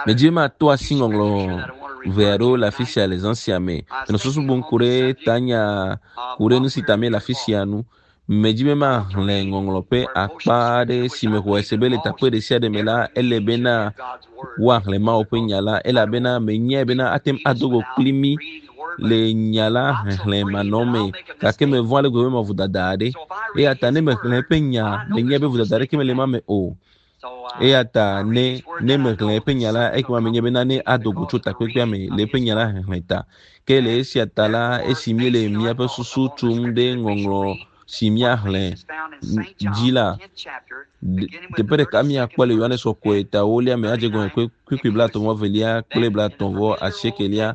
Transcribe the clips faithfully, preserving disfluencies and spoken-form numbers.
Medzi be mato asi ŋɔŋlɔ ʋe aɖewo le afi sia le zã sia me. Menɔ susu bum ku ɖe tanya ku ɖe nu si ta míele afi sia nu. Medzi be maxlẽ ŋɔŋlɔ ƒe akpa aɖe si me xɔe se be le teƒe ɖe sia ɖe me la, ele bena woaxlẽ Mawu ƒe nya la elabena menyae bena ate ŋu ado go kpli mí le nya la xexlẽ manɔme gake mevɔ̃ ale gbegbe be mewɔ vodada aɖe eya ta ne mexlẽ eƒe nya menyae be vodada aɖeke mele ema me o eya ta ne ne mexlẽ eƒe nya la ekema menye bena ne ado go tso takpekpea me le eƒe nya la xexlẽ ta ke le esia ta la esi míele míaƒe susu tum ɖe ŋɔŋlɔ si míaxlẽ dzi la teƒe ɖeka míakpɔ le Yohanes kɔkɔe ta ewolia me adze gɔme kpukpui blaetɔ̃ vɔ evelia kple blaetɔ̃ vɔ asiekelia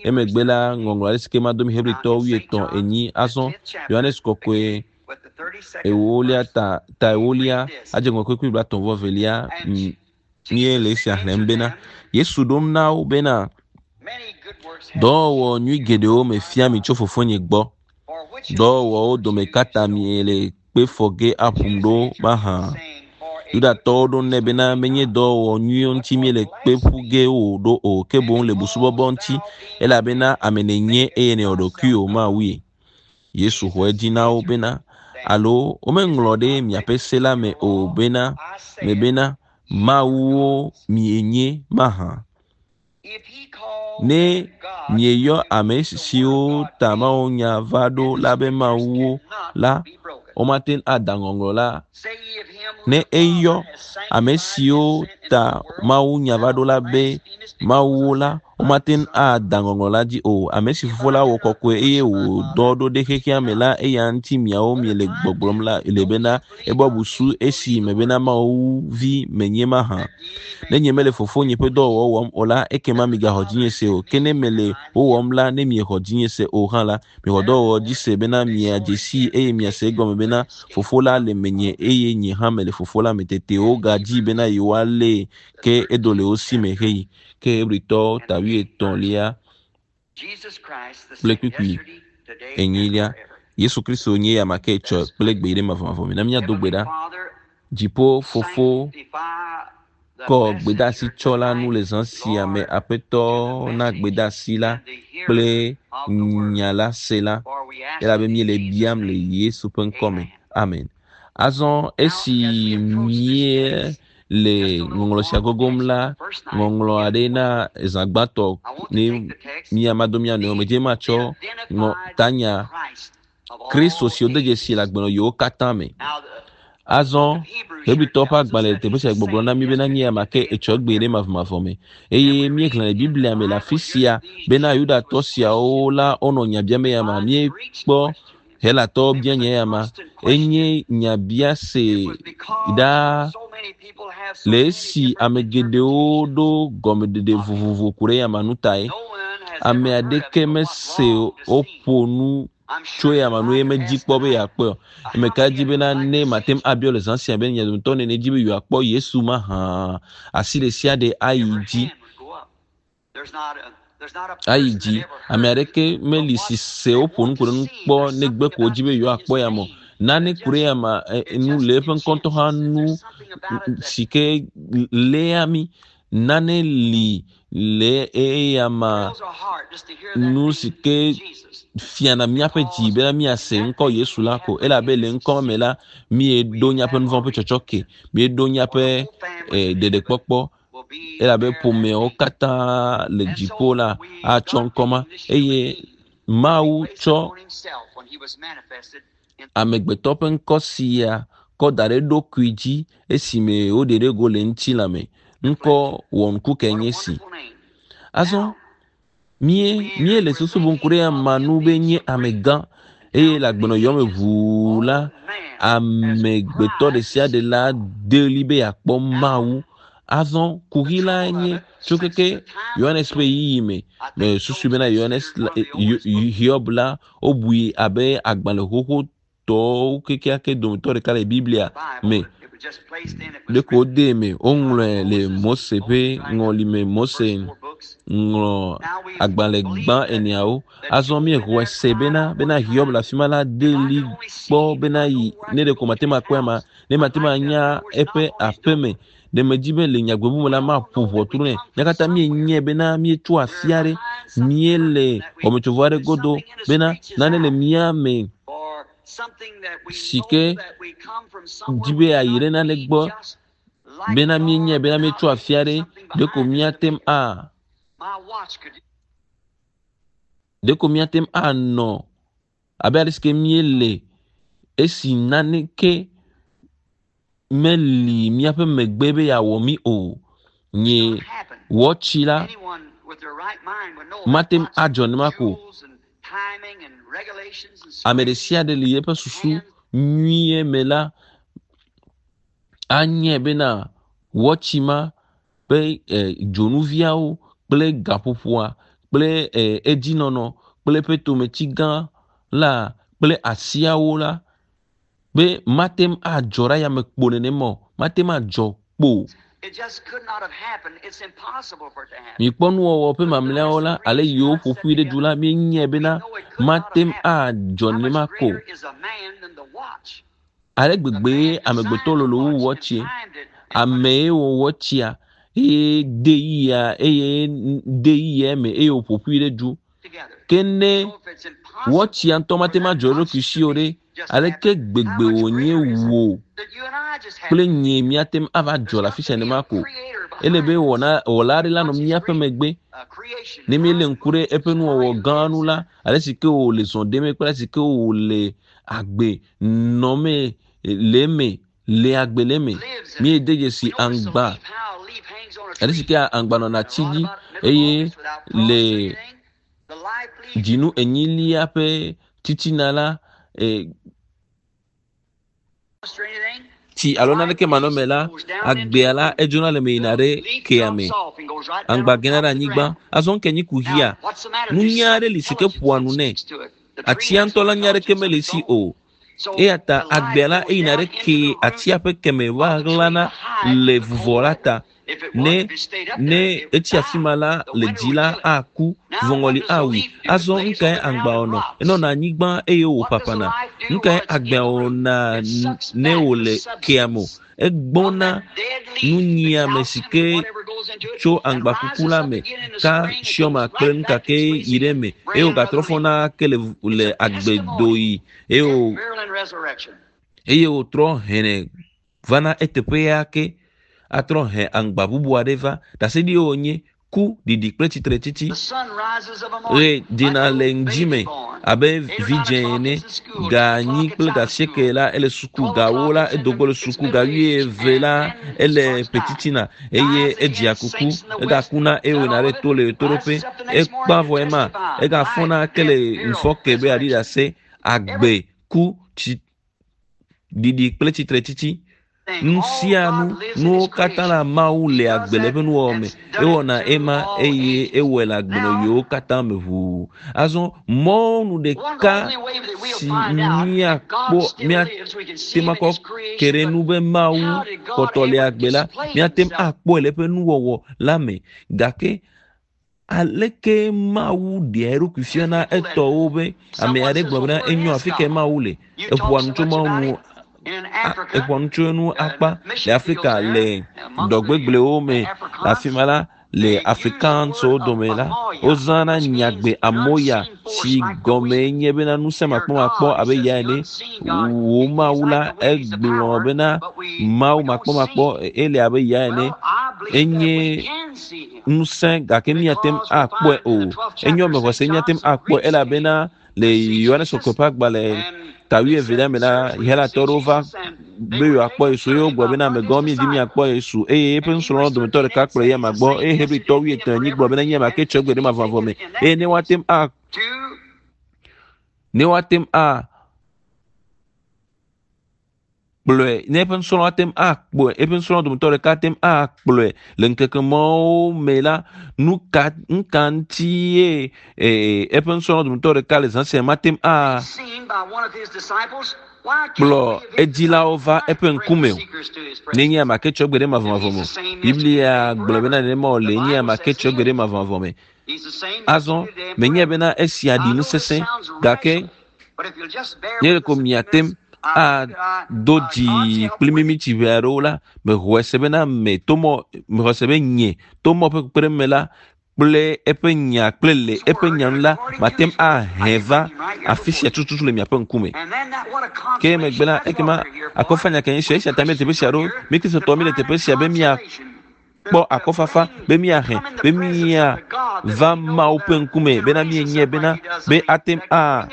emegbe la ŋɔŋlɔ aɖe si ke mado mi Hebritɔwo wuietɔ̃ enyi azɔ Yohanes kɔkɔe ewolia ta ta ewolia adze gɔme kpukpui blaetɔ̃ vɔ evelia míele esia xlẽm bena Yesu ɖom na wo bena dɔwɔwɔ nyui geɖewo mefia mi tso fofonye gbɔ dɔwɔwɔwo dome katã miele kpe fɔ ge aƒum ɖo mahã Yudatɔwo ɖo nɛ bena menye dɔwɔwɔ nyuiwo ŋuti míele kpe ƒu ge wò ɖo o ke boŋ le busubɔbɔ ŋuti elabena ame nènye eye nèwɔ ɖokuiwò Mawue. Yesu xɔ edzi na wo bena alo womeŋlɔ ɖe miaƒe se la me o bena me bena Mawuwo mienye mahã. Ne mieyɔ ame siwo ta Mawu nya va ɖo la be Mawuwo la, womate ŋu ada ŋɔŋlɔ la. Ne eyɔ ame siwo ta Mawu nya va ɖo la be Mawuwo la, womate ŋu ada ŋɔŋlɔ la dzi o. Ame si Fofo la wɔ kɔkɔe eye wòdɔ ɖo ɖe xexea me la, eya ŋuti miawo miele gbɔgblɔm la le bena ebɔ busu esi me bena Mawu vi menye mahã. Ne nye mele fofonye ƒe dɔwɔwɔ wɔm o la, ekema migaxɔ dzinye se o. Ke ne mele wo wɔm la, ne miexɔ dzinye se o hã la, mixɔ dɔwɔwɔ dzi se bena miadze sii eye miase egɔme bena fofo la le menye eye nye hã mele fofo la me. Tete wogadzi bena yewoalée ke edo le wo si me heyi. Ke Hebritɔwo ta wuietɔ̃lia kple kpukpui enyilia. Yesu Kristo nye ya ma ke tsɔ kple gbe ɖe mavɔmavɔ me. Na míado gbe ɖa. Dziƒo fofo kɔ gbedeasi tsɔ la nu le zã sia me. Aƒetɔ na gbedeasi la kple nya la se la elabe míele biam le Yesu ƒe ŋkɔ me. Amen. Azɔ esi míele ŋɔŋlɔ sia gogom la, ŋɔŋlɔ aɖe na zã gbãtɔ ne míamado mía nɔewo me dzi matsɔ ŋɔ tanya Kristo si wode dzesi le agbenɔɣiwo katã me. Azɔ Hebritɔwo ƒe agbalẽ le teƒe sia gbɔgblɔ na mí bena nye ya ma ke etsɔ gbe ɖe mavɔmavɔ me eye míexlẽ le Biblia me le afi sia bena Yudatɔ siawo la wonɔ nya biam eya ma míekpɔ Helatɔwo bia nya ya ma enye nyabiase ɖaa le esi ame geɖewo ɖo gɔmeɖeɖe vovovo ku ɖe ya ma nu tae. Ame aɖeke mese woƒo nu tso ya ma nu ye medzi kpɔ be yeakpɔe o. Ame ka dzi bena ne mate ŋu abiɔ le zã sia be mia dometɔ nene dzi be yewoakpɔ Yesu mahã asi ɖe sia ɖe ayi dzi ayi dzi. Ame aɖeke meli si se woƒo nu ku ɖe nu kpɔ negbe ko wodzi be yewoakpɔ ya me o. Nane ku ɖe ya ma nu le eƒe ŋkɔ ŋutɔ hã nu si ke léa mí. Nane li le eya ma nu si ke fiana míaƒe dzi bena míase ŋkɔ Yesu la ko elabe le ŋkɔ me la míeɖo míaƒe nuvɔ̃ ƒe tsɔtsɔke míeɖo míaƒe ɖeɖekpɔkpɔ elabe ƒomeawo katã le dziƒo la atsɔ ŋkɔ ma eye Mawu tsɔ amegbetɔ ƒe ŋkɔ sia kɔ da ɖe eɖokui dzi esime woɖe ɖe go le ŋutilã me. Ŋkɔ wɔnuku kae nye esi. Azɔ mie míele susu bum ku ɖe ama nu be nye amegã eye le agbenɔyɔ me ʋuu la amegbetɔ ɖe sia ɖe la de ɣli be yeakpɔ Mawu. Azɔ kuxi la nye tso keke Yohanes ƒe ɣeyiɣi me me susu bena Yohanes Hiob la wobui abe agbalẽ xoxotɔwo kekeake dometɔ ɖeka le Biblia me. Ɖeko wodee me woŋlɔe le Mose ƒe ŋɔli me. Mose ŋlɔ agbalẽ gbã eneawo. Azɔ míexɔe se bena bena Hiob le afi ma la de ɣli kpɔ bena yi ne ɖeko mate ŋu akpɔe ama ne mate ŋu anya eƒe aƒeme Ɖe medzi be le nyagbe bubu me la maƒo ʋɔtru nɛ. Mía katã míenyae bena míetso afi aɖe, míele xɔmetsovɔ aɖe godo bena nane le mía me si ke di be yeayi ɖe nane gbɔ bena míenyae bena míetso afi aɖe ɖeko míate ŋu a ɖeko míate ŋu anɔ abe ale si ke míele esi naneke meli míaƒe megbe be yeawɔ mí o. Nye wɔtsi la mate ŋu adzɔ nenema ko. Ame ɖe sia ɖe le eƒe susu nyuie me la anyae bena wɔtsi ma ƒe dzonuviawo kple gaƒoƒoa kple edzinɔnɔ kple eƒe tometsi gã la kple asiawo la be mate ŋu adzɔ ɖe ayame kpo nenema o. Mate ŋu adzɔ kpo. Mikpɔ nuwɔwɔ ƒe mamlɛawo la ale yiwo ƒo ƒui ɖe du la míenyae bena mate ŋu adzɔ nenema ko. Ale gbegbe amegbetɔ lolo wu wɔtsie. Ame wɔ wɔtsia eye de yia eye de yia me eye wòƒo ƒui ɖe du. Ke ne wɔtsia ŋutɔ mate ŋu adzɔ eɖokui si o ɖe, aleke gbegbe wònye wò kple nye míate ŋu ava dzɔ le afi sia nenema ko. Ele be wɔna wɔla aɖe la nɔ míaƒe megbe. Ne míelé ŋku ɖe eƒe nuwɔwɔ gã nu la, ale si ke wòle zɔ ɖem kple ale si ke wòle agbe nɔmee le eme le agbe le eme. Míede dzesi aŋgba ale si ke aŋgba nɔna atsi dzi eye le dzinu enyilia ƒe titina la e, tsi alo naneke manɔme la agbea la edzona le me yina ɖe kea me. Aŋgba gena ɖe anyigba. Azɔ ŋke nyi kuxia. Nunya aɖe li si ke ƒoa nu nɛ. Atsia ŋutɔ la nya aɖeke mele esi o. Eya ta agbea la eyina ɖe ke atsia ƒe keme va ɣlana le vuvɔ la ta. Ne ne etsi afi ma la le dzi la aku, vuvɔŋɔli awui. Azɔ nukae aŋgba wɔnɔ? Enɔna anyigba eye wòƒaƒãna. Nukae agbea wɔna ne wòle kea me o? Egbɔna nunyiame si ke tso aŋgba kuku la me kalsiɔma kple nukake yi ɖe eme eye wògatrɔ fɔna ke le le agbedoyi eye wò eye wòtrɔ hene vana eteƒe ya ke atrɔ he aŋgba bubu aɖe va. Ɖaseɖi wònye ku, ɖiɖi kple tsitretsitsi. Ɣe dzena le ŋdzi me abe vidzẽ ene. Ga enyi kple ga asieke la ele suku, ga ewo la edo go le suku, ga wuieve la ele ƒetitina eye edzia kuku. Egakuna eye wòyina ɖe to le ɣetoɖoƒe. Ekpa vɔ ema egafɔna ke le ŋufɔke be yeaɖi ɖase agbe, ku, tsi, ɖiɖi kple tsitretsitsi. Nu sia nu, nuwo katã la Mawu le agbe le eƒe nuwɔwɔ me. Ewɔna ema eye ewɔe le agbenɔɣiwo katã me ʋuu. Azɔ mɔnu ɖeka si míakpɔ míate ŋu akɔ ke ɖe nu be Mawu kpɔtɔ le agbe la, míate ŋu akpɔe le eƒe nuwɔwɔ la me. Gake aleke Mawu ɖea eɖokui fiana etɔwo be ame aɖe gblɔ bena enyo afi kae Mawu le? Eƒoa nu tso Mawu ŋu eƒoa nu tso enu akpa le Afrika le dɔgbegblewo me le afi ma la le Afrikanswo dome la wozãna nyagbe amoya si gɔme nye bena ŋusẽ makpɔmakpɔ abe ya ene. Wò Mawu la egblɔ bena Mawu makpɔmakpɔ ele abe ya ene. Enye ŋusẽ gake míate ŋu akpɔe o. Enyo ame xɔse míate ŋu akpɔe elabena le Yohanes Kɔkɔe ƒe agbalẽ ta wuievelia me la Helatɔ ɖewo va be yewoakpɔ Yesu eye wogblɔ bena amegãwo míedi míakpɔ Yesu eye eƒe nusrɔ̃lawo dometɔ ɖeka kplɔ eyama gbɔ eye Hebritɔ wuietɔ̃ enyi gblɔ bena nye ame ke tsɔ gbe ɖe mavɔmavɔ me eye ne woate ŋu a ne woate ŋu a kplɔe ne eƒe nusrɔ̃lawo ate ŋu akpɔe eƒe nusrɔ̃lawo dometɔ ɖeka ate ŋu akplɔe le ŋkeke mawo me la nu ka nu ka ŋuti ye ee eƒe nusrɔ̃lawo dometɔ ɖeka le zã sia mate ŋu a kplɔ edzilawo va eƒe ŋkume o. Nenye ame ke tsɔ gbe ɖe mavɔmavɔ me o. Biblia gblɔ bena nenema wòle nye ame ke tsɔ gbe ɖe mavɔmavɔ me. Azɔ menye bena esia ɖi nu sesẽ gake nye ɖeko miate ŋu ado dzi kpli mí mitsi ʋe aɖewo la, mexɔe se bena me tomɔ mexɔe se be nye tomɔ ƒe kpekpeɖeŋu me la kple eƒe nya kple le eƒe nya nu la mate ŋu ahe va afi sia tututu le miaƒe ŋkume. Ke megbe la ekema akɔfanya ke nye sia esia ta mi le teƒe sia ɖo mi kristotɔ mi le teƒe sia be miakpɔ akɔfafa be miahe be miava Mawu ƒe ŋkume bena mienye bena be ate ŋu a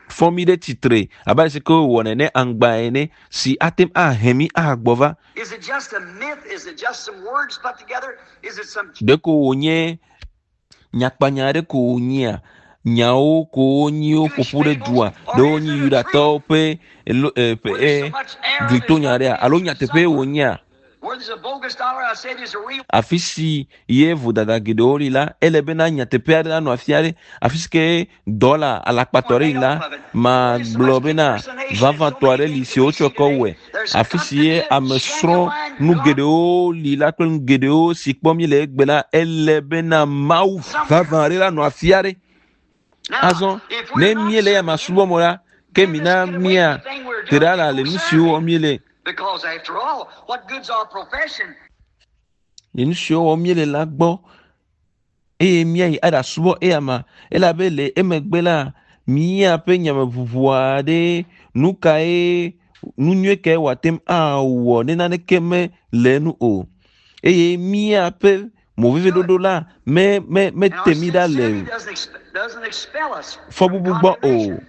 fɔ mi ɖe tsitre abe ale si ke wowɔ nene aŋgba ene si ate ŋu ahe mi agbɔ va. Is it just a myth? Is it just some words put together? Is it some Ɖeko wònye nyakpanya aɖe ko wònyea nyawo ko wonyi woƒo ƒu ɖe dua ɖewo nyi yudatɔwo ƒe elo e ƒe e glitonya aɖea alo nyateƒe wònyea where there's a bogus dollar? I say there's a real afi si ye vodada geɖewo li la ele bena nyateƒe aɖe nanɔ afi aɖe afi si ke dɔla alakpatɔ ɖe li la magblɔ bena vavãtɔ aɖe li si wotsɔ kɔ wɔe afi si ye ame srɔ̃ nu geɖewo li la kple nu geɖewo si kpɔm mi le egbe la ele bena Mawu vavã aɖe la nɔ afi aɖe Now, azɔ if ne we're not míele ya ma serving him, subɔm o la ke then mina let's get away mía from the thing we're te doing ɖa la and le go nu serve siwo wɔm him. míele Because after all, what good's our profession? le nu siwo wɔm míele la gbɔ eye míayi aɖasubɔ eya ma elabe le emegbe la míaƒe nyameʋuʋu aɖe nu kae nu nyuie kae wòate ŋu awɔ ne naneke mele enu o eye míaƒe moveviɖoɖo la me me And our mete mí ɖa le sincerity doesn't, exp- doesn't expel us from fɔbubu gbɔ o. condemnation.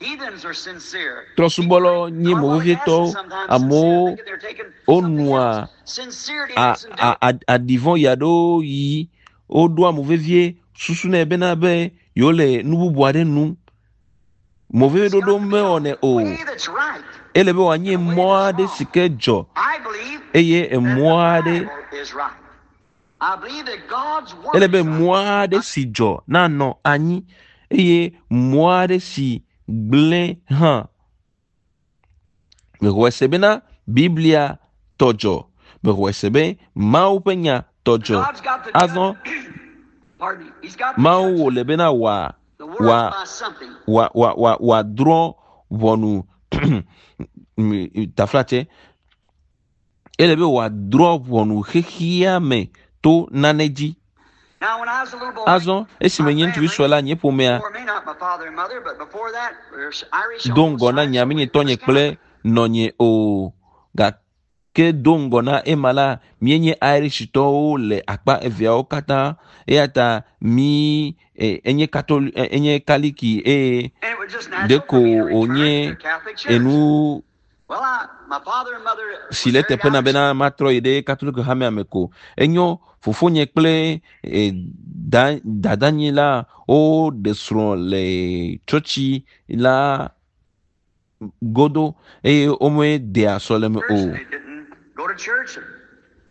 Heathens are sincere. Trɔ̃subɔlawo nye Carbolic movevietɔwo acid sometimes sincere, amewo thinking they're taking something wonɔa else. Sincerity a doesn't do a it. a aɖivɔ yi aɖewo yi woɖoa movevie susunɛ bena be yewo le nu bubu aɖe num. It's Moveviɖoɖo got to be a mewɔnɛ o. way that's right Ele be wòanye and a way mɔ that's aɖe wrong. si ke dzɔ I believe eye that the emɔ aɖe Bible is right. I believe that God's Word ele be is right. mɔ aɖe si dzɔ nanɔ anyi eye mɔ aɖe si gblẽ hã. Mexɔe se bena Biblia tɔ dzɔ. Mexɔe se be Mawu ƒe nya tɔ dzɔ. God's got to Azɔ judge. Pardon me. He's got to Mawu judge wòle bena wòa the world wòa by something. wòa wòa wòa wòadrɔ̃ ʋɔnu taflatse. Ele be wòadrɔ̃ ʋɔnu xexea me to nane dzi. Now, when I was a little boy, Azɔ esime my nye ŋutsuvi family, sue la nye ƒomea before me, not my father and mother, but before that, we were Irish do on both ŋgɔ na sides, nye so ame we nye were tɔnye kple Catholic. nɔnye o. Gake do ŋgɔ na ema la, míenye Irishtɔwo le akpa eveawo katã eya ta mí e, enye katoli e, enye kaliki eye And it was just natural ɖeko for me to return to wònye the Catholic Church. enu Well, I, my father and mother si was le very teƒe na Irish. bena matrɔ yi ɖe katoliko hamea me ko. Enyo fofonye kple e, da, dadanye la woɖe srɔ̃ le tsɔtsi la godo eye womedea sɔleme Church, o. and they didn't go to church.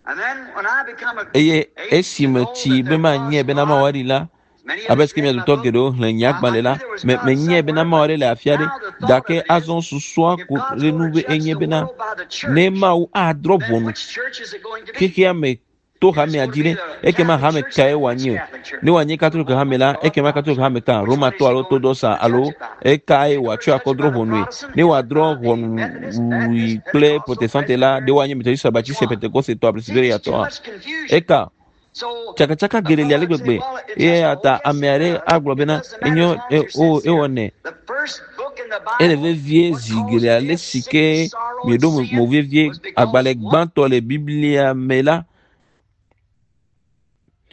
And then when I become a Eye age to esime know tsi that be there manye was bena God, Mawu aɖi la, as many of abe us sike read mia my dometɔ book, geɖewo xlẽ nye I, I agbalẽ knew la, there was me God menyae bena somewhere, Mawu but aɖe le afi aɖe now the thought gake of it is, azɔ susua if ko God's ɖe going nu to be judge enye the bena world by the ne church, Mawu adrɔ̃ then ʋɔnu which church is it going to be? xexea me to If it's hamea going to dzi be ɖe the ekema Catholic hame Church, kae then which wòanye o? Catholic Church? Ne wòanye The katoliko Roman hame la or ekema Orthodox? katoliko hame ka Which one romatɔ is he alo going to orthodoxa alo judge it by? ekae Is he going to wòatsɔe judge akɔ it by drɔ̃ the ʋɔnue? Protestant? Ne Is it wòadrɔ̃ by the ʋɔnu Methodist, wui Baptist, kple Pentecostal, protestante la ɖe Presbyterian? woanye methodist Which baptiste one? pentekostetɔ See, there's presbyteriatɔa? too much confusion. Eka So tsakatsaka a geɖe li fellow ale would say, gbegbe well, it eye just, ya oh, ta yes, ame it aɖe does. agblɔ It bena doesn't matter enyo as long e as you're o sincere. ewɔnɛ The first book in the ele Bible, vevie what zi caused geɖe ale death, si sickness, ke sorrow, and mieɖo mo sin mo vevie was because agbalẽ one gbãtɔ le Biblia me la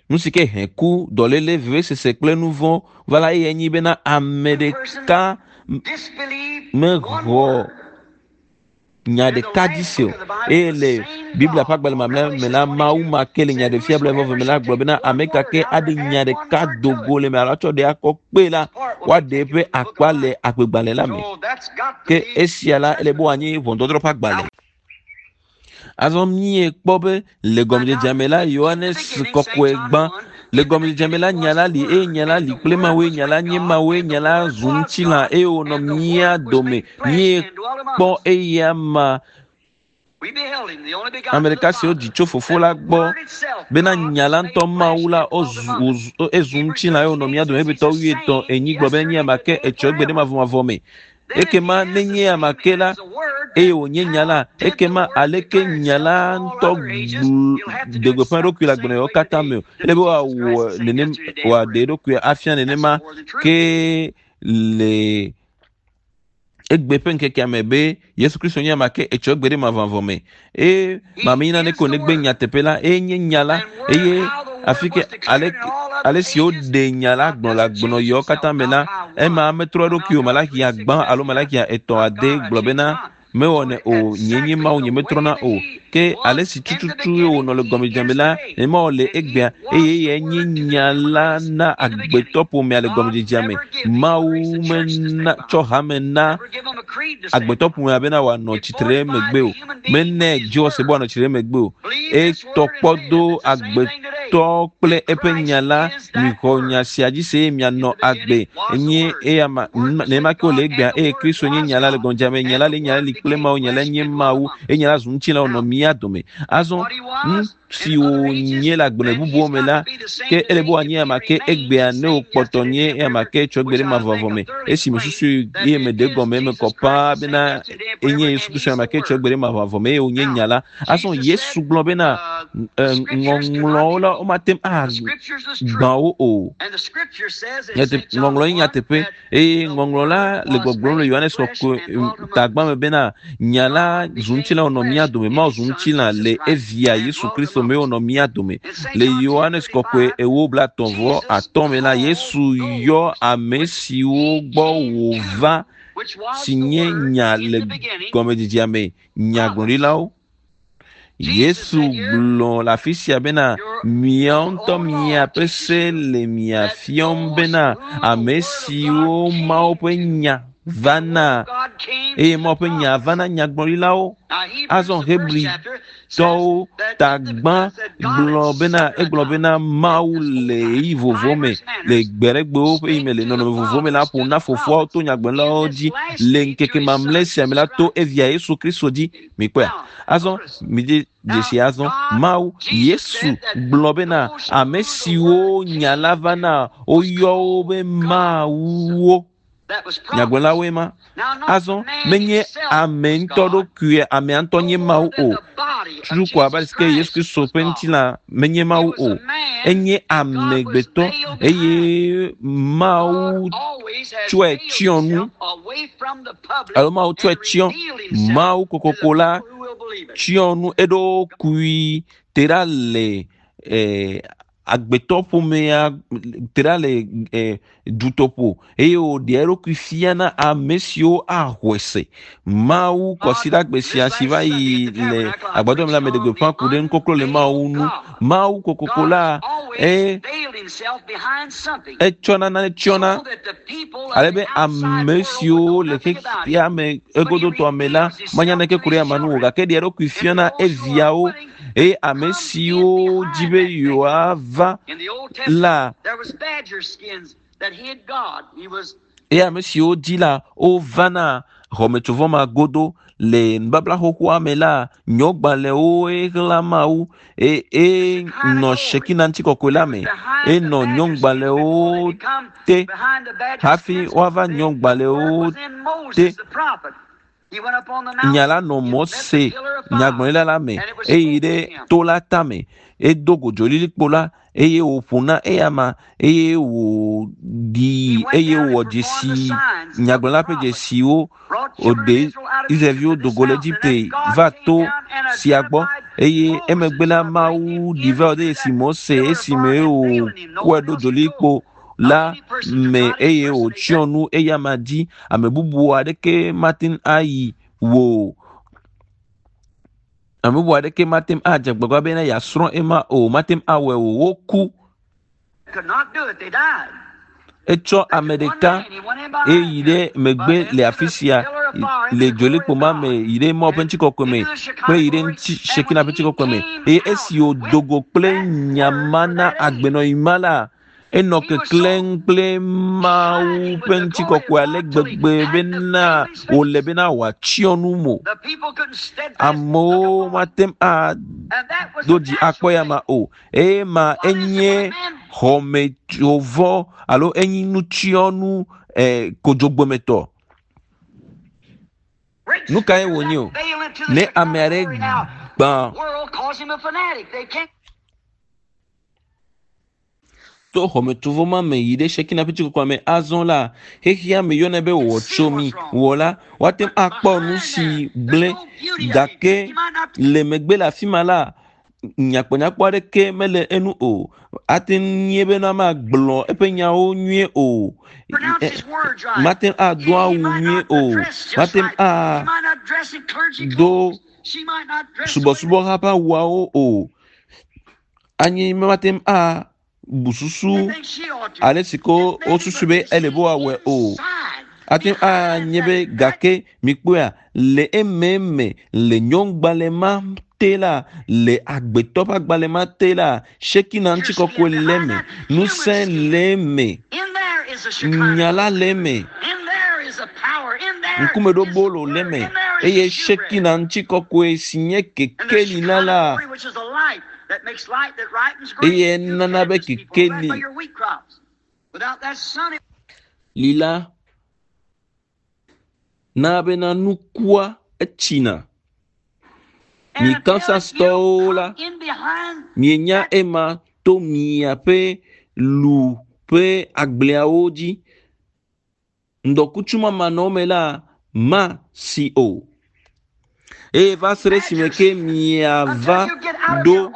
nu si ke he ku dɔléle vevesese kple nu vɔ̃ va la eye nyi bena ame person ɖeka m- disbelieved one mexɔ word. nya And in the ɖeka dzi last se o book of the Bible, eye the le same Biblia ƒe God agbalẽ on mamlɛ me Revelation la Mawu twenty-two ma ke le said, nyaɖefia bla vɔ Whosoever me la shall gblɔ take bena one ame ka word ke out or aɖe nya add one ɖeka word do to go it, le me alo atsɔ ɖe akɔ kpee la his part will be woaɖe taken eƒe from the book akpa of le life. agbegbalẽ la me So that's got to ke be esia the la ele be judgment. wòanye ʋɔnudɔdrɔ̃ ƒe Now, agbalẽ. Azɔ míekpɔ be le find out gɔmedzedzea me la in the Yohanes beginning, Saint kɔkɔe John gbã one, le in the gɔmedzedzea me beginning la nya was la the li eye Word, nya la and li the kple Word Mawue was nya la with nye God, Mawue and the nya la Word zu was ŋutilã God, eye wònɔ and the mía Word was dome made flesh and dwelt among míekpɔ us. eya ma We beheld him, the only ame begotten of the ɖeka si wodzi Father, tso fofo that la the gbɔ Word itself, bena God, nya was la made ŋutɔ flesh Mawu la and dwelt wozu among us. wòzu ezu Hebrews ŋutilã eye wònɔ thirteen mía eight dome says he's Hebritɔ the wuietɔ̃ same enyi gblɔ be nye yesterday, ame ke today, and etsɔ egbe ɖe forever. mavɔmavɔ me. Ekema nenye ame ke la eye wònye nya la, ekema aleke nya la ŋutɔ ɖe gbeƒã eɖokui le agbenɔɣiwo katã me o. Ele be wòawɔ nenem wòaɖe eɖokui afia nenema ke le egbe ƒe ŋkekea me be Yesu Kristo nye ame ke etsɔ egbe ɖe mavɔmavɔ me. Eye mameyina ne ko negbe nyateƒe la, eye nye nya la, eye afi ke ale ale si woɖe nya la gblɔ le agbenɔɣiwo katã me la, ema metrɔ eɖokui o. Malakia gbã alo Malakia etɔ̃ ade gblɔ bena mewɔnɛ o, nye nye Mawu nye metrɔna o. Ke ale si tututu wònɔ le gɔmedzedzea me la, nenema wòle egbea eye eyae nye nya la na agbetɔ ƒomea le gɔmedzedzea me. Mawu mena tsɔ hame na agbetɔ ƒomea bena wòanɔ tsitre ɖe megbe o. Mene dziwɔse be wòanɔ tsitre ɖe megbe o. Etɔ kpɔ do agbetɔ kple eƒe nya la. Mixɔ nya sia dzi se eye mianɔ agbe. Nye eya ma nenema ke wòle egbea eye Kristo nye nya la le gɔmedzedzea me. Nya la le nya la li kple Mawu, nya la nye Mawu eye nya la zu ŋutilã wònɔ mía dome. Azɔ nu si wònye le agbenɔ bubuwo me la, ke ele be wòanye ame ke egbea ne wòkpɔtɔ nye ame ke tsɔ gbe ɖe mavɔmavɔ me. Esi mesusu eye meɖe gɔme eme kɔ paa bena enye Yesu Kristo ame ke tsɔ gbe ɖe mavɔmavɔ me eye wònye nya la. Azɔ Yesu gblɔ bena ŋɔŋlɔwo la womate ŋu agbã wo o. Ŋɔŋlɔ nye nyateƒe eye ŋɔŋlɔ la le gbɔgblɔm le Yohanes kɔkɔe tagbã me bena nya la zu ŋutilã wònɔ mía dome. Mawu zu ŋutilã le evia Yesu Kristo me wònɔ mía dome. Le Yohanes kɔkɔe ewo blatɔ̃ vɔ atɔ̃ me la, Yesu yɔ ame siwo gbɔ wòva si nye nya le gɔmedzedzea me, nyagblɔɖilawo. Yesu gblɔ le afi sia bena miawo ŋutɔ miaƒe se le mia fiɔm bena ame siwo Mawu ƒe nya vana eye Mawu ƒe nya vana nyagblɔɖilawo. Azɔ Hebritɔwo tagbã gblɔ bena egblɔ bena Mawu le ɣeyiɣi vovovo me le gbe ɖe gbewo ƒe yi me le nɔnɔme vovovo me la ƒo na fofoawo to nyagblɔɖilawo dzi le ŋkeke mamlɛ sia me la to evia Yesu Kristo dzi. Mikpɔea? Azɔ midze dzesi azɔ Mawu Yesu gblɔ bena ame siwo nya la vana woyɔ wo be Mawuwo. Nyagblɔlawoe ma. Azɔ menye ame ŋutɔ ɖokuie amea ŋutɔ nye Mawu o. Tutu ko abe ale si ke Yesu Kristo ƒe ŋutilã menye Mawu o. Enye amegbetɔ eye Mawu tsɔe tsyɔ nu alo Mawu tsɔe tsyɔ. Mawu kokoko la tsyɔ nu eɖokui te ɖa le eh, agbetɔ ƒomea te ɖa le eh, dutoƒo eye wòɖe eɖokui fia na ame siwo axɔe se. Mawu kɔsiɖagbe sia si va yi le agbadɔ me la meɖe gbeƒã ku ɖe nukɔklɔ le Mawu ŋu. Mawu kokoko la e etsɔna nane tsyɔna ale be ame siwo le xexea me egodotɔa me la manya naneke ku ɖe amea ŋu o gake ɖe eɖokui fia na eviawo eye ame siwo dzi be yewoava la eye ame siwo dzi la wovana xɔmetsovɔ ma godo le nubabla xoxoa me la nyɔgbalẽwo xlã Mawu e e nɔ Shekina ŋutikɔkɔe la me enɔ nyɔgbalẽwo te hafi woava nyɔgbalẽwo te. Nya la nɔ Mose nyagblɔɖila la me eye ɖe to la tame edo go dzolilikpo la eye wòƒo na eyama eye wòɖi eye wòwɔ dzesi nyagblɔla ƒe dzesiwo wòɖe Israelviwo do go le Egipte va to sia gbɔ eye emegbe la Mawu ɖi va ɖe esi Mose esime wòkɔe ɖo dzolilikpo la me eye wòtsyɔ nu eyama dzi. Ame bubu aɖeke mate ŋu ayi wò ame bubu aɖeke mate ŋu adze agbagba bena yeasrɔ̃ ema o, mate ŋu awɔe o. Woku. Etsɔ ame ɖeka eyi ɖe megbe le afi sia le dzolikpo ma me yi ɖe Mawu ƒe ŋutikɔkɔe me kple yi ɖe ŋuti Shekina ƒe ŋutikɔkɔe me eye esi wòdo go kple nya ma na agbenɔɣi ma la, enɔ keklẽm kple Mawu ƒe ŋutikɔkɔe ale gbegbe bena wòle bena wòatsyɔ nu mo. Amewo mate ŋu ado dzi akpɔ ya ma o. Eye ma enye xɔmetsovɔ alo enye nutsyɔnu eh, kodzogbɔmetɔ. Nu kae wònye o? Ne ame aɖe gbã to xɔmetsovɔ ma me yi ɖe Shekina ƒe ŋutikɔkɔe me azɔ la, xexea me yɔnɛ be wɔtsomi wɔ la, woate ŋu akpɔ nu si gblẽ gake le megbe le afi ma la, nyakpɔnyakpɔ aɖeke mele enu o. Ate ŋu nye bena magblɔ eƒe nyawo nyuie o. Mate ŋu ado awu nyuie o. Mate ŋu ado subɔsubɔha ƒe awuawo o. Anyi mate ŋu a bu susu ale si ko wosusu be ele be woawɔe o. Ate ŋu anye be gake mikpɔea le ememe le nyɔŋgbalẽ ma te la, le agbetɔ ƒe agbalẽ ma te la, Shekina ŋutikɔkɔe le eme, ŋusẽ le eme, nya la le eme, ŋkumeɖobolo le eme, eye Shekina ŋutikɔkɔe si nye kekeli la la, eye nana be kekeli li la na bena nukua etsina. Mi Kansastɔwo la, mienya ema to miaƒe lu ƒe agbleawo dzi. Ŋdɔkutsu mamanɔme la ma si o. Eye va se ɖe esime ke miava ɖo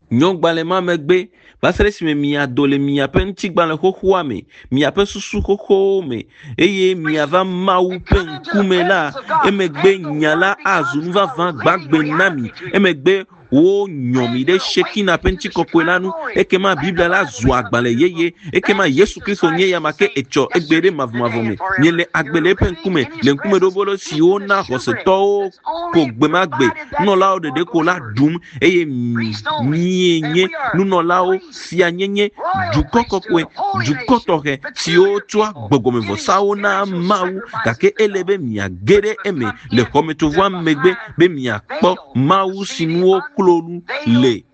nyɔgbalẽ ma megbe, va se ɖe esime miado le miaƒe ŋutigbalẽ xoxoa me, miaƒe susu xoxowo me, eye miava Mawu ƒe ŋkume la, emegbe nya la azu nu vavã gbagbe na mi. Emegbe wonyɔ mi ɖe Shekina ƒe ŋutikɔkɔe la nu, ekema Biblia la zu agbalẽ yeye, ekema Yesu Kristo nye ya ma ke etsɔ egbe ɖe mavɔmavɔ me. Miele agbe le eƒe ŋkume, le ŋkumeɖobolo siwo na xɔsetɔwo ko gbe ma gbe, nunɔlawo ɖeɖe ko la ɖum, eye mienye nunɔlawo, fianyenye, dukɔ kɔkɔe, dukɔ tɔxɛ siwo tsɔa gbɔgbɔmevɔsawo na Mawu, gake ele be miage ɖe eme le xɔmetsovɔa megbe be miakpɔ Mawu si nuwo klo nu le.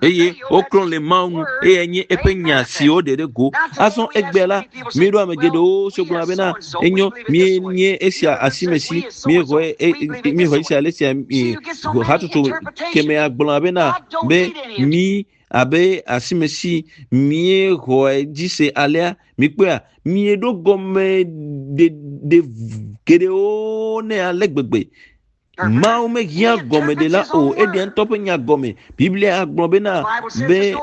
Eye woklɔ le Mawu ŋu, eye nye eƒe nya siwo ɖe ɖe go. Azɔ egbea la, míeɖo ame geɖewo siwo gblɔna bena enyo, míenye esia asime si, míexɔe míexɔe esia ale sia hatsotso kemea gblɔna bena be mí abe asime si míexɔe dzi se alea, mikpɔea míeɖo gɔme ɖe ɖe geɖewo ne ale gbegbe. Mawu mehiã gɔmeɖela o, eɖea ŋutɔ ƒe nya gɔme. Biblia gblɔ bena be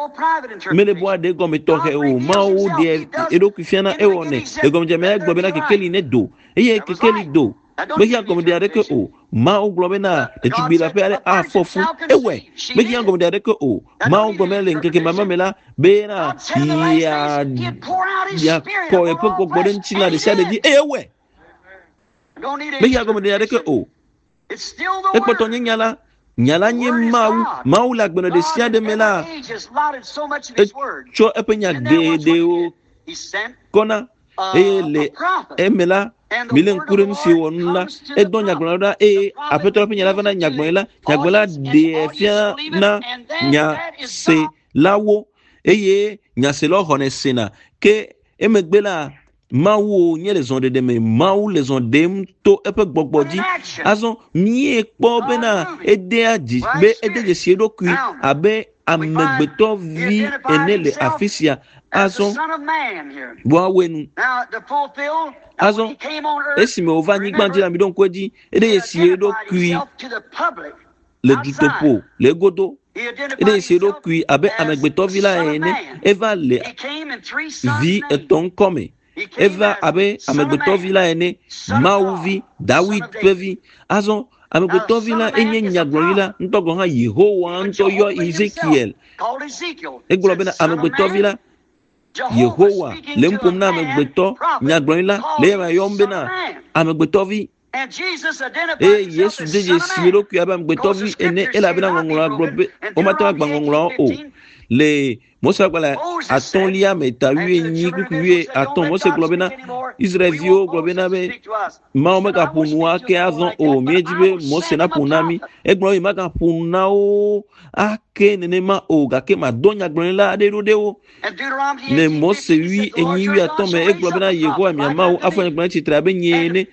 mele be woaɖe gɔme tɔxɛ o. Mawu ɖe eɖokui fiana ewɔnɛ. Le gɔmedzedzea egblɔ bena kekeli ne do, eye kekeli do. Mehiã gɔmeɖe aɖeke o. Mawu gblɔ bena ɖetugbi la ƒe aɖe afɔ fu, ewɔe. Mehiã gɔmeɖe aɖeke o. Mawu gblɔ bena le ŋkeke mamlɛ me la bena ya yakɔ eƒe gbɔgbɔ ɖe ŋutilã ɖe sia ɖe dzi, eye ewɔe. Mehiã gɔmeɖe aɖeke o. Ekpɔtɔ nye nya la, nya la nye Mawu. Mawu le agbenɔ ɖe sia ɖe me la, etsɔ eƒe nya geɖewo kɔna eye le eme la, mile ŋku ɖe nu si wòwɔ nu la, edɔ nyagblɔɖila ɖa eye Aƒetɔ la ƒe nya la va na nyagblɔɖila. Nyagblɔɖila ɖee fia na nyaselawo eye nyaselawo xɔnɛ sena. Ke emegbe la, Mawu nye le zɔɖeɖe me. Mawu le zɔ ɖem to eƒe gbɔgbɔ dzi. Azɔ míekpɔ bena edea dzi be ede dzesi eɖokui abe amegbetɔvi ene le afi sia. Azɔ woawoe nu. Azɔ esime wòva anyigba dzi la, miɖo ŋku edzi, ede dzesi eɖokui le dutoƒo le egodo. Ede dzesi eɖokui abe amegbetɔvi la ene. Eva le vi etɔ̃ ŋkɔme. Eva abe amegbetɔvi la ene, Mawuvi, Dawid ƒe vi. Azɔ amegbetɔvi la enye nyagblɔɖila ŋutɔ gɔ̃ hã Yehowa ŋutɔ yɔ Ezekiel. Egblɔ bena amegbetɔvi la, Yehowa le nu ƒom na amegbetɔ nyagblɔɖila le eya yɔm bena amegbetɔvi. Eye Yesu de dzesi eɖokui abe amegbetɔvi ene elabena ŋɔŋlɔa gblɔ be womate ŋu agbã ŋɔŋlɔawo o. Le Mose agbalẽ atɔ̃lia me ta wuienyi kpukpui wuiatɔ̃ Mose gblɔ bena Israelviwo gblɔ bena be Mawu megaƒo nu ake azɔ o. Míedzi be Mose naƒo na mí. Egblɔ be magaƒo nu na wo ake nenema o gake madɔ nyagblɔɖila aɖe ɖo ɖe wo. Le Mose wui enyi wui atɔ̃ me egblɔ bena Yehowa mia Mawu afɔ nyagblɔɖila tsitre abe nye ene.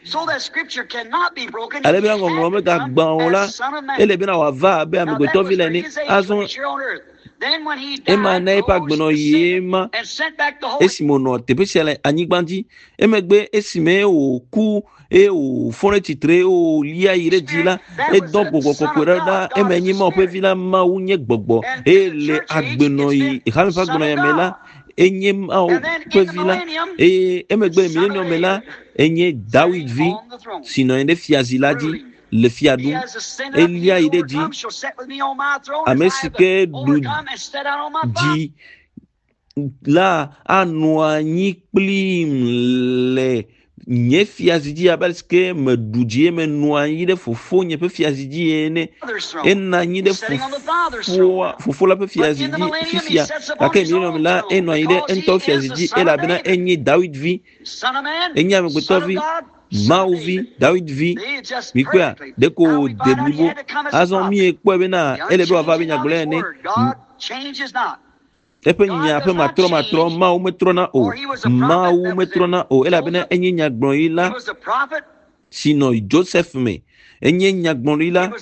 Ale bena ŋɔŋlɔ megagbã o la, ele bena wòava abe amegbetɔvi la ene. Azɔ ema na eƒe agbenɔɣi ye ma esime wònɔ teƒe sia le anyigba dzi. Emegbe esime wòku eye wòfɔ ɖe tsitre eye wòlia yi ɖe dzi la, edɔ gbɔgbɔ kɔkɔe ɖe ɖa. Eme nye Mawu ƒe vi la, Mawu nye gbɔgbɔ eye le agbenɔɣi hame ƒe agbenɔɣi me la, enye Mawu ƒe vi la. Eye emegbe le milenium me la, enye Dawid vi si nɔ anyi ɖe fiazi la dzi le fia ɖum. Elia yi ɖe dzi. Ame si ke ɖu dzi la anɔ anyi kplim le nye fiazi dzi abe ale si ke meɖu dzi eye menɔ anyi ɖe fofonye ƒe fiazi dzi ene. Enɔ anyi ɖe fofoa fofo la ƒe fiazi dzi fifia gake milenium la enɔ anyi ɖe eŋutɔ fiazi dzi elabena enye Dawid vi, enye amegbetɔ vi, Mawu vi, Dawid vi. Mikpɔa ɖeko wòde blibo. Azɔ míekpɔe bena ele be wòava abe nyagblɔɖila ene. Eƒe nya ƒe matrɔmatrɔ Mawu metrɔna o. Mawu metrɔna o elabena enye nyagblɔɖila si nɔ Joseph me. Enye nyagblɔɖila.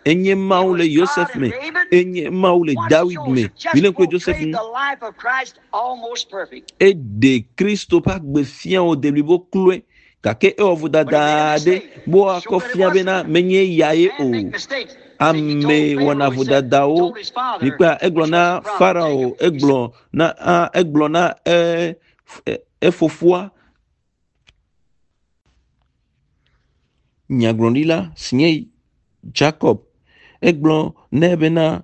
Enye Mawu le Yosef me. Enye Mawu le Dawid me. Mile ŋku ɖe Joseph ŋu. Eɖe Kristo ƒe agbe fia wòde blibo kloe. Gake ewɔ vodada aɖe be woakɔ fia bena menye ya ye o. Ame wɔna vodadawo. Mikpɔa egblɔ na Farao, egblɔ na a egblɔ na e efofoa nyagblɔɖila si nye Jacob. Egblɔ nɛ bena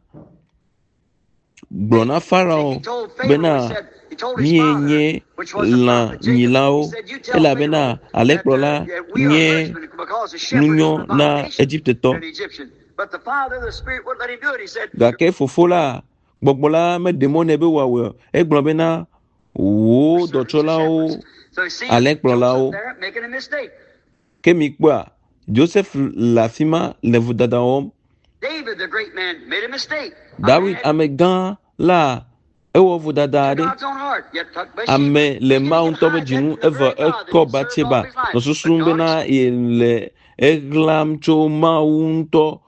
gblɔ na Farao bena míenye lãnyilawo elabena alẽkplɔla nye nunyɔ na Egiptetɔ. Gake fofo la, gbɔgbɔ la meɖe mɔ nɛ be wòawɔe o. Egblɔ bena wò dɔtsɔlawo, alẽkplɔlawo. Ke mikpɔa, Joseph le afi ma le vodada wɔm. Dawid amegã la ewɔ vodada aɖe. Ame le Mawu ŋutɔ ƒe dzi ŋu evɔ ekɔ Batseba nɔ susum bena yele eɣlam tso Mawu ŋutɔ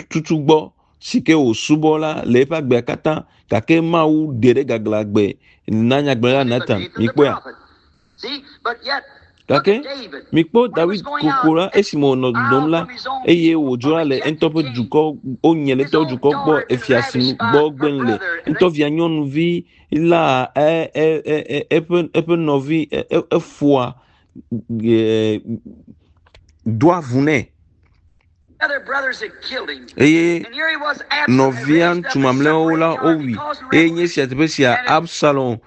tutu gbɔ si ke wòsubɔ la le eƒe agbea katã gake Mawu ɖe ɖe gaglãgbe na nyagblɔɖila Nathan. Mikpɔea? Gake mikpɔ Dawid koko la esime wònɔ dodom la eye wòdzra le ŋutɔ ƒe dukɔ wonye le ŋutɔ ƒe dukɔ gbɔ efia si gbɔ gbem le ŋutɔ via nyɔnuvi la e e e eƒe eƒe nɔvi efoa do avu nɛ. Eye nɔvia ŋutsu mamlɛawo la wowui eye nye sia teƒe sia Absalom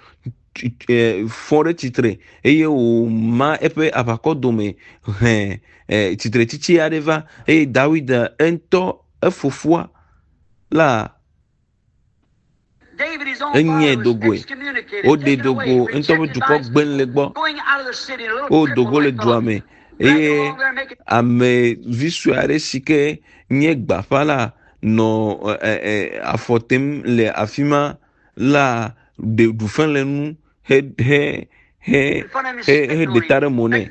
fɔ ɖe tsitre eye wòma eƒe aʋakɔ dome hẽ tsitretsitsi aɖe va eye Dawid ŋutɔ efofoa la enye dogoe. Woɖe dogo ŋutɔ ƒe dukɔ gbem le gbɔ. Wodo go le dua me eye ame vi sue aɖe si ke nye gbaƒã la nɔ afɔ tem le afi ma la ɖe ɖu fe le nu he he he he he ɖe ta ɖe mo nɛ.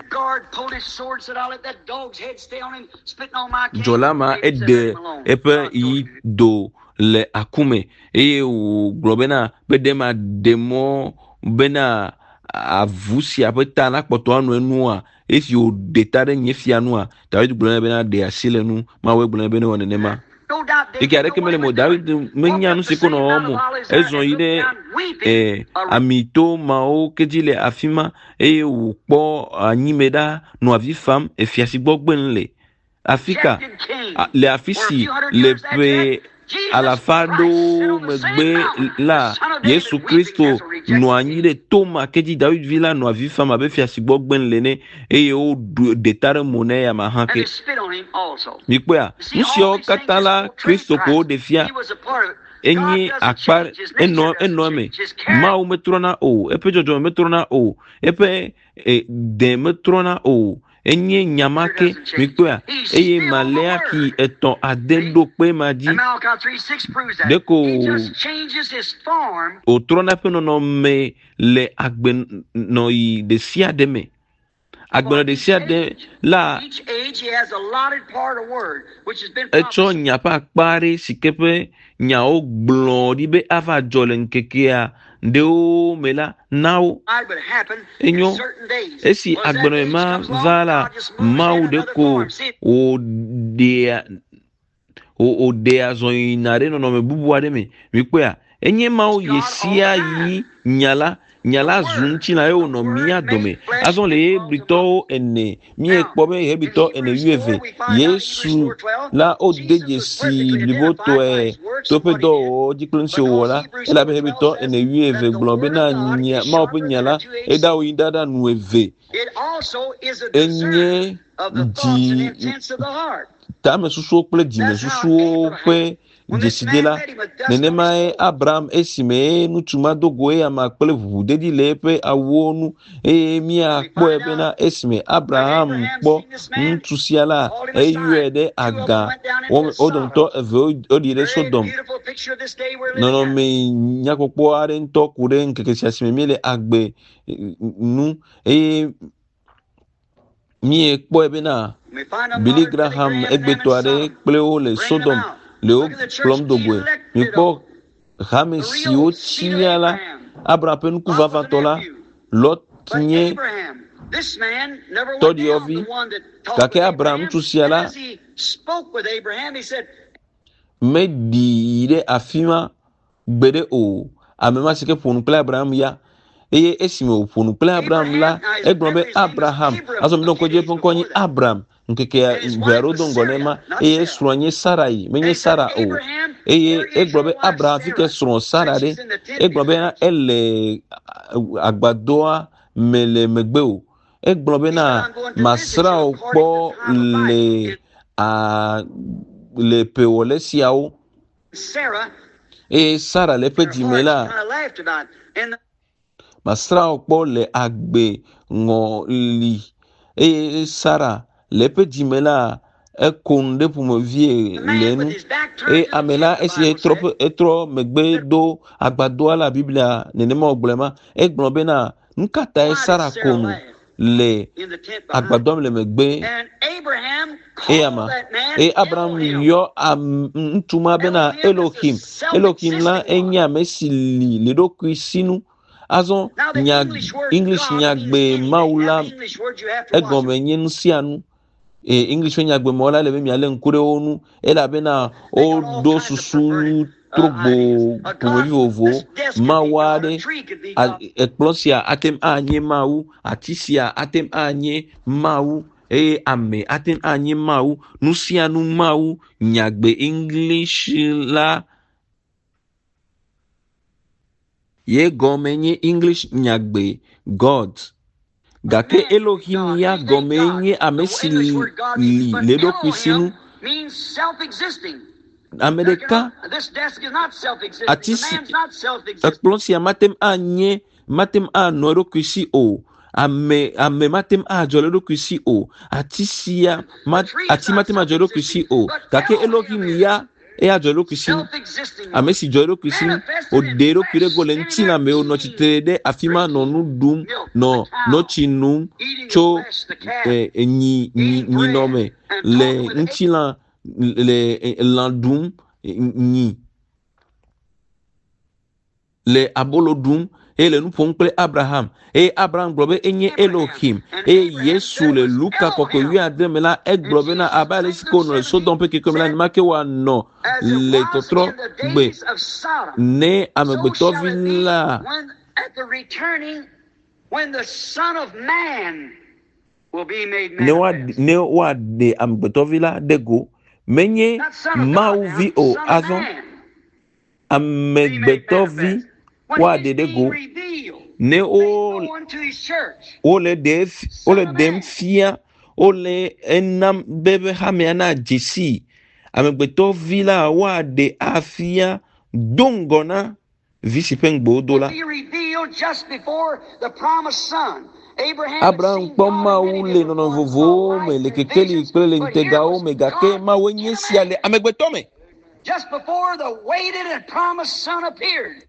Dzɔla ma eɖe eƒe yi do le akume eye wògblɔ bena be ɖe ma ɖe mɔ bena avu sia ƒe ta nakpɔtɔ anɔ enua esi wòɖe ta ɖe nye fia nua Dawid gblɔ nɛ bena ɖe asi le nu Mawu gblɔ nɛ be ne wɔ nenema. Eke aɖeke mele mo Dawid menya nu si ko nɔ wɔm o. Ezɔ yi ɖe eh, amito mawo ke dzi le afi ma eye wòkpɔ anyime ɖa nɔ avi fam efia si gbɔ gbem le. Afi ka le afi si le ƒe alafa aɖewo megbe la Yesu Kristo nɔ anyi ɖe to ma ke dzi Dawid vi la nɔ avi fam abe fia si gbɔ gbem le ene eye woɖe ta ɖe mo nɛ ya ma hã ke. Mikpɔea, nu siawo katã la Kristo ko woɖe fia. Enye akpa enɔ enɔ eme. Mawu metrɔna o, eƒe dzɔdzɔme metrɔna o, eƒe de metrɔna o. Enye nyama ke mikpɔa eye Maleaki etɔ̃ ade ɖo kpe ma dzi. Ɖeko wòtrɔna eƒe nɔnɔme le agbenɔɣi ɖe sia ɖe me. Agbenɔ ɖe sia ɖe la etsɔ nya ƒe akpa aɖe si ke ƒe nyawo gblɔ ɖi be ava dzɔ le ŋkekea ɖewo me la na wo. Enyo esi agbenɔɣi ma va la, Mawu ɖeko wòɖea wòɖea zɔ yina ɖe nɔnɔme bubu aɖe me. Mikpɔea, enye Mawu ɣe sia ɣi nya la. Nya la zu ŋutilã ye wònɔ mía dome. Azɔ le Hebritɔwo ene, míekpɔ be Hebritɔ ene wuieve, Yesu la wode dzesi blibotɔe to eƒe dɔwɔwɔwo dzi kple nu si wòwɔ la, elabe Hebritɔ ene wuieve gblɔ bena nya Mawu ƒe nya la eɖawo yi ɖaɖa nu eve. Enye dzi tamesusuwo kple dzimesusuwo ƒe dzesidela. Nenemae Abraham esime ŋutsu ma do go eya kple ʋuʋudedi le eƒe awuwo nu eye míakpɔe bena esime Abraham kpɔ ŋutsu sia la, eyɔe ɖe aga. Wo dometɔ eve woɖi ɖe Sodom. Nɔnɔme nyakpɔkpɔ aɖe ŋutɔ ku ɖe ŋkeke sia si me míele agbe nu eye míekpɔe bena Billy Graham egbetɔ aɖe kple wo le Sodom le wo kplɔm do goe. Mikpɔ hame siwo tsia la, Abraham ƒe nuku vavãtɔ la, Lot nye tɔɖiɔvi gake Abraham ŋutsu sia la meɖi yi ɖe afi ma gbeɖe o. Ame ma si ke ƒo nu kple Abraham ya eye esime wòƒo nu kple Abraham la, egblɔ be Abraham. Azɔ mi ɖo ŋku edzi eƒe ŋkɔ nye Abraham. Ŋkeke ʋe aɖewo do ŋgɔ ne ma eye srɔ̃a nye Sarai, menye Sara o. Eye egblɔ be Abraham fi ke srɔ̃ Sara ɖe. Egblɔ bena ele agbadɔa me le megbe o. Egblɔ bena masrã wò kpɔ le a le ƒewɔle siawo. Eye Sara le eƒe dzime la, masrã wò kpɔ le agbe ŋɔli. Eye Sara le eƒe dzime la, eko nu ɖe ƒomevie le enu. Eye ame la esi etrɔ ƒe etrɔ megbe do agbadɔa la Biblia nenema wògblɔe ma, egblɔ bena nu ka tae Sara ko nu le agbadɔa me le megbe eya ma. Eye Abraham yɔ ŋutsu ma bena Elohim. Elohim la enye ame si li le eɖokui sinu. Azɔ nya English nyagbe Mawu la egɔme nye nu sia nu. E English ƒe nyagbe mɔ la le be mialé ŋku ɖe wo ŋu elabena woɖo susu trogbo ƒomevi vovovowo. Mawu aɖe ekplɔ sia ate ŋu anye Mawu, ati sia ate ŋu anye Mawu eye ame ate ŋu anye Mawu. Nu sia nu Mawu nyagbe English la ye gɔme nye English nyagbe God. Gake Elohim ya gɔme nye ame si li le eɖokui sinu. Ame ɖeka ati si ekplɔ sia mate ŋu anye mate ŋu anɔ eɖokui si o. Ame ame mate ŋu adzɔ le eɖokui si o. Ati sia ati mate ŋu adzɔ le eɖokui si o. Gake Elohim ya eya dzɔ eɖokui si. Ame si dzɔ eɖokui si, wòɖe eɖokui ɖe go le ŋutilã me, wònɔ tsitre ɖe afi ma nɔ nu ɖum, nɔ notsi num tso nyi nyi nyinɔ me le ŋutilã le lã ɖum nyi le abolo ɖum eye le nu ƒom kple Abraham. Eye Abraham gblɔ be enye Elohim. Eye Yesu le Luka kɔkɔe wuiadre me la, egblɔ bena abe ale si ke wònɔ le Sodom ƒe keke me la, nenema ke wòanɔ le tɔtrɔ gbe ne amegbetɔvi la ne woaɖe amegbetɔvi la ɖe go. Menye Mawu vi o, azɔ amegbetɔvi woaɖe ɖe go. Ne wo wole ɖe wole ɖem fia wole enam be be hamea na dzesi amegbetɔvi la woaɖe afia Do ŋgɔ na vi si ƒe ŋugbe wodo la. Be revealed just before the promised son. Abraham had Abraham seen kpɔ God in Mawu many le different nɔnɔme forms, saw vovovowo me lights le and kekeli visions, kple le but here ŋutegawo was me gake God Mawue nye in a sia man. le amegbetɔ me. Just before the waited and promised son appeared.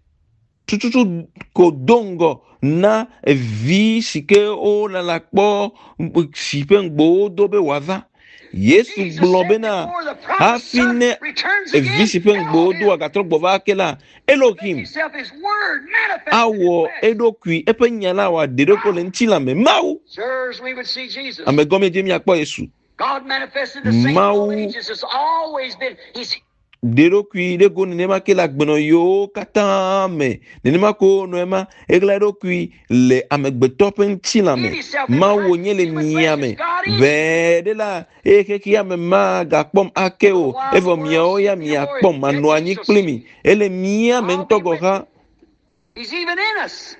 Tututu ko do ŋgɔ na vi si ke wolala kpɔ si ƒe ŋugbe wodo be wòava. Yesu Jesus gblɔ said bena before the promised hafi son ne returns vi again, si ƒe ŋugbe wodo Elohim agatrɔ gbɔ va ake la, make Elohim himself his word manifested in awɔ flesh. eɖokui eƒe nya la wòaɖe eɖokui le ŋutilã me. Mawu Sirs, we would see Jesus. ame gɔme dze miakpɔ Yesu. God manifested the same in all Mawu ages. It's always been. He's ɖe eɖokui ɖe go nenema ke le agbenɔyiwo katã me. Nenema ko wonɔ ema eɣla eɖokui le amegbetɔ ƒe ŋutilã hid me. himself in Mawu Christ. wònye le Human mia flesh is me. God in you. Ʋɛɛ ɖe la eye xexea me magakpɔm ake A o. while the Evɔ world miawo ya sees me no more, miakpɔm yet manɔ ye anyi shall kpli see mi. me. Ele mía me I'll ŋutɔ be gɔ̃ with hã you. He's even in us.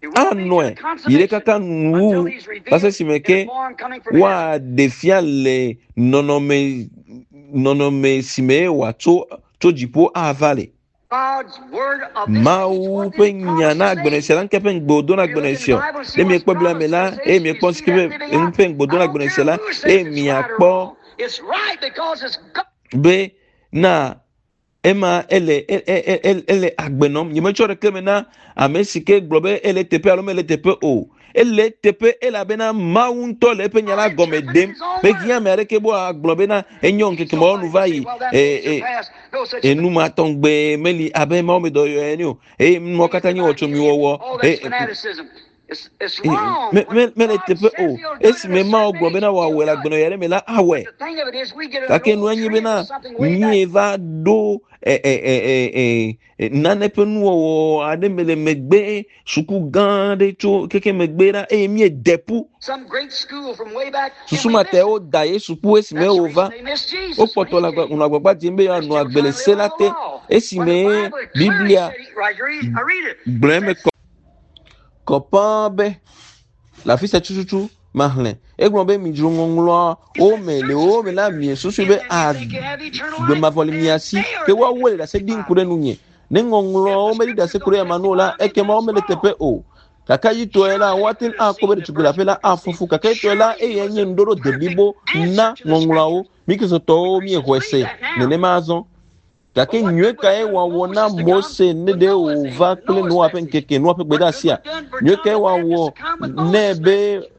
It will be to the anɔe yi ɖe consummation kaka until nuwuwu he's va se revealed esime in a ke form coming from heaven. woaɖe fia le nɔnɔme nɔnɔme si me wòatso tso dziƒo ava le. God's word of this age, Mawu what ƒe did he nya promise na this agbenɔ age? sia la ŋke ƒe ŋugbe wòdo na If you agbenɔ look in the sia. Bible and see Ne what's miekpɔ Biblia me promised la this eye age, you miekpɔ see si ke that ƒe living enu out. ƒe ŋugbe wòdo I na don't agbenɔ care sia la who eye says it's right or miakpɔ wrong. It's right because it's God. be na ema ele e- e- e- ele agbe nɔm. Nyemetsɔ ɖeke me na ame si ke gblɔ be ele teƒe alo mele teƒe o. Ele teƒe elabena Mawu ŋutɔ le eƒe nya la God gɔme interpreted ɖem. his own Mehiã word. ame aɖeke be wòagblɔ bena enyo See ŋkeke mawo somebody nu va say, yi. well, that E days are e past. No such thing. enu ma tɔgbe meli abe Mawu me dɔyɔ ene o. Eye nuwo Think it's katã nye about healing. wɔtsomiwɔwɔ. Oh, E that's fanaticism. It's, it's e wrong. me When me mele God teƒe says o. he'll do it in a Esime Mawu certain gblɔ age, bena he'll wòawɔe le do it. agbenɔɣi aɖe me la awɔe. But the thing of it is, we get an Gake old nua nye trend bena of something way back. mie va ɖo e e e e e nane ƒe nuwɔwɔ aɖe me le megbe suku gã aɖe tso keke megbe ɖa eye míede ƒu. Some great school from way back, and Susu we ma miss ta it. woda Yesu ƒu esime That's the wòva. reason they missed Jesus when Wokpɔtɔ he le agba came. nɔ agbagba dzem be They're yewoanɔ still agbe le trying to se live la on the te law. When the esime Bible clearly Biblia said, he, right here, I read it. gblɔ eme Says, kɔ kɔ ƒãa be le afi sia tututu maxlẽ. Egblɔ be midzro ŋɔŋlɔawo he said, me le search the wo me la scriptures. miesusu In be them you think you have eternal agbe life, mavɔ le mia and si they ke are they woawoe that le ɖase ɖim testify ku of ɖe me. nunye. Ne If ŋɔŋlɔawo the meɖi ɖase scriptures ku ɖe don't ama nu o la testify of me, ekema then it's womele teƒe wrong. o. Gake yitɔe la Surely woate you ŋu could have akpɔ be seen the ɖetugbi le birth aƒe la you could afɔ see. fu gake yitɔe la Surely he eyae was nye a nuɖoɖo perfect deblibo na answer to the ŋɔŋlɔawo. scriptures. Mi Kristotɔwo We míexɔe Christians se believe that now. nenema azɔ. But Gake what nyuie good was kae done wòawɔ Moses na to come Mose ne with ɖe Noah's age, wòva with kple Noah's Noa ƒe message? ŋkeke, Noa ƒe What good gbedeasia? was done for Nyuie John kae the wòawɔ Baptist to come with nɛ Moses' be message?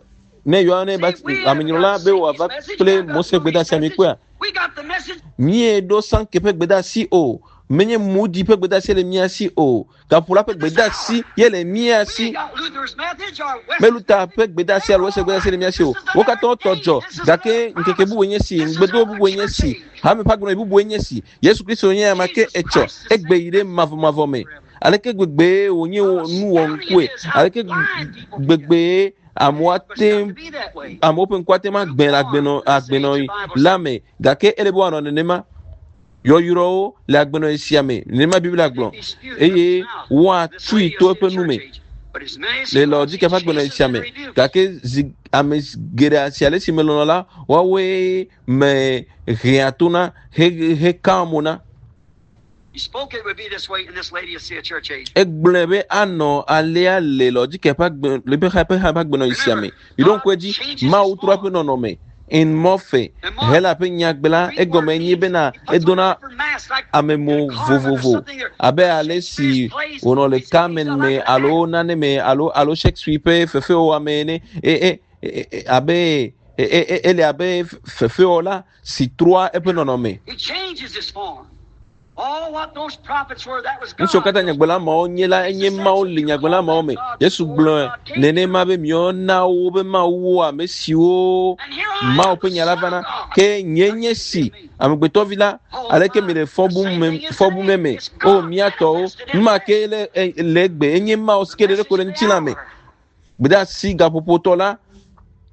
ne Yohane See, Baptiste we haven't amenyrɔla got be Sankey's wòava message, we kple haven't got Mose ƒe Moody's gbedeasia message. mikpɔea? We got the message Míeɖo Sankey ƒe gbedeasi o. Menye Moody ƒe gbedeasi le mía si o. Gaƒola ƒe of this gbedeasi hour. ye le mía We si. ain't got Luther's message or Me Wesley's Luther message. ƒe gbedeasi They're alo Wesley all gbedeasi right. le mía si o. This is Wo another katã wotɔ day. dzɔ This is gake another ŋkeke promise. bubue nye si, This is ŋugbedodo another bubue nye church si, age. hame ƒe agbenɔɣi bubue nye si. Yesu Kristo nye ame ke Jesus etsɔ Christ the egbe same yi ɖe mavɔmavɔ me. forever. Aleke gbegbee wònye How wò nuwɔŋkue? astounding it is how Aleke blind people can get. gbegbee amewo But it's ate got to be that way. amewo ƒe ŋku ate ŋu agbẽ le agbenɔ Lukewarm to this age, the agbenɔɣi Bible la says. me gake ele be wòanɔ nenema. Yɔyrɔwo le agbenɔɣi sia me nenema Biblia They'd gblɔ be spewed from his eye mouth. This woatui lady to will see a eƒe nu church me age. But as many as le he loves, Laodike he ƒe agbenɔɣi chastens sia and me rebukes. gake zi ame geɖe si ale si melɔ̃ la woawoe me hea to na he hekaa mo na. He spoke it would be this way in this lady will see a church age. Egblɔe be anɔ alea le Laodike ƒe agbe le ƒe ƒe ƒe agbenɔɣi sia Remember, me. Miɖo God ŋku edzi changes his Mawu trɔ eƒe form. nɔnɔme. In morphe And Hela Mark, ƒe nyagbe la Greek word egɔme nye means bena he puts on a edona different mask like in a amemo carnival or vovovo something or abe ale Shakespeare's si plays. wònɔ le He's, he's Carmen like me an alo actor. nane me alo alo Shakespeare ƒe fefewɔwɔ me ene e e e e abe e e e ele abe fefewɔla si trɔa eƒe nɔnɔme. He changes his form. All what those prophets were, that was Nu siwo God. katã Those nyagblɔla mawo nye la he's enye Mawu essential. le You nyagblɔla call mawo that me. God Yesu before gblɔe God came to nenema be miawo na wo be mawuwo ame siwo And here I Mawu am, ƒe the nya la Son of vana. God. Ke nye Don't nye you si condemn me. amegbetɔvi la Oh aleke my, mi le the fɔ bum same me thing is fɔ bum today. me It's o God mía tɔwo manifested nu in ma flesh. ke le e le egbe enye Mawu si The ke ɖe ɖe ko message le of the ŋutilã me. hour. Gbedeasi gaƒoƒotɔ la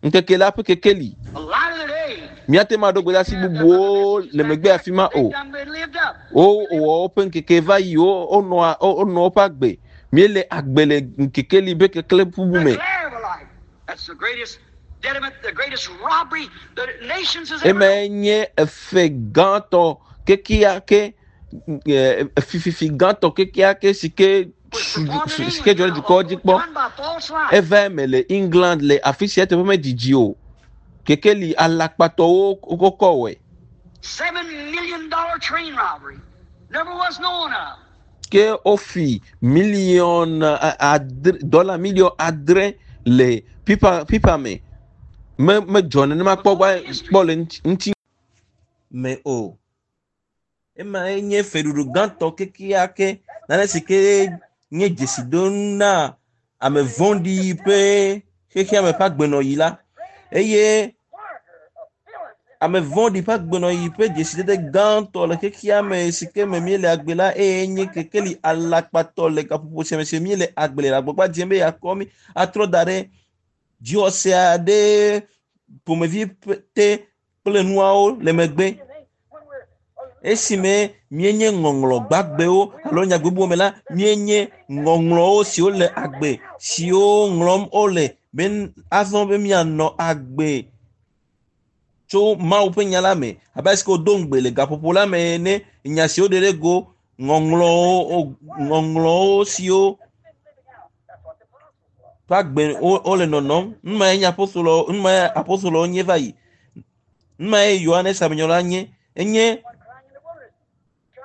ŋkeke la ƒe kekeli. The light of the day. Míate ŋu aɖo gbedeasi Yeah, them other bubuwo messages le back megbe there, afi ma they've o. done been lived up. Wo We live wɔ woƒe ŋkeke va yi wo wonɔa wo wonɔ woƒe agbe. Míele agbe le ŋkekeli be kekle bubu the me. glare of a light. That's the greatest dediment, the greatest robbery the nations has ever Emae known. nye efe gãtɔ kekeake fififi gãtɔ kekeake si ke si ke dzɔ ɖe dukɔwo dzi kpɔ. Eva eme le England le afi sia teƒe medidi o. Kekeli alakpatɔwo wokɔ wɔe. Seven million dollar train robbery never was known of. Ke wofi miliɔn adre dɔla miliɔn adre le pipa pipa me. Me medzɔ nenema kpɔ gba kpɔ le ŋuti me o. Ema nye feɖuɖu gãtɔ kekeake nane si ke nye dzesidonu na ame vɔ̃ɖi ƒe xexeame ƒe agbenɔɣi la eye ame vɔ̃ɖi ƒe agbenɔɣi ƒe dzesidede gãtɔ le xexeame si ke me míele agbe la eye nye kekeli alakpatɔ le gaƒoƒo sia me si míele agbe le agbagba dzem be yeakɔ mí atrɔ da ɖe dziwɔse aɖe ƒomevi te kple nuawo le megbe. Esime míenye ŋɔŋlɔ gbagbewo alo nyagbe me la míenye ŋɔŋlɔwo siwo le agbe siwo ŋlɔm wole be azɔ be míanɔ agbe tso Mawu ƒe nya la me abe ale si ke wodo ŋugbe le gaƒoƒo la me ene nya siwo ɖe ɖe go ŋɔŋlɔwo ŋɔŋlɔwo siwo ƒe agbe wole nɔnɔm. Numae nye apostolowo numae apostolowo nye va yi. Numae Yohanes Amenyrɔla nye. Enye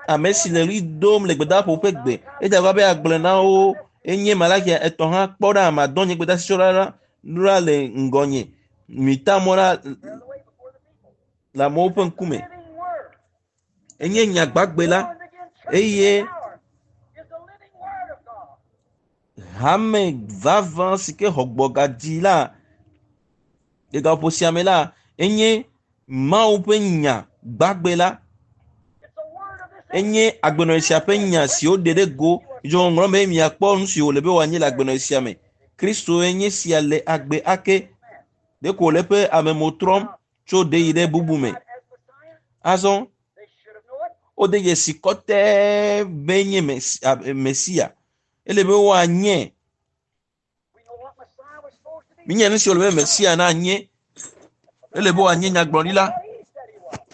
ame si le ɣli dom le gbedaƒo ƒe gbe. Edze abe be agblɔ na wo enye Malakia etɔ̃ hã kpɔ ɖa madɔ nye gbedasitsɔla la ɖa le ŋgɔnye. Mita mɔ la le amewo ƒe ŋkume. Enye nya gbagbe la eye hame vavã si ke xɔ gbɔgadzi la le gaƒoƒo sia me la enye Mawu ƒe nya gbagbe la. Enye agbenɔɣi sia ƒe nya si woɖe ɖe go dzo ŋɔŋlɔ me miakpɔ nu si wòle be wòanye le agbenɔɣi sia me. Kristo enye sia le agbe ake ɖeko wòle eƒe amemo trɔm tso ɖe yi ɖe bubu me. Azɔ wode dzesi kɔtɛɛ be nye Mesia. Ele be woanye. Míenya nu si wòle be Mesia nanye. Ele be wòanye nyagblɔɖila.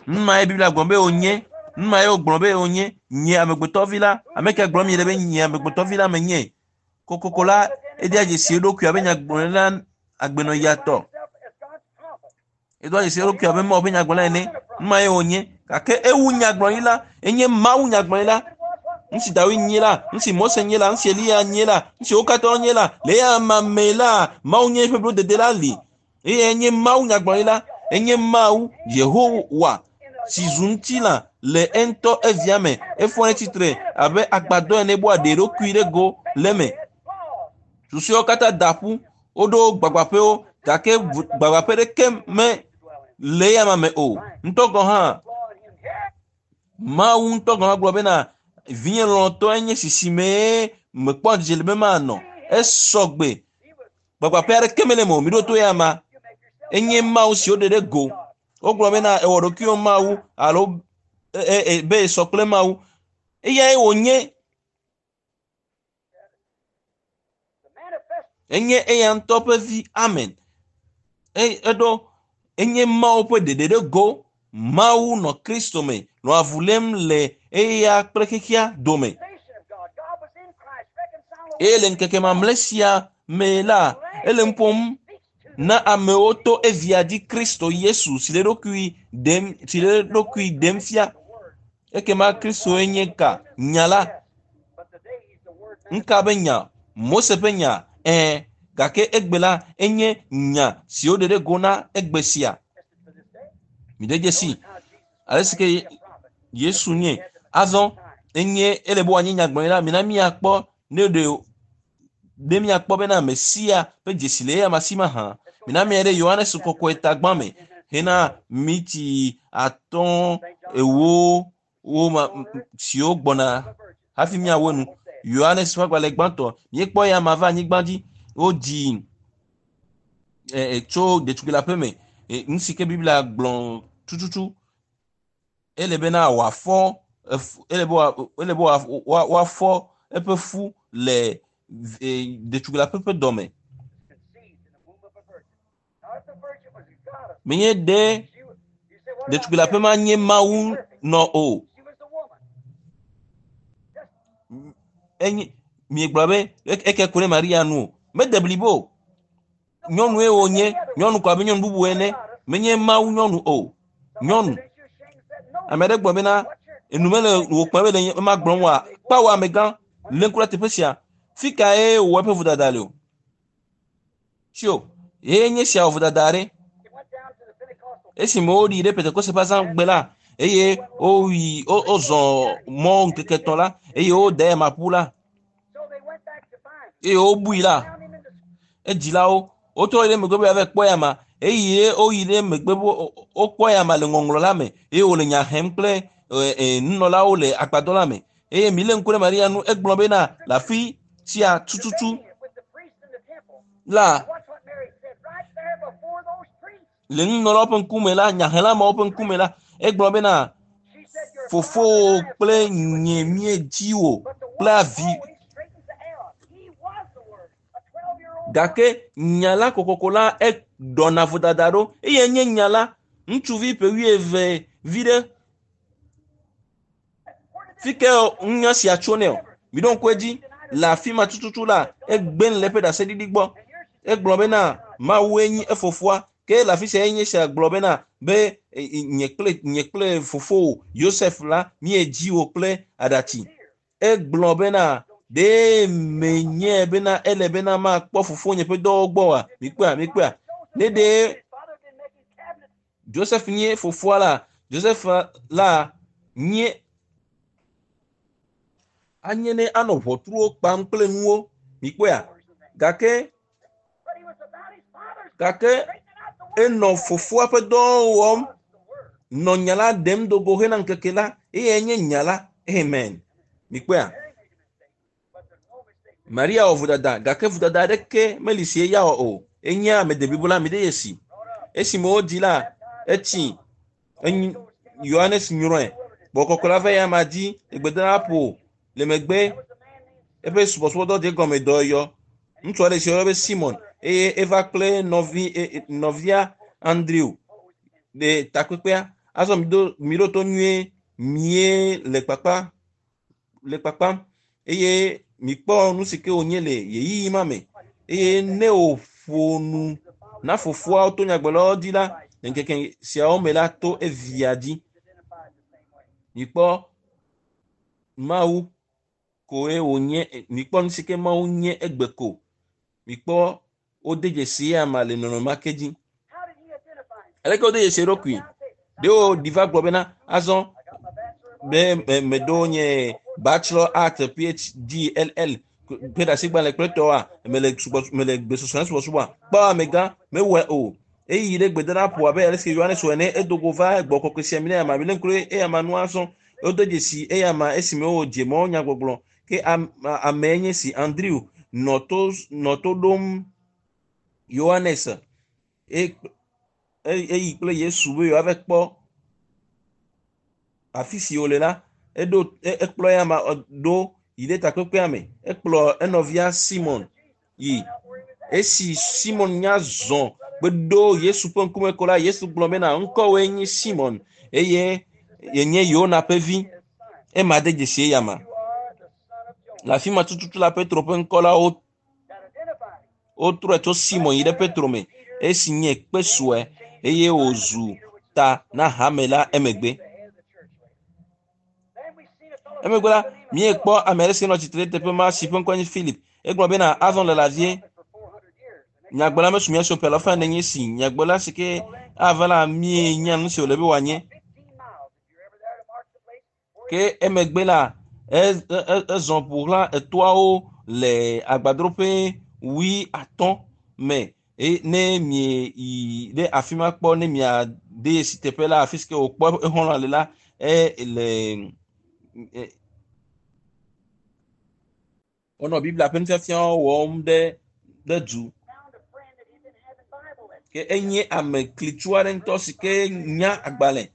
Numae Biblia gblɔ be wònye. Numae wogblɔ be wònye. Nye amegbetɔvi la. Ame ke gblɔm miele be nye amegbetɔvi la menye. Kokoko la edea dzesi eɖokui abe nyagblɔɖila agbenɔɣia tɔ. Edoa dzesi eɖokui abe Mawu ƒe nyagblɔɖila ene. Numae wònye. Gake ewu nyagblɔɖila. Enye Mawu nyagblɔɖila. Nu si David nye la, nu si Mose nye la, nu si Eliya nye la, nu si wo katã nye la, le eya me la, Mawu nye eƒe blodede la li. Eye enye Mawu nyagblɔɖila. Enye Mawu Yehowa si zu ŋutilã le eŋutɔ evia me. Efɔ ɖe tsitre abe agbadɔ ene be wòaɖe eɖokui ɖe go le eme. Susuewo katã da ƒu. Woɖo gbagbaƒewo gake gbagbaƒe ɖeke me le eya me o. Ŋutɔ gɔ̃ hã Mawu ŋutɔ gɔ̃ hã gblɔ bena vinye lɔlɔ̃tɔe nye sisime mekpɔ dzidzɔ le be manɔ. Esɔ gbe. Gbagbaƒe aɖeke mele eme o. Miɖo to eya ma. Enye Mawu si woɖe ɖe go. Wogblɔ bena ewɔ ɖokuiwò Mawu alo be esɔ kple Mawu. Eyae wònye. Enye eya ŋutɔ ƒe vi. Amen. Eɖo enye Mawu ƒe ɖeɖe ɖe go. Mawu nɔ Kristo me nɔ avu lém le eya kple xexea dome. Eye le ŋkeke mamlɛ sia me la, ele nu ƒom na amewo to evia dzi Kristo Yesu si le eɖokui ɖem si le eɖokui ɖem fia. Ekema Kristoe nye ka? Nya la. Ŋka be nya? Mose ƒe nya. Ɛ̃, gake egbe la enye nya si woɖe ɖe go na egbe sia. Miɖe dzesi ale si ke Yesu nye. Azɔ enye ele be wòanye nyagblɔɖila. Mina míakpɔ ne ɖe ɖe míakpɔ bena Mesia ƒe dzesi le eya si mahã. Mina mía ɖe Yohanes kɔkɔe tagbã me hena miti atɔ̃ ewo wo ma siwo gbɔna hafi míawo nu. Yohanes ƒe agbalẽ gbãtɔ míekpɔ ya ma va anyigba dzi wodzi e, tso ɖetugbui la ƒe me. Nu si ke Biblia gblɔ tututu ele bena wòafɔ ele be ele be woafɔ eƒe fu le ɖetugbui la ƒe ƒe dɔme. Menye ɖe ɖetugbui la ƒe ma nye Mawu nɔ o. Enye miegblɔ be eke ku ɖe Maria nu o. Mede blibo. Nyɔnue wònye, nyɔnu ko abe nyɔnu bubu ene. Menye Mawu nyɔnu o. Nyɔnu. Ame aɖe gblɔ bena enu mele wò kpɔm be le ema gblɔm oa, kpawo amegã lé ŋku ɖe teƒe sia. Fi kae wòwɔ eƒe vodada le o? Tso, ye nye sia wɔ vodada aɖe. Esime woɖi ɖe Pentekoste ƒe azãgbe la, eye woyi wozɔ mɔ ŋkeke etɔ̃ la, eye wode ema ƒu la, eye wobui la, edzilawo wotrɔ yi ɖe megbe be yeava kpɔ ya ma eye woyi ɖe megbe be wokpɔ ya ma le ŋɔŋlɔ la me eye wòle nya hem kple nunɔlawo le agbadɔ la me eye mi lé ŋku ɖe Maria nu egblɔ bena le afi sia tututu la le nunɔlawo ƒe ŋkume la nyahelamewo ƒe ŋkume la egblɔ bena fofowò kple nye míedzi wò kple avi gake nya la kokoko la eɖɔna vodada ɖo eye nye nya la ŋutsuvi ƒe wuieve vi ɖe fi ke nya sia tso nɛ o miɖo ŋku edzi le afi ma tututu la egbe le eƒe ɖaseɖiɖi gbɔ egblɔ bena Mawue nye efofoa ke le afi sia enye sia gblɔ bena be nye kple nye kple fofowò Yosef la míedzi wò kple aɖatsi egblɔ bena ɖe menye bena ele bena makpɔ fofonye ƒe dɔwo gbɔ oa mikpɔa mikpɔa ne ɖe Joseph nye fofoa la Joseph la nye anye ne anɔ ʋɔtruwo kpam kple nuwo mikpɔa gake gake enɔ fofoa ƒe dɔwo wɔm nɔ nya la ɖem do go hena ŋkeke la eye nye nya la amen mikpɔa Maria wɔ vodada gake vodada aɖeke meli si eya wɔ o enye ame deblibo la mi ɖe yesi esime wodzi la etsi enyi Yohanes nyrɔe gbɔkɔkɔ la va ya ma dzi egbedola ƒo le megbe eƒe subɔsubɔdɔ dze gɔme dɔyɔ ŋutsu aɖe si woyɔna be Simon eye eva kple nɔvi nɔvia Andrew le takpekpea azɔ mi do mi ɖo to nyuie mie le kpakpa le kpakpam eye mikpɔ nu si ke wònye le ɣeyiɣi ma me eye ne wòƒo nu na fofoawo to nyagblɔlawo dzi la le ŋkeke siawo me la to evia dzi mikpɔ Mawu koe wònye mikpɔ nu si ke Mawu nye egbe ko mikpɔ wode dzesi ya ma le nɔnɔme ma ke dzi aleke wode dzesi eɖokui ɖewo ɖi va gblɔ bena azɔ be meɖo nye bachelor art phd ll ƒe ɖasigbalẽ kple tɔwoa mele subɔ mele gbesɔsɔ subɔsubɔa kpɔ amegã mewɔe o eyi ɖe gbedoɖaƒo abe ale si Yohanes wɔ ene edo go va gbɔ kɔkɔe sia mi ne ama mi le ŋku ɖe eya ma nua sɔn wode dzesi eya ma esime wodze mɔ nyagbɔgblɔ ke ame nye si Andrew nɔ to nɔ to ɖom Yohanes eyi kple Yesu be yewoava kpɔ afi si wòle la eɖo ekplɔ ya ma ɖo yi ɖe takpekpea me ekplɔ enɔvia Simon yi esi Simon nya zɔ gbeɖo Yesu ƒe ŋkume ko la Yesu gblɔ bena ŋkɔwoe nye Simon eye yenye Yona ƒe vi ema de dzesi eya ma le afi ma tututu la Petro ƒe ŋkɔ la wo wotrɔe tso Simon yi ɖe Petro me esi nye kpe sue eye wòzu ta na hame la emegbe emegbe la míekpɔ ame aɖe si nɔ tsitre ɖe teƒe ma si ƒe ŋkɔ nye Philip egblɔ bena azɔ le lavie nyagblɔla mesu mía si o ƒe alafa ene nye si nyagblɔla si ke ava la míenya nu si wòle be wòanye ke emegbe la ezɔ ƒo xlã etoawo le agbadroƒe wui atɔ̃ me ne mie yi ɖe afi ma kpɔ ne miade si teƒe la afi si ke wòkpɔ exɔlɔ̃ le la e le wonɔ Biblia ƒe nufiafiawo wɔm ɖe ɖe du ke enye ame klitsu aɖe ŋutɔ si ke nya agbalẽ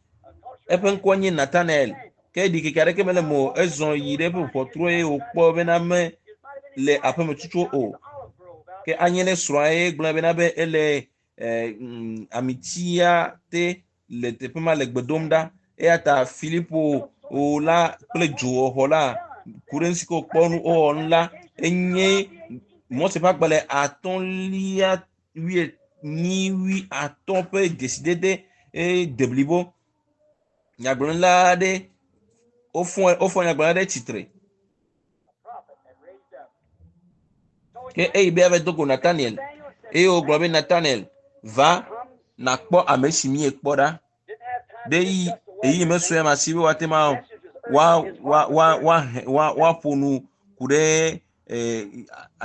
eƒe ŋkɔ nye Nathanael ke ɖikeke aɖeke mele me o ezɔ yi ɖe eƒe ʋɔtru eye wòkpɔ bena me le aƒeme tutu o ke anye ne srɔ̃a ye gblɔ bena be ele amitia te le teƒe ma le gbe dom ɖa eya ta Filipo o la kple dzowɔxɔ la Ku ɖe nu si ke wòkpɔ nu wowɔ nu la enye Mose ƒe agbalẽ atɔ̃lia wuienyi wuiatɔ̃ ƒe dzesidede eye deblibo. Nyagblɔɖila aɖe wofɔ wofɔ nyagblɔɖila ɖe tsitre. Ke eyi be ava do go Nathaniel eye wògblɔ be Nathaniel va nakpɔ ame si míekpɔ ɖa. Ɖe yi eyi mesue ma si be woate ma wa wa wa wa wa woaƒo nu ku ɖe eh,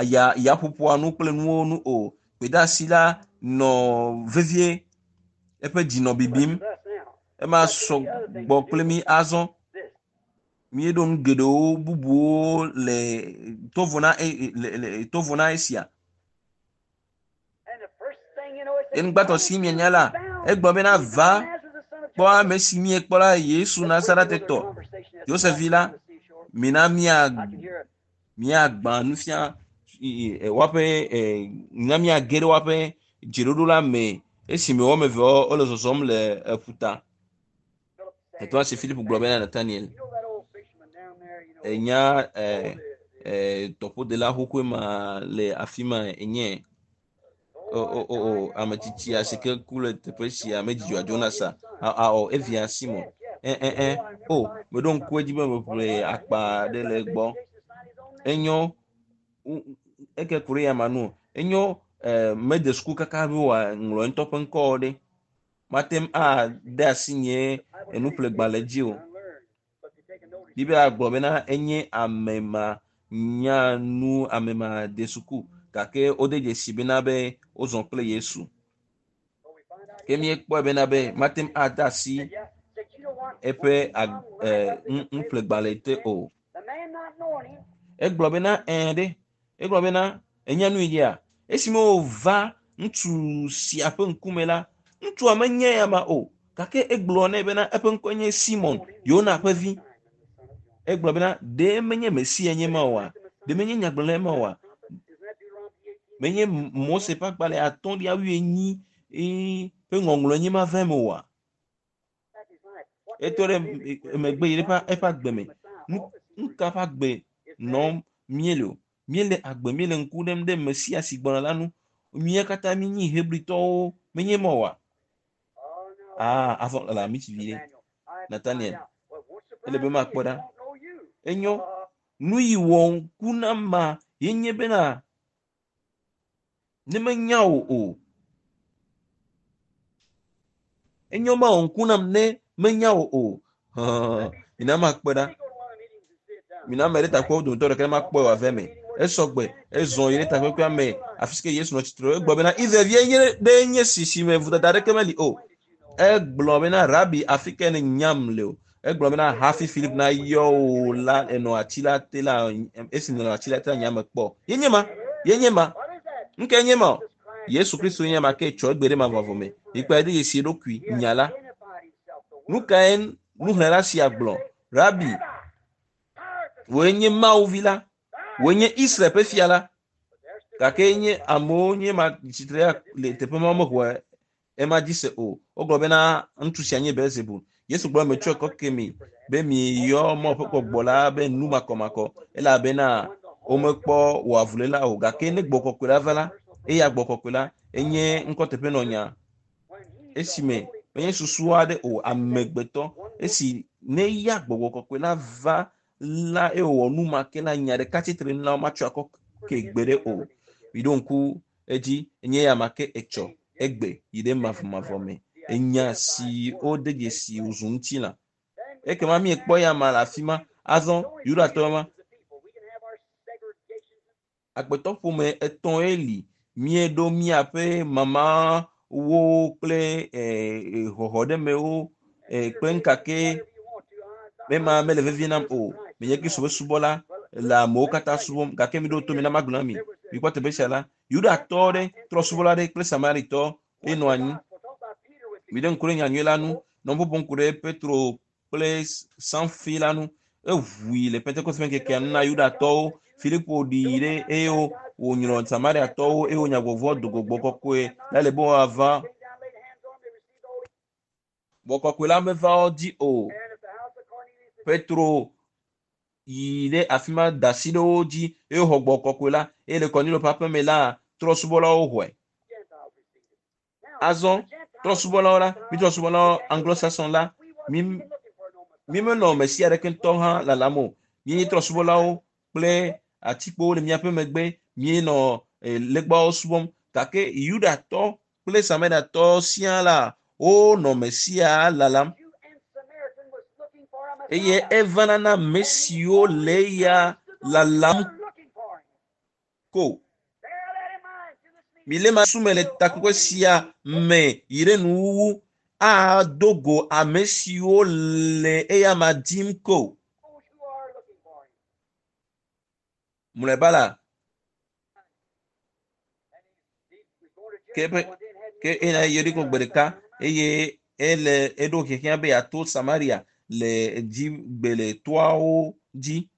ya yaƒoƒoa nu kple nuwo nu o. Gbedeasi la nɔ vevie eƒe dzi nɔ bibim. Ema sɔ gbɔ kple mi azɔ. Míeɖo nu geɖewo bubuwo le tovo na e, le, le, tovo na esia. Enugbãtɔ si mienya la, egblɔ bena va kpɔ ame si miekpɔ la Yesu Nazaretetɔ, Yosef vi la, mina mia miagbã nufia woaƒe mina miage ɖe woaƒe dzeɖoɖo la me esime woame eve wole zɔzɔm le eƒuta. Etɔa si Philip gblɔ bena Nathaniel, enya tɔƒodela xoxoe ma le afi ma enye o o o o ame tsitsia si ke ku le teƒe sia medzidzɔa Jonas a awɔ evia Simon. Ɛ ɛ ɛ o meɖo ŋku edzi be meƒle akpa ɖe le egbɔ. Enyo eke ku ɖe ya ma nu enyo eh, mede suku kaka be wòaŋlɔ ŋutɔ ƒe ŋkɔ ɖe. Mate ŋu ade asi nye enuƒlegbalẽ dzi o. Biblia gblɔ bena enye ame ma nya nu ame ma de suku gake wode dzesi bena be wozɔ kple Yesu. Ke míekpɔe bena be mate ŋu ade asi eƒe nuƒlegbalẽ te o. Egblɔ bena ɛ̃ ɖe egblɔ bena enya nu yi dzia esime wòva ŋutsu sia ƒe ŋkume la ŋutsua menye ya ma o gake egblɔ nɛ bena eƒe ŋkɔe nye Simon Yona ƒe vi. Egblɔ bena ɖe menye Mesia nye ma oa? Ɖe menye nyagblɔɖila ma oa? Menye Mose ƒe agbalẽ atɔ̃lia wuienyi ƒe ŋɔŋlɔ nye ma va eme oa? Etɔ ɖe megbe yi ɖe eƒe agbe me. Nu nu ka ƒe agbe nɔm míele o? Míele agbe míele ŋku ɖem ɖe Mesia si gbɔna la ŋu. Mía katã míenyi Hebritɔwo menye ma oa? Ah, azɔ le ami tsi vi ɖe. Nathaniel, ele be makpɔ ɖa. Enyo, nu yi wɔ ŋku na ma ye nye bena ne menya wò o. Enyo ma wɔ ŋku nam ne menya wò o. Mina makpɔe ɖa. Mina ame ɖe takpɔ dometɔ ɖeka ne makpɔe wòave me. Esɔgbe, ezɔ yi ɖe takpekpea me afi si ke Yesu nɔ tsitre. Egblɔ bena Israelvie nye ɖe nye si si me vodada aɖeke meli o. Egblɔ bena Rabi afi ke ne nyam le o. Egblɔ bena hafi Philip nayɔ wò la enɔ ati la te la esi nɔ ati la te la nye ame kpɔ. Ye nye ma, ye nye ma. Nu kae nye ma o? Yesu Kristo nye ma ke tsɔ egbe ɖe mavɔmavɔ me. Mikpɔe ɖe dzesi eɖokui nya la. Nu kae nuxlẽla sia gblɔ? Rabi, wòe nye Mawu vi la, wòe nye Israel ƒe fia la. Gake nye amewo nye ma tsitre le teƒe ma mexɔe ema dzi se o. Wogblɔ bena ŋutsu sia nye Belzebul. Yesu gblɔ metsɔe kɔ ke mi be miyɔ Mawu ƒe gbɔgbɔ la be nu makɔmakɔ elabena womekpɔ wɔ avuléla o. Gake ne gbɔgbɔ kɔkɔe la va la, eya gbɔgbɔ kɔkɔe la enye ŋkɔteƒenɔnya. Esime menye susu aɖe o amegbetɔ esi ne ya gbɔgbɔ kɔkɔe la va la eye wòwɔ nu ma ke la nya ɖeka tsitre nu la womatsɔ akɔ ke gbe ɖe o. Miɖo ŋku edzi enye ya ma ke etsɔ egbe yi ɖe mavɔmavɔ me. Enya si wode dzesi wòzu ŋutilã. Ekema miekpɔ ya ma le afi ma. Azɔ Yudatɔ ma agbetɔ ƒome etɔ̃e li. Míeɖo míaƒe mamawo kple xɔxɔɖemewo kple nkake mema mele vevie nam o. Menye Kristo ƒe subɔla le amewo katã subɔm gake miɖo to mi na magblɔ na mi. Mikpɔ teƒe sia la, Yudatɔ ɖe trɔ̃subɔla ɖe kple Samaritɔ ye nɔ anyi. Miɖe ŋku ɖe nyanyui la ŋu. Nɔ ƒoƒom ku ɖe Petro kple Sanfi la ŋu. Eʋui le Pentekoste ƒe ŋkekea nu na Yudatɔwo. Filipo ɖi ɖe eye wònyrɔ Samariatɔwo eye wonya gbɔgbɔ do gbɔgbɔ kɔkɔe la le be woava. Gbɔgbɔ kɔkɔe la meva wo dzi o. Petro yi ɖe afi ma da asi ɖe wo dzi eye woxɔ gbɔgbɔ kɔkɔe la eye le Kɔnilio ƒe aƒeme la trɔsubɔlawo xɔe. Azɔ trɔsubɔlawo la mi trɔsubɔlawo Anglo-Saxon la mi mi menɔ Mesia aɖeke ŋutɔ hã lalam o. Míenye trɔsubɔlawo kple atikpowo le míaƒe megbe míenɔ legbawo subɔm gake Yudatɔ kple Samariatɔ siaa la wonɔ Mesia lalam. Eye evana na ame siwo le eya lalam ko. Mile ma sume le takpekpe sia me yi ɖe nuwuwu ado go ame siwo le eya ma dim ko. Mlɔeba la, ke eƒe ke ena Yeriko gbe ɖeka eye ele eɖo hiahiã be yeato Samaria le dzigbe le toawo dzi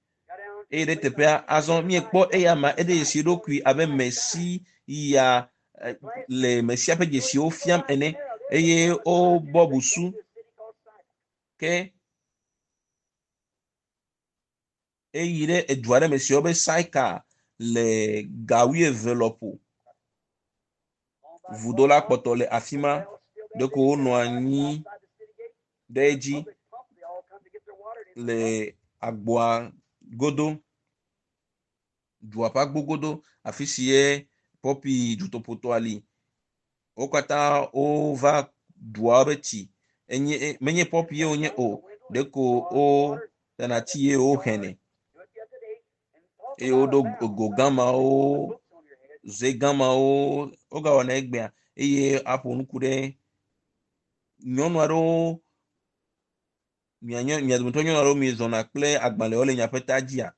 eye ɖe teƒea azɔ míekpɔ eya ma eɖe dzesi eɖokui abe Mesia le Mesia ƒe dzesiwo fiam ene eye wobɔ busu ke eyi ɖe edu aɖe me si woyɔ be Saika le ga wuieve lɔƒo. Vudo la kpɔtɔ le afi ma ɖeko wonɔ anyi ɖe edzi le agboa godo, dua ƒe agbo godo afi si ye pɔpi dutoƒotɔa li. Wo katã wova dua be tsi. Enye menye pɔpi ye wonye o, ɖeko wotana tsi ye woxenɛ eye woɖo go gamawo, ze gamawo wogawɔna egbea eye aƒo nuku ɖe nyɔnu aɖewo mia mia dometɔ nyɔnu aɖewo miezɔna kple agbalẽwo le miaƒe ta dzia.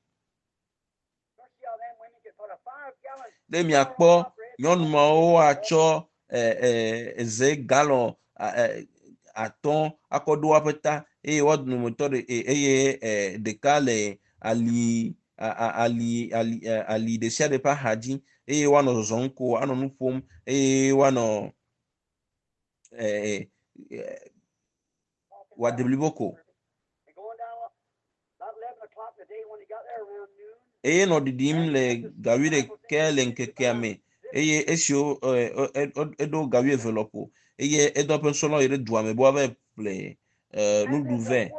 Ɖe miakpɔ nyɔnu mawo atsɔ ɛ ze galɔn atɔ̃ akɔ ɖo woƒe ta eye woa dometɔ ɖe eye ɖeka le ali ali ali ali ɖe sia ɖe ƒe axa dzi eye woanɔ zɔzɔm ko anɔ nu ƒom eye woanɔ ɛ wòade blibo ko. Eye nɔ ɖiɖim le ga wuiɖekɛ le ŋkekea me eye esiwo eɖo ga wuieve lɔƒo eye edɔ eƒe nusrɔ̃lawo yi ɖe dua me be woava ƒle nuɖuɖu vɛ.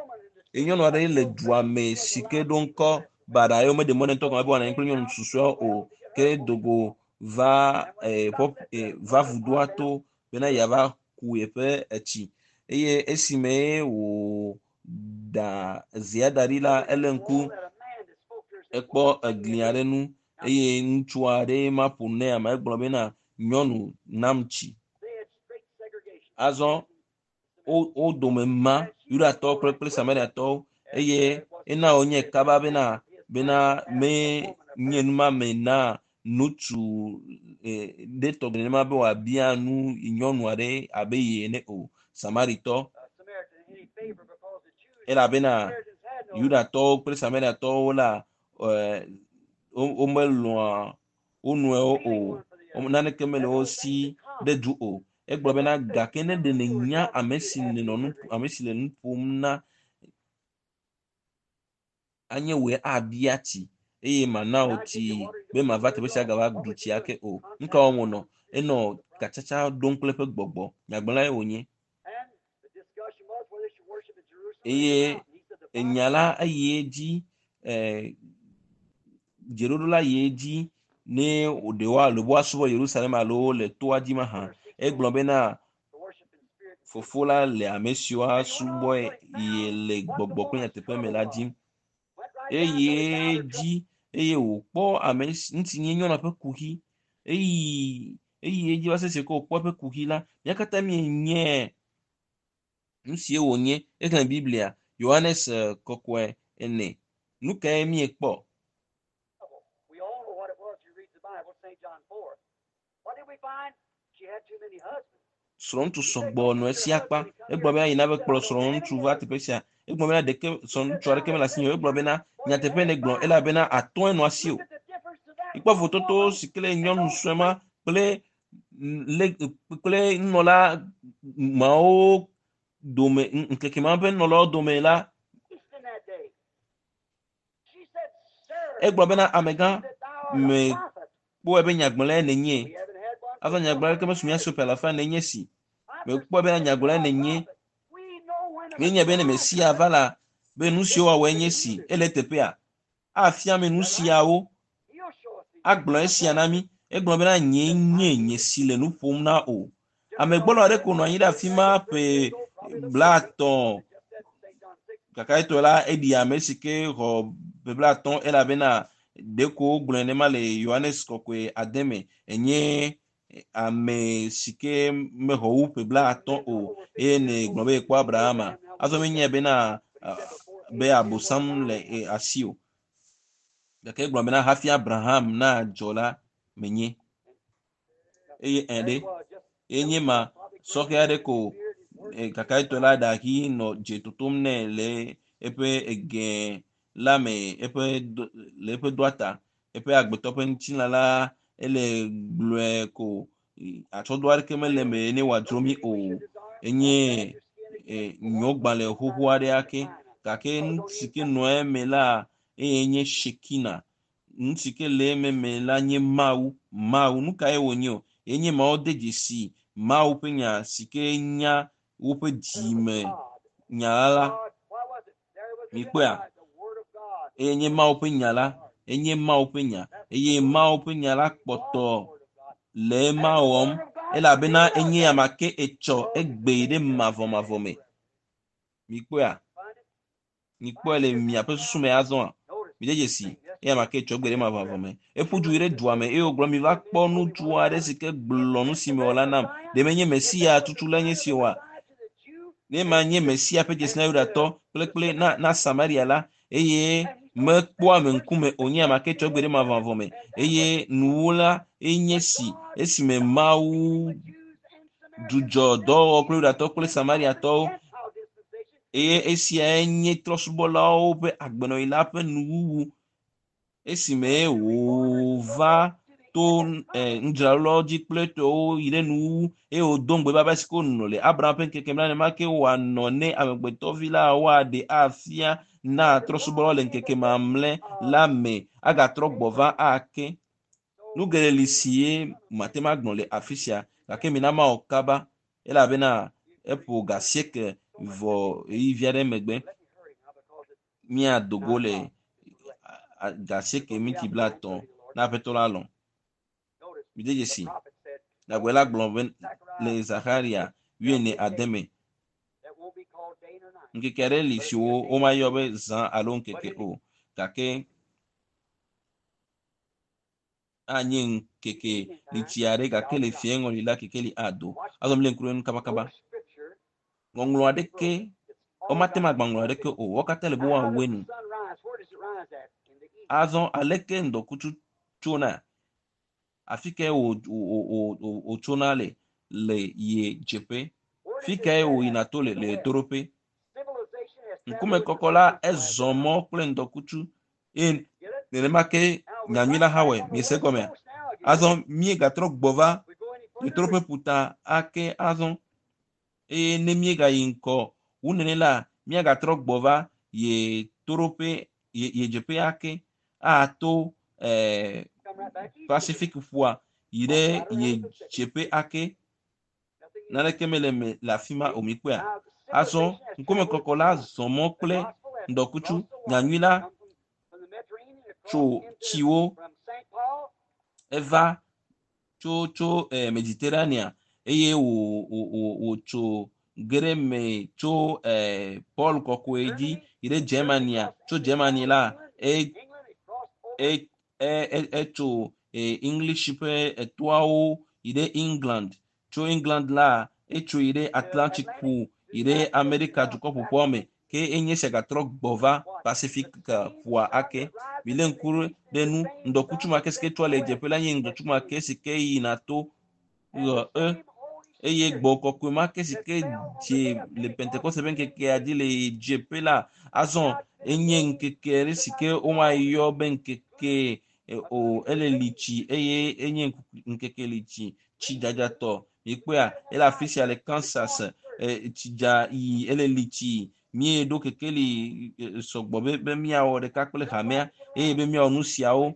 Eye nyɔnu aɖe le dua me si ke ɖo ŋkɔ baɖa eye womeɖe mɔ nɛ ŋutɔ gɔme be wòanɔ anyi kple nyɔnu susɔeawo o ke do go va pɔpi va vudoa to bena yeava ku yeƒe etsi eye esime wòda zea da ɖi la ele ŋku ekpɔ egli aɖe nu eye ŋutsu aɖe ma ƒo nu nɛ ame egblɔ bena nyɔnu nam tsi. Azɔ wo wo dome ma Yudatɔwo kple kple Samariatɔwo eye ena wònye kaba bena bena me nye numame na ŋutsu ɖe tɔgbi nenema be wòabia nu nyɔnu aɖe abe ye ene o Samaritɔ elabena Yudatɔwo kple Samariatɔwo la womelɔ̃a wo nɔewo o naneke mele wo si ɖe du o. Egblɔ bena gake ne ɖe nènya ame si nènɔ nu ame si le nu ƒom na anye wòe abia tsi eye mana wò tsi be mava teƒe sia gava ɖu tsi ake o. Nu ka wɔm wònɔ? Enɔ katsatsa ɖom kple eƒe gbɔgbɔ. Nyagblɔlae wònye. Eye enya la eyi edzi ɛ dzeɖoɖo la yi edzi ne ɖe woa le woasubɔ Yerusalem alo le toa dzi mahã. Egblɔ bena fofo la le ame siwo asubɔe ye le gbɔgbɔ kple nyateƒe me la dzim. Eye dzi eye wòkpɔ ame ŋuti nye nyɔnua ƒe kuxi eyi eyi edzi va se esi ke wòkpɔ eƒe kuxi la mía katã míenye nu sie wònye. Exlẽ Biblia Yohanes kɔkɔe ene. Nu kae míekpɔ? We all know what it was. You read the Bible, St. John four. What did we find? She had too many husbands. Srɔ̃ŋutsu sɔgbɔ nɔ esi akpa. Egblɔ bena yina be kplɔ srɔ̃ŋutsu va teƒe sia. Egblɔ bena ɖeke srɔ̃ŋutsu aɖeke mele asinye o. Egblɔ bena nyateƒe negblɔ elabena atɔ̃e nɔ asi o. Look at the difference to that Ikpɔ vototo si ke le nyɔnu sue ma kple le kple nunɔla mawo dome ŋkeke ma ƒe nunɔlawo dome la in that day. She Egblɔ bena amegã mekpɔe be nyagblɔlae nènye. Azɔ nyagblɔla ɖeke mesu mía si o ƒe alafa ene nye si. Mekpɔe bena nyagblɔlae nènye. Míenya be ne Mesia va la, be nu siwo wòawɔe nye si. Ele teƒea. Afia mi nu siawo. Agblɔ esia na mí. Egblɔ bena nye nye nye si le nu ƒom na o. Amegbɔlɔ aɖe ko nɔ anyi ɖe afi ma ƒe blaatɔ̃. Gake la eɖi ame si ke xɔ ƒe blaatɔ̃ elabena ɖeko wogblɔe nema le Yohanes kɔkɔe ade me enye ame si ke mexɔ wu ƒe blaatɔ̃ o eye ne gblɔ be yekpɔ Abrahama. Azɔ menyae bena be abosam le asi o. Gake egblɔ bena hafi Abraham nadzɔ la menye. Eye ɛ ɖe enye ma sɔhɛ aɖe ko gake la ɖahi nɔ dze totom nɛ le eƒe ege la me eƒe le eƒe doa ta eƒe agbetɔ ƒe ŋutilã la ele gblɔe ko atsɔdo aɖeke mele eme ne wòadzro mí o. Enye nyɔgbalẽ xoxo aɖe ake gake nu si ke nɔ eme la eye nye Shekina. Nu si ke le eme me la nye Mawu. Mawu nu kae wònye o? Enye Mawu de dzesi Mawu ƒe nya si ke nya woƒe dzime nya la. Mikpɔea? Eye nye Mawu ƒe nya la. Enye Mawu ƒe nya. Eye Mawu ƒe nya la kpɔtɔ le ema wɔm elabena enye ame ke etsɔ egbe ɖe mavɔmavɔ me. Mikpɔea? Mikpɔe le miaƒe susu me azɔa? Mi de dzesi eye ame ke etsɔ egbe ɖe mavɔmavɔ me. Eƒu du yi ɖe dua me eye wògblɔ mi va kpɔ ŋutsu aɖe si ke gblɔ nu si mewɔ la nam. Ɖe menye Mesia tutu la nye si oa? Ne ma nye Mesia ƒe dzesi na Yudatɔ kple kple na na Samaria la eye mekpɔ ame ŋkume o nye ame ke tsɔ egbe ɖe mavɔmavɔ me eye nuwo la enye si esime Mawu dzudzɔ dɔwɔwɔ kple Yudatɔ kple Samariatɔwo eye esiae nye trɔ̃subɔlawo ƒe agbenɔɣi la ƒe nuwuwu esime wòva to nudzralawo dzi kple tɔwo yi ɖe nuwuwu eye wòdo ŋugbe be si ke wònɔ le Abraham ƒe ŋkeke me la nenema ke wòanɔ ne amegbetɔvi la woaɖe afia na trɔ̃subɔlawo le ŋkeke mamlɛ la me agatrɔ gbɔ va ake. Nu geɖe li si ye mate ŋu agblɔ le afi sia gake mina mawɔ kaba elabena eƒo ga asieke vɔ ɣeyiɣi aɖe megbe míado go le ga asieke minti blaetɔ̃ na aƒetɔ la lɔ̃. Mi de dzesi. Nyagblɔɖila gblɔ be le Zaxaria wuiene ade me. Ŋkeke aɖe li si womayɔ be zã alo ŋkeke o gake anye ŋkeke litsi aɖe gake le fiẽ ŋɔli la kekeli ado. Azɔ mi le ŋku ɖe nu kabakaba. Ŋɔŋlɔ aɖeke womate ŋu agba ŋɔŋlɔ aɖeke o. Wo katã le be woawɔe nu. Azɔ aleke ŋdɔkutsu tsona? Afi kae wòtsona le le ye dzeƒe? Fi kae wòyina to le le ɣetoɖoƒe? Ŋkumekɔkɔ la ezɔ mɔ kple ŋdɔkutsu eye nenema ke nyanyui la hã wɔe. Miese egɔmea? Azɔ míegatrɔ gbɔ va ɣetoɖoƒe ƒuta ake azɔ eye ne míegayi ŋgɔ wu nene la míagatrɔ gbɔ va ɣetoɖoƒe ɣedzeƒe ake ato ɛɛ Pacific ƒua yi ɖe ɣedzeƒe ake. Naneke mele eme le afi ma o mikpɔea? Azɔ ŋkumekɔkɔ la zɔ mɔ kple ŋdɔkutsu nyanyui la tso tsiwo eva tso tso eh, Mediterranea eye wò wò wò wòtso ge ɖe me tso eh, Paul kɔkɔe dzi yi ɖe Germania tso Germany la e e e etso eh, English ƒe etoawo yi ɖe England tso England la etso yi ɖe Atlantic ƒu yi ɖe Amerika dukɔ ƒoƒuawo me ke enye sia gatrɔ gbɔ va Pacific ƒua ake. Mi lé ŋku ɖe nu ŋdɔkutsu ma ke si ke tsoa le dzeƒe la nye ŋdɔkutsu ma ke si ke yina to ɣe e eye gbɔ kɔkɔe ma ke si ke dze le Pentekoste ƒe ŋkekea dzi le dzeƒe la azɔ enye ŋkeke ɖe si ke womayɔ be ŋkeke o ele litsi eye enye ŋkeke litsi tsi dzadzatɔ mikpɔea ele afi sia le Kansas tsi dza yi ele litsi Míeɖo kekeli sɔgbɔ be be míawɔ ɖeka kple hamea eye be míawɔ nu siawo.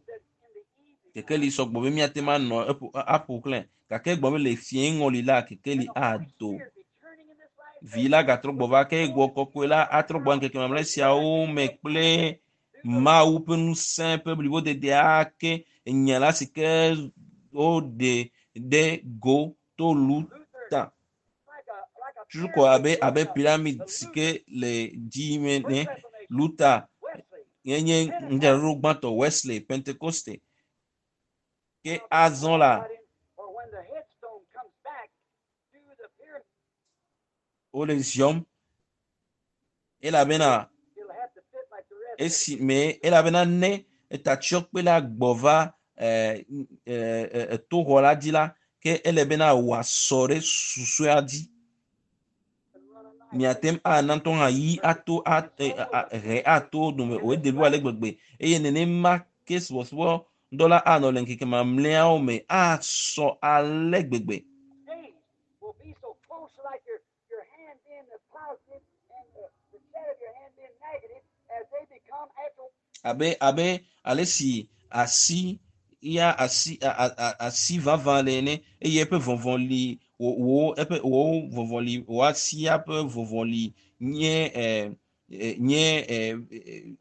Kekeli sɔgbɔ be míate ŋu anɔ eƒo aƒo xlẽ gake egblɔ be le fie ŋɔli la kekeli ado. Vi la gatrɔ gbɔ va ke gbɔ kɔkɔe la atrɔ gbɔ ŋkeke mamlɛ siawo me kple Mawu ƒe ŋusẽ ƒe blibodede ake enya la si ke woɖe ɖe go to Luta. Tutu ko abe abe pyramid si ke le dzi me ne Luta nye ŋdzraɖo gbãtɔ Wesley Pentecoste. Ke azɔ la wole ziɔm elabena esi me elabena ne etatsyɔkpe la gbɔ va ɛɛ ɛɛ toxɔ la dzi la ke ele bena wòasɔ ɖe susɔea dzi. Miate ŋu ana ŋutɔ hã yi ato he ato dome o edebu ale gbegbe eye nenema ke subɔsubɔ dɔ la anɔ le ŋkeke mamlɛawo me asɔ ale gbegbe. Abe abe ale si asi ya asi a, a, asi vavã le ene eye eƒe vɔvɔli wo wo eƒe wo vɔvɔli wo asia ƒe vɔvɔli nye ɛ nye ɛ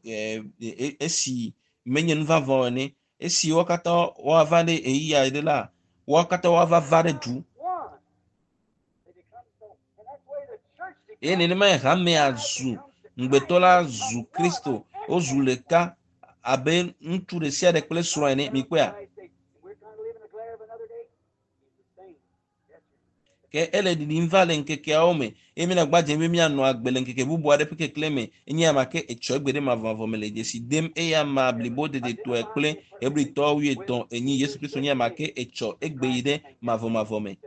ɛ esi menye nu vavã o ene esi wo katã woava ɖe ɣeyiɣi aɖe la wo katã woava va ɖe du. Eye nenema hamea zu ŋugbetɔ la zu Kristo wozu ɖeka abe ŋutsu ɖe sia ɖe kple srɔ̃ ene mikpɔea. Ke ele ɖiɖim va le ŋkekeawo me eye míenagba dze be míanɔ agbe le ŋkeke bubu aɖe ƒe keklẽ me enye ama ke etsɔ egbe ɖe mavɔmavɔ me le dzesi dem eye ama blibo dedetɔe kple Hebritɔwo wuietɔ̃ enyi Yesu Kristo nye ama ke etsɔ egbe yi ɖe mavɔmavɔ me.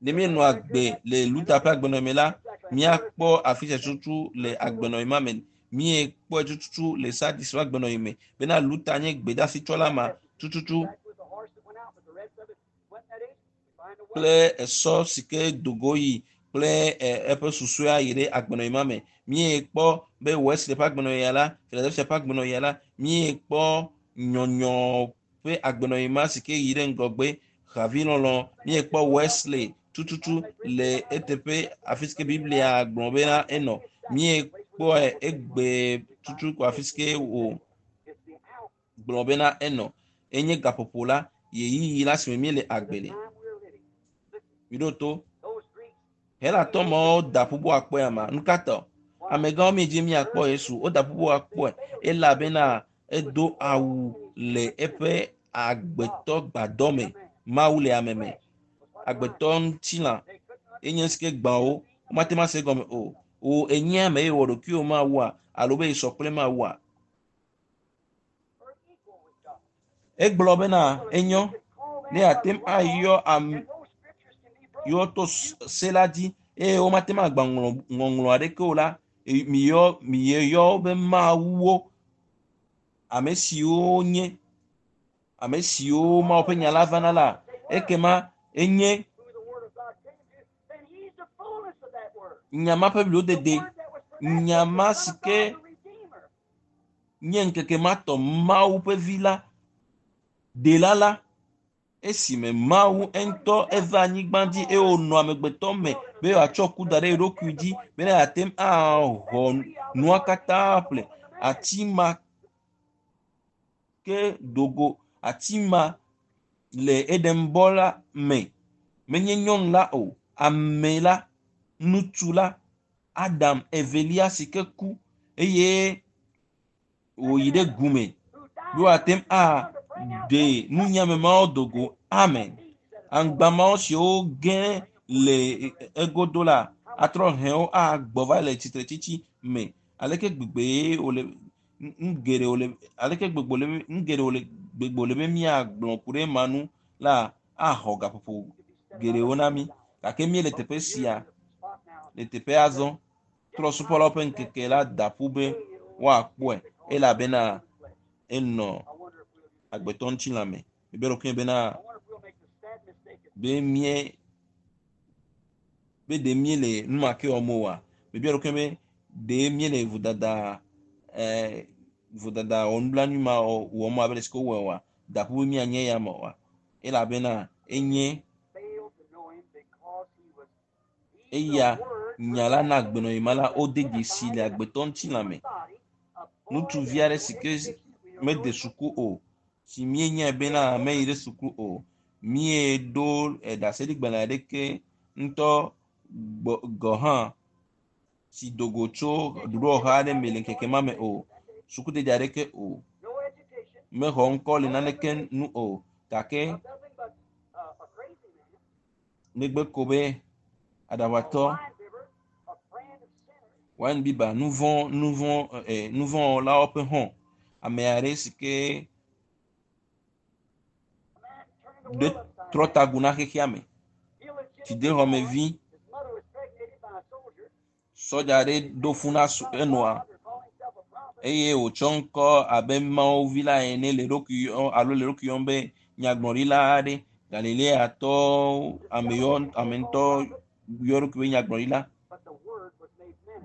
Ne míenɔ agbe le Luta ƒe agbenɔme la, míakpɔ afi sia tututu le agbenɔme ma me. Míekpɔe tututu le Sardis ƒe agbenɔme me bena Luta nye gbedeasitsɔla ma tututu kple esɔ si ke dogo yi kple eƒe susɔea yi ɖe agbenɔme ma me. Míekpɔ be Wesley ƒe agbenɔɣia la, Philadelphia ƒe agbenɔɣia la, míekpɔ nyɔnyɔ ƒe agbenɔɣi ma si ke yi ɖe ŋgɔgbe havilɔlɔ. Míekpɔ Wesley tututu le eteƒe afi si ke Biblia gblɔ bena enɔ. Míekpɔe egbe tutu ko afi si ke wò gblɔ bena enɔ. Enye gaƒoƒo la, ɣeyiɣi la si me míele agbe le. Miɖo to. Helatɔ mawo da ƒu be woakpɔe ama. Nu ka ta? Amegãwo miedzi miakpɔ Yesu. Woda ƒu be woakpɔe elabena edo awu le eƒe agbetɔ gbadɔ me. Mawu le ame me. Agbetɔ ŋutilã enye si ke gbã wo. Womate ŋu ase egɔme o. Wò enye ame eye wɔ ɖokuiwò Mawua alo be yesɔ kple Mawua. Egblɔ bena enyo ne yeate ŋu ayɔ ame yewo to se la dzi eye womate ŋu agba ŋɔŋlɔ aɖeke o la, miyɔ miyɔ wo be mawuwo, ame siwo nye ame siwo Mawu ƒe nya la vana la, ekema enye nya ma ƒe blibodede, nya ma si ke nye ŋkeke ma tɔ Mawu ƒe vi la, ɖela la, esime Mawu ŋutɔ eva anyigba dzi eye wònɔ amegbetɔ me be wòatsɔ ku da ɖe eɖokui dzi bena yeate ŋu axɔ nua katã ƒle. Ati ma ke dogo, ati ma le Edenbɔ la me. Menye nyɔnu la o, ame la, ŋutsu la, Adam evelia si ke ku eye wòyi ɖe gume be wòate ŋu aɖe nunyame mawo dogo. Amen. Aŋgba mawo siwo ge le egodo la atrɔ hɛwo agbɔ va le tsitretsitsi me. Aleke gbegbe wòle nu geɖe wòle aleke gbegbe wòle nu geɖe wòle gbegbe wòle be míagblɔ ku ɖe ema nu la axɔ gaƒoƒo geɖewo na mí. Gake míele teƒe sia le teƒe azɔ trɔ̃subɔlawo ƒe ŋkeke la da ƒu be woakpɔe elabena enɔ agbetɔ ŋutilã me. Mibe ɖokuinye bena be mie Be ɖe míele nu ma ke wɔm oa? Mebia ɖokuinye be ɖe míele vodada ɛɛ vodada wɔnublanui ma wɔm abe le si ke wowɔe oa? Daƒu be míanye ya me oa? Elabena enye eya nya la na agbenɔɣi ma la wode dzesi le agbetɔ ŋutilã me. Ŋutsuvi aɖe si ke mede suku o, si míenyae bena meyi ɖe suku o, míeɖo ɖaseɖigbalẽ aɖeke ŋutɔ gbɔ gɔ hã si do go tso ɖoɖowɔha aɖe me le ŋkeke ma me o, sukudede aɖeke o, mexɔ ŋkɔ le naneke nu o, gake negbe ko be aɖaʋatɔ wine biba nuvɔ nuvɔ ɛ nuvɔwɔlawo ƒe hɔn ame aɖe si ke ɖe trɔ tagu na xexea me tsidexɔmevi sɔdza aɖe ɖo fu na enɔa eye wòtsɔ ŋkɔ abe mawuvi la ene le eɖokui yɔm alo le eɖokui yɔm be nyagblɔɖila aɖe galileatɔ ame yɔ ame ŋutɔ yɔ eɖokui be nyagblɔɖila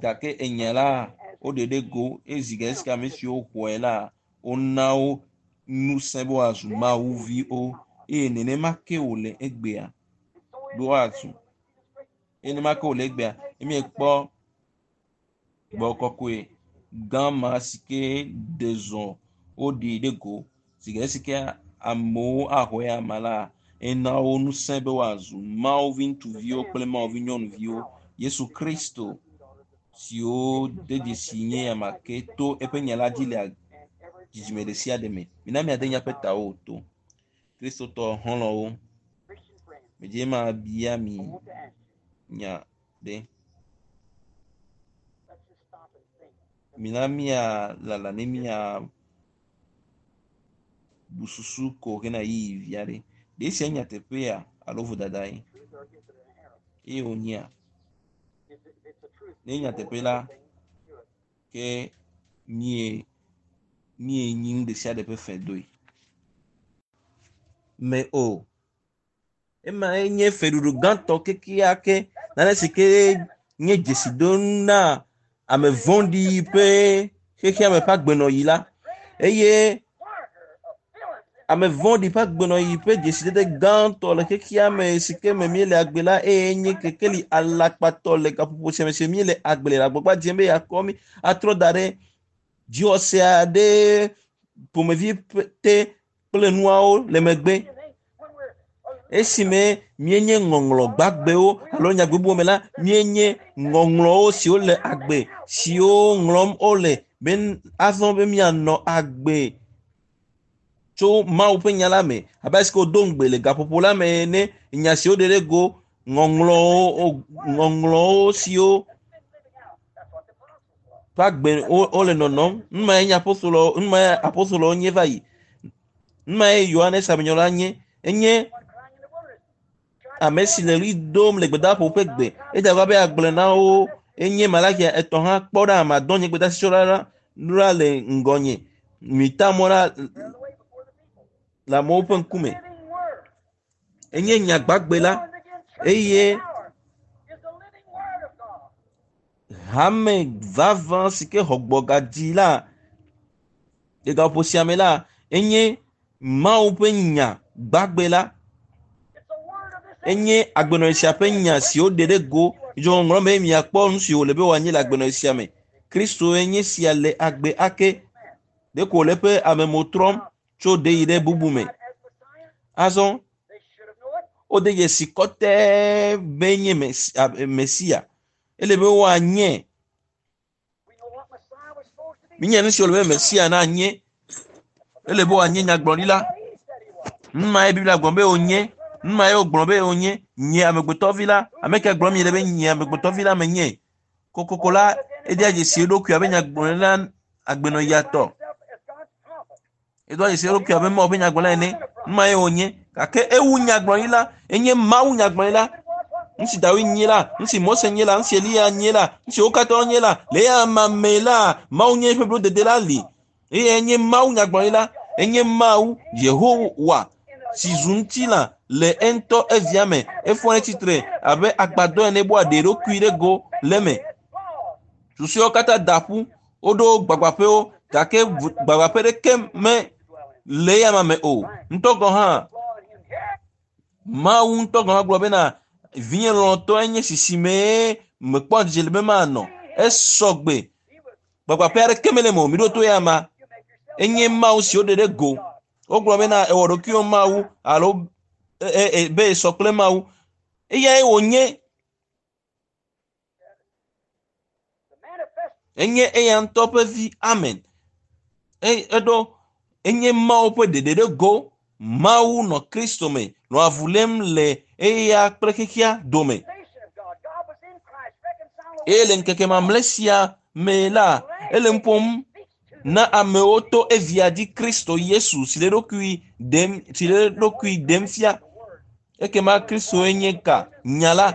gake enya la woɖe ɖe go ezi ge esike ame siwo xɔe la wona wo ŋusẽ be woazu mawuviwo eye nenema ke wòle egbea be woazu eye nenema ke wòle egbea emiekpɔ gbɔ kɔkɔe gã ma si ke ɖe zɔ woɖe ɖe go si ge esike amewo axɔe ama la ena wo ŋusẽ be woazu mawuvi ŋutsuviwo kple mawuvi nyɔnuviwo Yesu Kristo siwo de dzesi nye ame ke to eƒe nya la dzi le dzidzime ɖe sia ɖe me. Mina miade míaƒe tawo to. Kristotɔ xɔlɔ̃wo, medze ma bia mi nya ɖe. Mina míalala ne míabu susu ko hena ɣeyiɣi vi aɖe. Ɖe esia nye nyateƒea alo vodadae? Eye wònyea? Ne nyateƒe la, ke mie míenyi nu ɖe sia ɖe ƒe fe doe. Me o. Ema nye feɖuɖu gãtɔ kekeake nane si ke nye dzesidonu na ame vɔ̃ɖi ƒe xexeame ƒe agbenɔɣi la eye ame vɔ̃ɖi ƒe agbenɔɣi ƒe dzesidede gãtɔ le xexeame si ke me míele agbe la eye nye kekeli alakpatɔ le gaƒoƒo sia me si míele agbe le agbagba dzem be yeakɔ mí atrɔ da ɖe dziwɔse aɖe ƒomevi te kple nuawo le megbe. Esime míenye ŋɔŋlɔ gbagbewo alo nyagbe bubuwo me la, míenye ŋɔŋlɔwo siwo le agbe siwo ŋlɔm wole be azɔ be míanɔ agbe tso Mawu ƒe nya la me abe ale si ke wodo ŋugbe le gaƒoƒo la me ene nya siwo ɖe ɖe go ŋɔŋlɔwo ŋɔŋlɔwo siwo ƒe agbe wole nɔnɔm. Nu mae nye apostolo nu mae apostolowo nye va yi. Nu mae Yohanes Amenyrɔla nye. Enye ame si le ɣli dom le gbedaƒo ƒe gbe. Edze agbagba be yeagblɔe na wo. Enye Malakia etɔ̃ hã kpɔ ɖa madɔ nye gbedeasi la ɖa le ŋgɔnye. Mita mɔ ɖa le amewo ƒe ŋkume. Enye nya gbagbe la eye hame vavã si ke xɔ gbɔgadzi la le gaƒoƒo sia me la enye Mawu ƒe nya gbagbe la. Enye agbenɔɣi sia ƒe nya si woɖe ɖe go. Midzo ŋɔŋlɔ me miakpɔ nu si wòle be wòanye le agbenɔɣi sia me. Kristo enye sia le agbe ake. Ɖeko wòle eƒe amemo trɔm tso ɖe yi ɖe bubu me. Azɔ wode dzesi kɔtɛe be nye Mesia. Ele be woanye. Míenya nu si wòle be Mesia nanye. Ele be wòanye nyagblɔɖila. Nu mae Biblia gblɔ be wònye. Nu mae wògblɔ be wònye. Nye amegbetɔvi la. Ame ke gblɔm miele be nye amegbetɔvi la menye. Kokoko la, edea dzesi eɖokui abe nyagblɔɖila agbenɔɣiatɔ. Edoa dzesi eɖokui abe Mawu ƒe nyagblɔɖila ene. Nu mae wònye. Gake ewu nyagblɔɖila. Enye Mawu nyagblɔɖila. Nu si Dawid nye la, nu si Mose nye la, nu si Eliya nye la, nu si wo katã nye la, le eya amea me la, Mawu nye eƒe blodede la li. Eye enye Mawu nyagblɔɖila. Enye Mawu Yehowa si zu ŋutilã le eŋutɔ evia me efɔ ne tsitre abe agbadɔ ene bo aɖe eɖokui ɖe go le eme. Susuewo katã da ƒu woɖo gbagbaƒewo gake gbagbaƒe ɖeke me le eya me o. Ŋutɔ gɔ̃ hã Mawu ŋutɔ gɔ̃ hã gblɔ bena vinye lɔlɔ̃tɔe nye sisime mekpɔ dzidzɔ le be manɔ. Esɔgbe gbagbaƒe aɖeke mele eme o. Mi ɖo to ya ma. Enye Mawu si woɖe ɖe go. Wogblɔ bena ewɔ ɖokuiwò Mawu alo e, e, be esɔ kple Mawu. Eyae wònye. Enye eya ŋutɔ ƒe vi. Amen. E, eɖo enye Mawu ƒe ɖeɖe ɖe go. Mawu nɔ Kristo me nɔ avu lém le eya kple xexea dome. Eye le ŋkeke mamlɛ sia me la, ele nu ƒom na amewo to evia dzi Kristo Yesu si le ɖokui ɖem si le ɖokui ɖem fia. Ekema Kristoe nye ka? Nya la.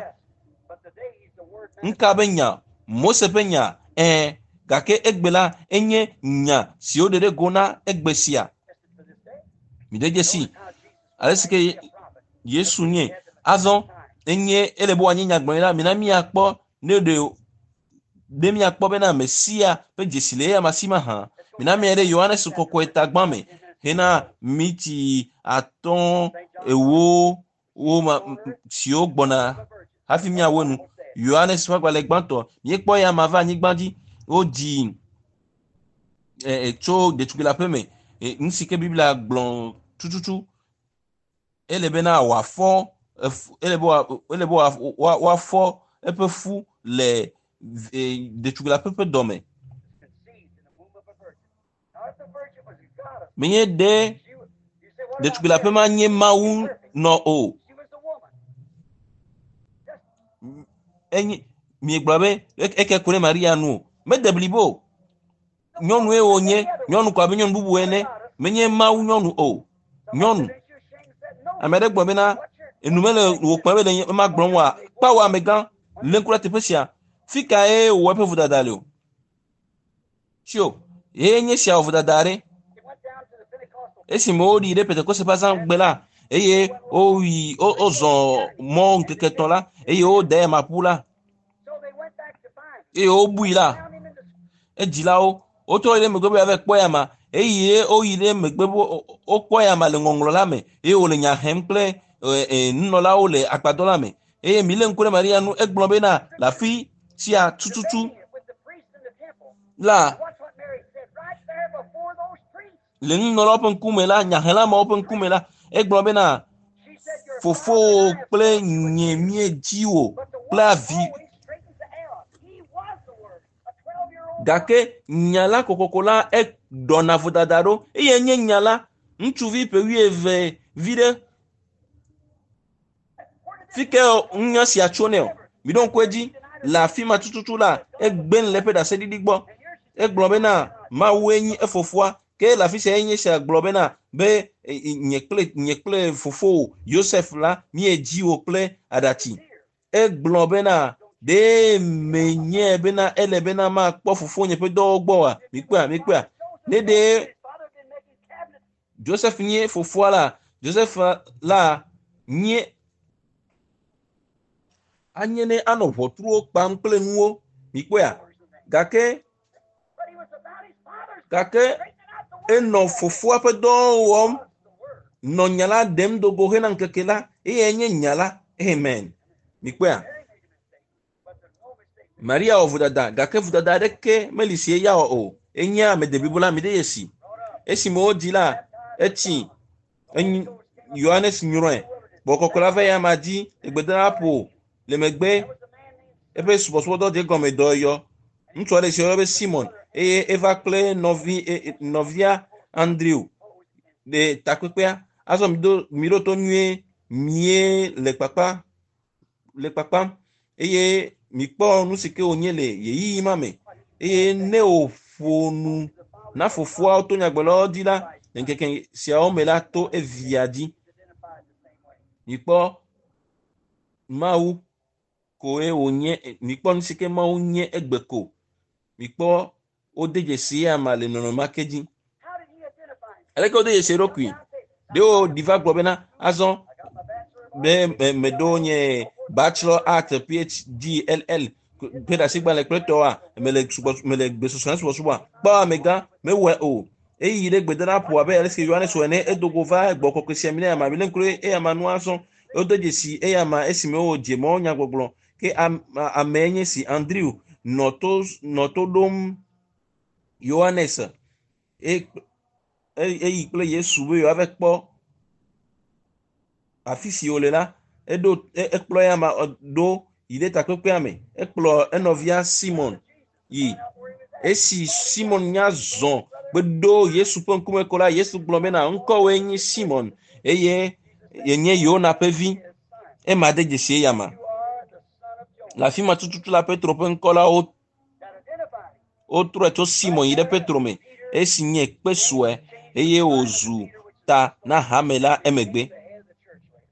Ŋka be nya? Mose ƒe nya. Ɛ̃, gake egbe la enye nya si woɖe ɖe go na egbe sia. Mi de dzesi ale si ke Yesu nye. Azɔ enye ele be wòanye nyagblɔɖila. Mina míakpɔ ne ɖe ɖe míakpɔ bena Mesia ƒe dzesi le eya si mahã. Mina mía ɖe Yohanes kɔkɔe tagbã me hena miti atɔ̃ ewo wo ma siwo gbɔna hafi míawo nu. Yohanes ƒe agbalẽ gbãtɔ míekpɔ ya ma va anyigba dzi wodzi e, e, tso ɖetugbui la ƒe me. E, nu si ke Biblia gblɔ tututu ele bena wòafɔ ele be ele be woafɔ eƒe fu le ɖetugbui la ƒe ƒe dɔme. Menye ɖe ɖetugbui la ƒe ma nye Mawu nɔ o. Enye miegblɔ be eke ku ɖe Maria nu o. Mede blibo o. Nyɔnue wònye, nyɔnu ko abe nyɔnu bubu ene. Menye Mawu nyɔnu o. Nyɔnu. Ame aɖe gblɔ bena enu mele wò kpɔm be le ema gblɔm oa. Kpawo amegã lé ŋku ɖe teƒe sia. Fi kae wòwɔ eƒe vodada le o? Tsio, ye nye sia wɔ vodada aɖe. Esime woɖi ɖe Pentekoste ƒe azãgbe la, eye woyi wozɔ mɔ ŋkeke etɔ̃ la, eye wode ema ƒu la, eye wobui la, edzilawo wotrɔ yi ɖe megbe be yeava kpɔ ya ma eye woyi ɖe megbe be wokpɔ ya ma le ŋɔŋlɔ la me eye wòle nya hem kple nunɔlawo le agbadɔ la me eye mi lé ŋku ɖe Maria nu egblɔ bena le afi sia tututu la le nunɔlawo ƒe ŋkume la nyahelamewo ƒe ŋkume la egblɔ bena fofowò kple nye míedzi wò kple avi gake nya la kokoko la eɖɔna vodada ɖo eye nye nya la ŋutsuvi ƒe wuieve vi ɖe fi ke nya sia tso nɛ o mi ɖo ŋku edzi le afi ma tututu la egbe le eƒe ɖaseɖiɖi gbɔ egblɔ bena Mawue nye efofoa ke le afi sia enye sia gblɔ bena be nye kple nye kple fofowò Yosef la míedzi wò kple aɖatsi egblɔ bena ɖe menye bena ele bena makpɔ fofonye ƒe dɔwo gbɔ oa mikpɔa mikpɔa ne ɖe Joseph nye fofoa la Joseph la nye anye ne anɔ ʋɔtruwo kpam kple nuwo mikpɔa gake gake enɔ fofoa ƒe dɔwo wɔm nɔ nya la ɖem do go hena ŋkeke la eye nye nya la amen mikpɔa Maria wɔ vodada gake vodada aɖeke meli si eya wɔ o enye ame deblibo la mi ɖe yesi esime wodzi la etsi enyi Yohanes nyrɔe gbɔgbɔ kɔkɔe la va eya ma dzi le gbedoɖaƒo le megbe eƒe subɔsubɔdɔ dze gɔme dɔyɔyɔ ŋutsu aɖe si woyɔ be Simon eye eva kple nɔvi nɔvia Andrew le takpekpea azɔ mi do mi ɖo to nyuie mie le kpakpa le kpakpam eye mikpɔ nu si ke wònye le ɣeyiɣi ma me eye ne wòƒo nu na fofoawo to nyagblɔɖilawo dzi la le ŋkeke siawo me la to evia dzi mikpɔ Mawu koe wònye mikpɔ nu si ke Mawu nye egbe ko mikpɔ wode dzesi ya ma le nɔnɔme ma ke dzi aleke wode dzesi eɖokui ɖe woɖi va gblɔ bena azɔ Be me meɖo nye bachelor art P H D L L ƒe ɖasigbalẽ kple tɔwoa mele subɔ mele gbesɔsɔ na subɔsubɔa kpɔ amegã mewɔe o eyi ɖe gbedoɖaƒo abe ale si Yohanes wɔ ene edo go va gbɔ kɔkɔe sia mi ne ama mi le ŋku ɖe eya ma nua zɔ wode dzesi eya ma esime wòdze mɔ nyagbɔgblɔ ke am- amee nye si Andrew nɔ to nɔ to ɖom Yohanes e eyi kple Yesu be yewoava kpɔ afi si wòle la eɖo e- ekplɔ ya ma ɖo yi ɖe takpekpea me ekplɔ enɔvia Simon yi esi Simon nya zɔ gbeɖo Yesu ƒe ŋkume ko la Yesu gblɔ bena ŋkɔwoe nye Simon eye yenye Yona ƒe vi ema de dzesi eya ma You are the son of Jonah. Le afi ma tututu la Petro ƒe ŋkɔ la wo That identified him. Wotrɔe tso Simon yi ɖe Petro me esi nye kpe sue eye wòzu ta na hame la emegbe. The head of the church later.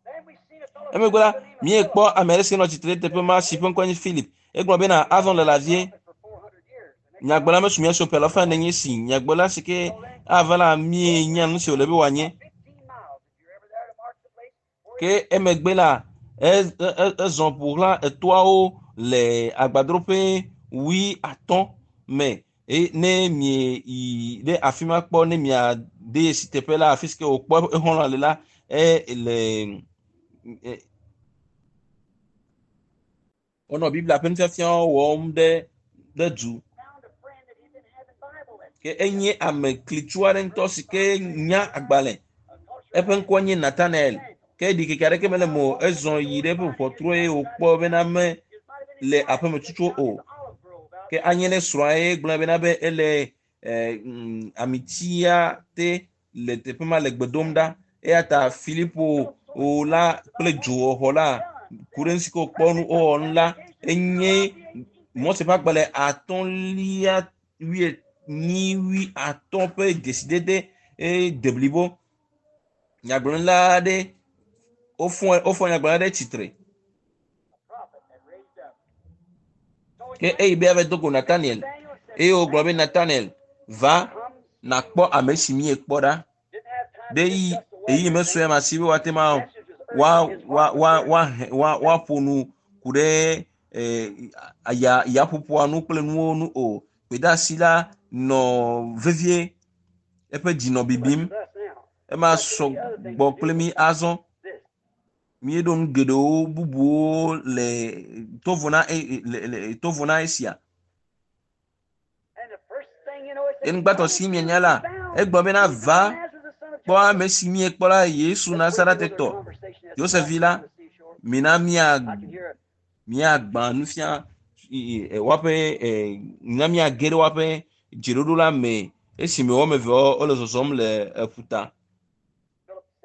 Then we seen a fellow Emegbe la míekpɔ ame aɖe si nɔ tsitre ɖe teƒe ma si ƒe ŋkɔe nye Philip. Egblɔ bena azɔ le lavie for four hundred years. The next nyagblɔla mesu mía si o ƒe alafa ene nye si nyagblɔla si ke ava la míenya nu si wòle be wòanye. fifteen miles, if you're ever there to mark the place where Ke emegbe la e- e- e- ezɔ ƒo xlã etoawo le agbadroƒe wui atɔ̃ me eye ne mie yi ɖe afi ma kpɔ ne miade dzesi teƒe la afi si ke wòkpɔ exɔlɔ̃ le la e le e, wonɔ Biblia ƒe nufiafiawo wɔm ɖe ɖe du. Found a friend that he'd been having Bible lessons. Ke enye ame klitsu aɖe ŋutɔ si ke nya agbalẽ eƒe ŋkɔ nye Nathanael ke ɖikeke aɖeke mele me o ezɔ yi ɖe eƒe ʋɔtru eye wòkpɔ bena me le aƒeme tutu o ke anye ne srɔ̃a ye gblɔ bena be ele eh, mm, amitia te le teƒe ma le gbe dom ɖa eya ta Filipo o la kple dzowɔxɔ la ku ɖe nu si ke wòkpɔ nu wowɔ nu la enye Mose ƒe agbalẽ atɔ̃lia wuienyi wui atɔ̃ ƒe dzesidede eye deblibo nyagblɔɖila aɖe wofɔ wofɔ nyagblɔɖila ɖe tsitre Prophet had raised up. So ke eyi be ava do go Nathaniel eye wògblɔ be Nathaniel va nakpɔ ame si míekpɔ ɖa didn't have time ɖe to yi discuss the way eyi mesɔe ma si be woate ma wa wa wa wa wa woaƒo nu ku ɖe eh, ya yaƒoƒoa nu kple nuwo nu o gbedeasi la nɔ vevie eƒe dzi nɔ bibim with us now. Ema sɔ gbɔ kple mi azɔ This. Míeɖo nu geɖewo bubuwo le tovo na e- le le tovo na esia. And the first thing you know, it says, Enugbãtɔ si mienya la egblɔ bena va kpɔ ame si míekpɔ la Yesu Nazaretɔ Yosef vi la mina mía míagbã nufia i- i- woaƒe eh, mina míage ɖe woaƒe dzeɖoɖo la me esime woame eve wole zɔzɔm le eƒuta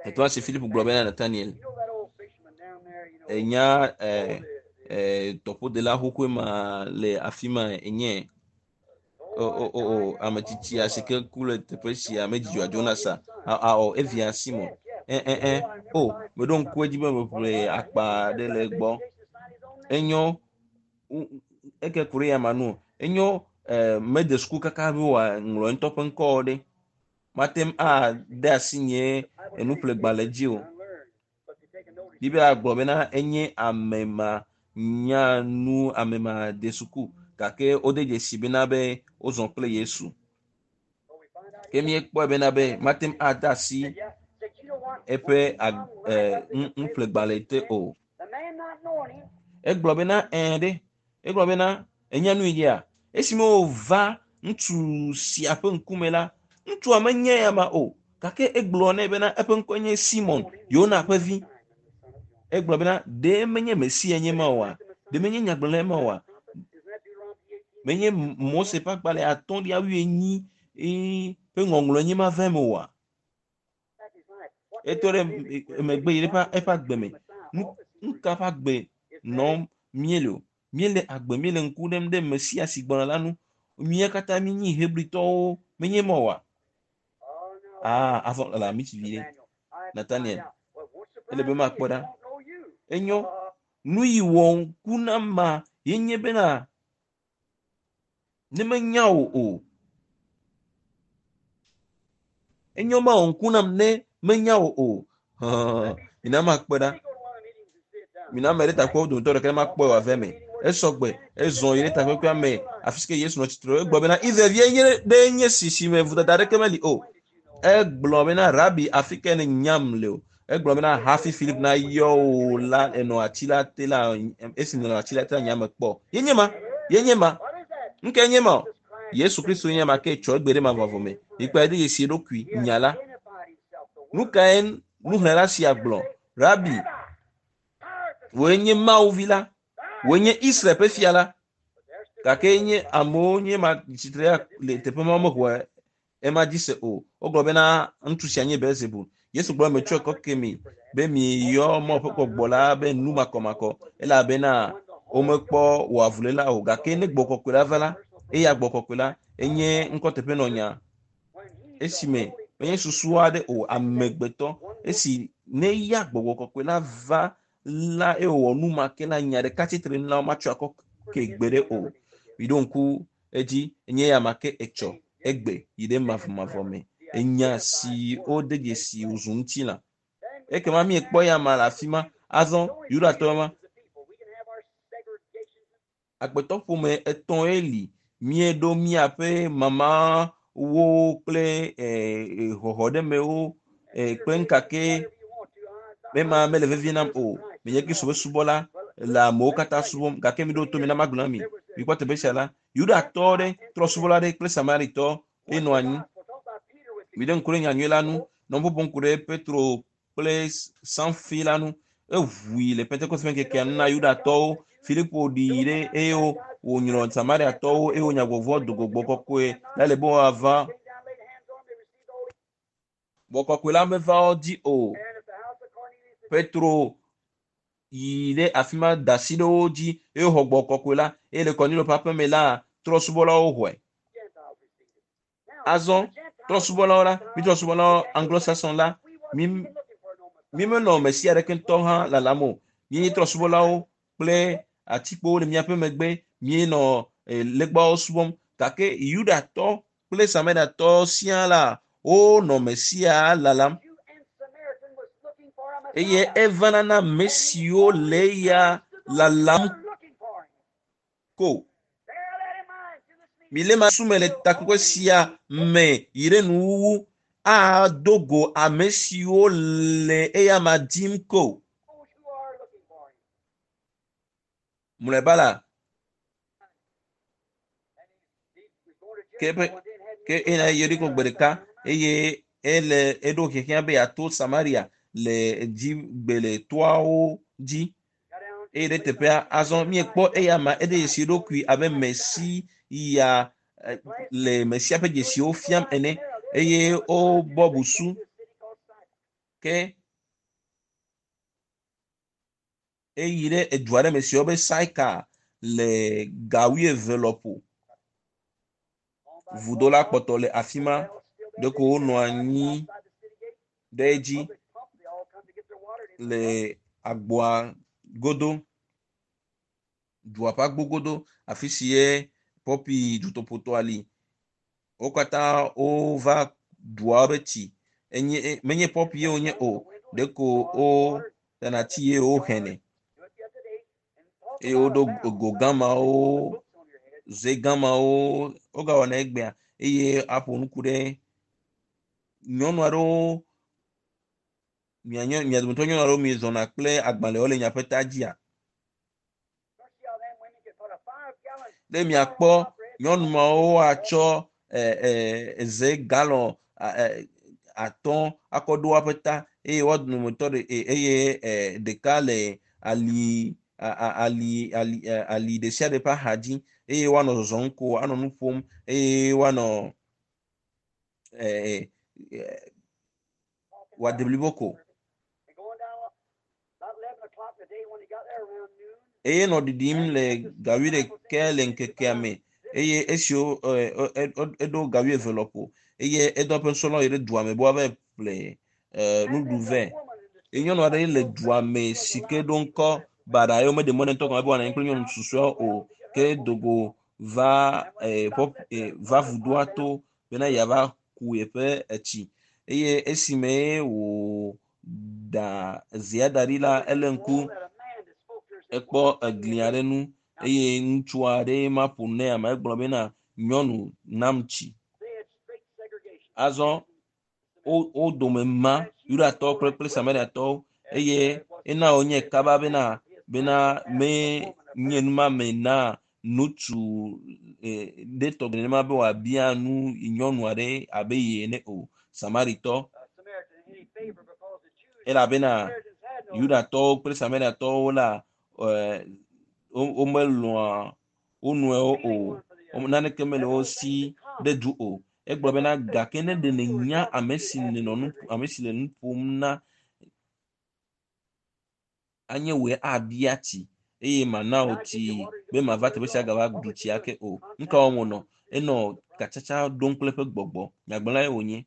etɔa si Philip gblɔ bena Nathaniel You know that old fisherman down there, you know, enya eh, the, the, eh, tɔƒodela xoxoe ma le afi ma enye o o o o ame tsitsia si ke ku le teƒe sia medzidzɔa Jonas a awɔ evia Simon ɛ ɛ ɛ o meɖo ŋku edzi be meƒle akpa ɖe le egbɔ enyo u- eke ku ɖe ya ma nu o enyo eh, mede suku kaka be wòaŋlɔ ŋutɔ ƒe ŋkɔ ɖe mate ŋu ade asi nye enuƒlegbalẽ dzi o. Biblia gblɔ bena enye ame ma nya nu ame ma de suku gake wode dzesi bena be wozɔ kple Yesu ke míekpɔe bena be mate ŋu ade asi eƒe ag- eh, nu- nuƒlegbalẽ te o. The man not knowing him, Egblɔ bena ɛ̃ ɖe egblɔ bena enya nu yi dzia esime wòva ŋutsu sia ƒe ŋkume la ŋutsua menye ya ma o gake egblɔ nɛ bena eƒe ŋkɔe nye Simon Yona ƒe vi egblɔ bena ɖe menye Mesia nye ma oa ɖe menye nyagblɔɖila ma oa isn't that Deuteronomy eighteen? Menye Mose ƒe agbalẽ atɔ̃lia wuienyi ee, ƒe ŋɔŋlɔ nye ma va eme oa Back his life. What etɔ ɖe emegbe yi ɖe eƒe eƒe agbe me nu nu ka ƒe agbe nɔm míele o míele agbe míele ŋku ɖem ɖe Mesia si gbɔna la nu mía katã míenyi Hebritɔwo menye ma oa Oh, no. Aa azɔ le ami tsi vi ɖe Nathaniel ele be makpɔ ɖa enyo nu yi wɔ ŋku na ma ye nye bena ne menya wò o enyo ma wɔ ŋku nam ne menya wò o. Mina makpɔe ɖa. Mina ame ɖe takpɔ dometɔ ɖeka ne makpɔe wòave me. Esɔgbe ezɔ yi ɖe takpekpea me afi si ke Yesu nɔ tsitre. Egblɔ bena Israelvie nye ɖe nye si si me vodada aɖeke meli o. Egblɔ bena Rabi afi ke ne nyam le o. Egblɔ bena hafi Filip na yɔ wò la enɔ ati la te la esi nɔ ati la te la nyame kpɔ. Ye nye ma. Ye nye ma. Nke nye ma o. Yesu Kristo nye ma ke tsɔ egbe ɖe mavɔvɔ me. Mikpɔe ɖe dzesi eɖokui nya la. Nu kae nuxlẽla sia gblɔ? Rabi, wòe nye Mawu vi la. Wòe nye Israel ƒe fia la. Gake nye amewo nye ma tsitre le teƒe ma mexɔe ema dzi se o. Wogblɔ bena ŋutsu sia nye Belzebul. Yesu gblɔ metsɔe kɔ ke mi be miyɔ Mawu ƒe gbɔgbɔ la be nu makɔmakɔ elabena womekpɔ wò avuléla o. Gake ne gbɔgbɔ kɔkɔe la va la, eya gbɔgbɔ kɔkɔe la enye ŋkɔteƒenɔnya. Esime menye susu aɖe o amegbetɔ esi ne ya gbɔgbɔ kɔkɔe la va la eye wòwɔ nu ma ke la nya ɖeka tsitre nu la womatsɔ akɔ ke gbe ɖe o. Miɖo ŋku edzi enye ya ma ke etsɔ egbe yi ɖe mavɔmavɔ me. Enya si wode dzesi wòzu ŋutilã. Ekema miekpɔ ya ma le afi ma. Azɔ Yudatɔ ma agbetɔ ƒome etɔ̃e li. Míeɖo míaƒe mamawo kple xɔxɔɖemewo kple ŋkake mema mele vevie nam o. Menye Kristo ƒe subɔla le amewo katã subɔm gake miɖo to mi na magblɔ na mi. Mikpɔ teƒe sia la, Yudatɔ ɖe trɔsubɔla ɖe kple Samaritɔ enɔ anyi. Miɖe ŋku ɖe nyanyui la nu. Nɔ ƒoƒo ŋku ɖe Petro kple Sanfi la nu. Eʋui le Pentekoste ƒe ŋkekea nu na Yudatɔwo. Filipo ɖi ɖe eye wònyrɔ Samariatɔwo eye wonya gbɔgbɔ do gbɔgbɔ kɔkɔe la le be woava. Gbɔgbɔ kɔkɔe la meva wo dzi o. Petro yi ɖe afi ma da asi ɖe wo dzi eye woxɔ gbɔgbɔ kɔkɔe la eye le Kornelio ƒe aƒeme la trɔsubɔlawo xɔe. Azɔ trɔsubɔlawo la mi trɔsubɔlawo Anglo-Saxon la mi mi menɔ Mesia ɖeke ŋutɔ hã lalam o. Míenye trɔsubɔlawo kple atikpowo le míaƒe megbe míenɔ legbawo subɔm gake Yudatɔ kple Samariatɔ siaa la wonɔ Mesia lalam. Eye evana na ame siwo le eya lalam ko. Mile ma sume le takpekpe sia me yi ɖe nuwuwu ado go ame siwo le eya ma dim ko. Mlɔeba la, ke ƒe ke ena Yeriko gbe ɖeka eye ele eɖo xexea be yeato Samaria le dzigbe le toawo dzi. Eye ɖe teƒea azɔ miekpɔ eya ma eɖe dzesi eɖokui abe Mesia le Mesia ƒe dzesiwo fiam ene eye wobɔ busu ke eyi ɖe edu aɖe me si woyɔ be Saika le ga wuieve lɔƒo. Vudo la kpɔtɔ le afi ma. Ɖeko wonɔ anyi ɖe edzi le agboa godo, dua ƒe agbo godo afi si ye pɔpi dutoƒotɔa li. Wo katã wova dua ƒe tsi. Enye menye pɔpi ye wonye o. Ɖeko wotana tsi ye woxenɛ eye woɖo go gamawo, ze gamawo wogawɔna egbea eye aƒo nuku ɖe nyɔnu aɖewo mia mia dometɔ nyɔnu aɖewo miezɔna kple agbalẽwo le miaƒe ta dzia. Ɖe miakpɔ nyɔnu mawo atsɔ ze galɔn atɔ̃ akɔ ɖo woƒe ta eye woa dometɔ ɖe eye ɖeka le ali ali ali ali ɖe sia ɖe ƒe axa dzi eye woanɔ zɔzɔm ko anɔ nu ƒom eye woanɔ wòade blibo ko. Eye nɔ ɖiɖim le ga wuiɖekɛ le ŋkekea me eye esiwo eɖo ga wuieve lɔƒo eye edɔ eƒe nusrɔ̃lawo yi ɖe dua me be woava ƒle nuɖuɖu vɛ. Eye nyɔnu aɖe le dua me si ke ɖo ŋkɔ baɖa eye womeɖe mɔ nɛ ŋutɔ gɔme be wòanɔ anyi kple nyɔnu susɔeawo o ke dogo va va vudoa to bena yeava ku yeƒe etsi eye esime wònɔ da zea da ɖi la ele ŋku ekpɔ egli aɖe nu eye ŋutsu aɖe ma ƒo nɛ ame egblɔ bena nyɔnu nam tsi. Azɔ wo wo dome ma Yudatɔwo kple kple Samariatɔwo eye ena wonye kaba bena bena me nye numame na ŋutsu e, ɖe tɔgbi nenema be wòabia nu nyɔnu aɖe abe ye ene o Samaritɔ elabena Yudatɔwo kple Samariatɔwo la e, womelɔ̃a wo nɔewo o naneke mele wo si ɖe du o egblɔ bena gake ne ɖe nènya ame si nènɔ nu ame si le nu ƒom na anye wòe abia tsi eye mana wò tsi be mava teƒe sia gava ɖu tsi ake o nu ka wɔm wònɔ enɔ katsatsa ɖom kple eƒe gbɔgbɔ nyagblɔlae wònye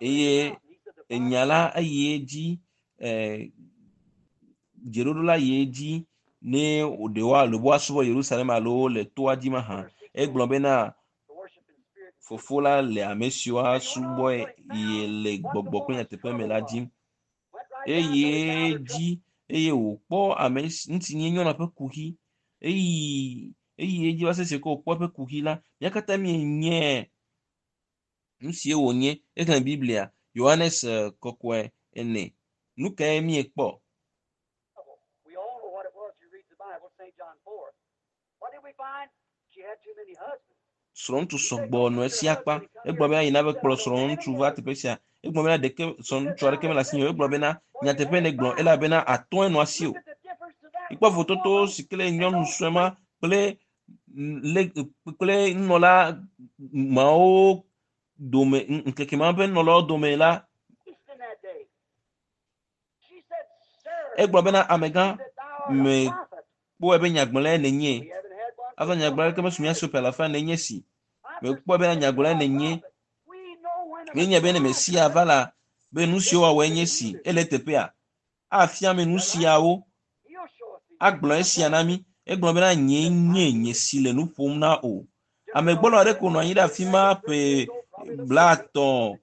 eye enya la eyi edzi eh, dzeɖoɖo la yi edzi ne ɖe woalo be woasubɔ Yerusalem alo le toa dzi mahã egblɔ bena fofo la le ame siwo asubɔe ye le gbɔgbɔ kple nyateƒe me la dzim eye dzi eye wòkpɔ ame ŋuti nye nyɔnua ƒe kuxi eyi eyi edzi va sese ke wòkpɔ eƒe kuxi la mía katã míenye nu sie wònye exlẽ Biblia Yohanes kɔkɔe ene nu kae míekpɔ We all know what it was. You read the Bible, St. John four. What did we find? She had too many husbands. srɔ̃ŋutsu sɔgbɔ nɔ esi akpa egblɔ bena yina be kplɔ srɔ̃ŋutsu va teƒe sia egblɔ bena ɖeke srɔ̃ŋutsu aɖeke mele asi o egblɔ bena nyateƒe ne gblɔ elabena atɔ̃e nɔ asi o Look at the difference to that ikpɔ vototo si ke le nyɔnu sue ma kple le kple nunɔla mawo dome ŋkeke ma ƒe nunɔlawo dome la priest in that day. She said, Sir, egblɔ bena amegã that thou art a me prophet. kpɔe be nyagblɔlae nènye We haven't had one azɔ nyagblɔla ɖeke mesu mía si o ƒe alafa nenye si mekpɔe bena nyagblɔlae nènye We know when the míenya be ne Mesia va la be nu siwo wɔwɔe nye si ele teƒea afia mi nu siawo He'll show us these agblɔ esia na mí egblɔ bena nye nye nye si le nu ƒom na o amegbɔlɔ aɖe ko nɔ anyi ɖe afi ma ƒe blaatɔ̃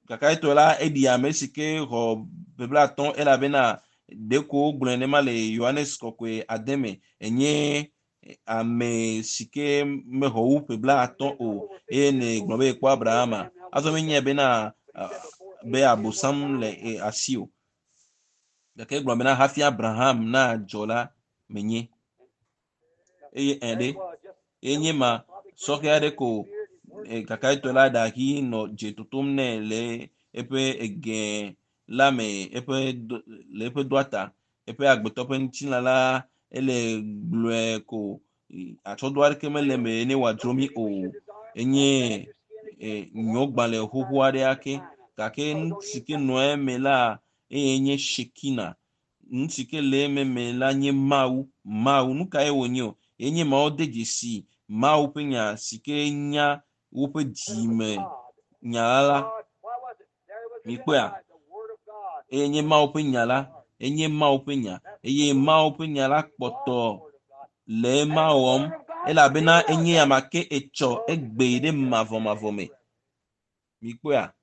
kakayetɔ la eɖi ame si ke xɔ ƒe blaatɔ̃ elabena ɖeko wogblɔe nema le Yohanes kɔkɔe ade me enye ame si ke mexɔ wu ƒe blaatɔ̃ o eye ne gblɔ be yekpɔ Abrahama azɔ menyae bena ah, be abosam le eh, asi o gake egblɔ bena hafi Abraham nadzɔ la menye eye ɛ ɖe enye ma sɔhɛ aɖe ko eh, kakayetɔ la ɖahi nɔ dze totom nɛ le eƒe ege la me eƒe do, le eƒe doa ta eƒe agbetɔ ƒe ŋutilã la ele gblɔe ko atsɔdo aɖeke mele eme ne wòadzro mí o enye eh, nyɔgbalẽ xoxo aɖe ake gake nu si ke nɔ eme la eye nye Shekina nu si ke le eme me la nye Mawu Mawu nu kae wònye o enye mawo de dzesi Mawu ƒe nya si ke nya woƒe dzime nya la mikpɔea eye nye Mawu ƒe nya la enye Mawu ƒe nya eye Mawu ƒe nya la kpɔtɔ le ema wɔm elabena enye ame ke etsɔ egbe ɖe mavɔmavɔ me mikpɔea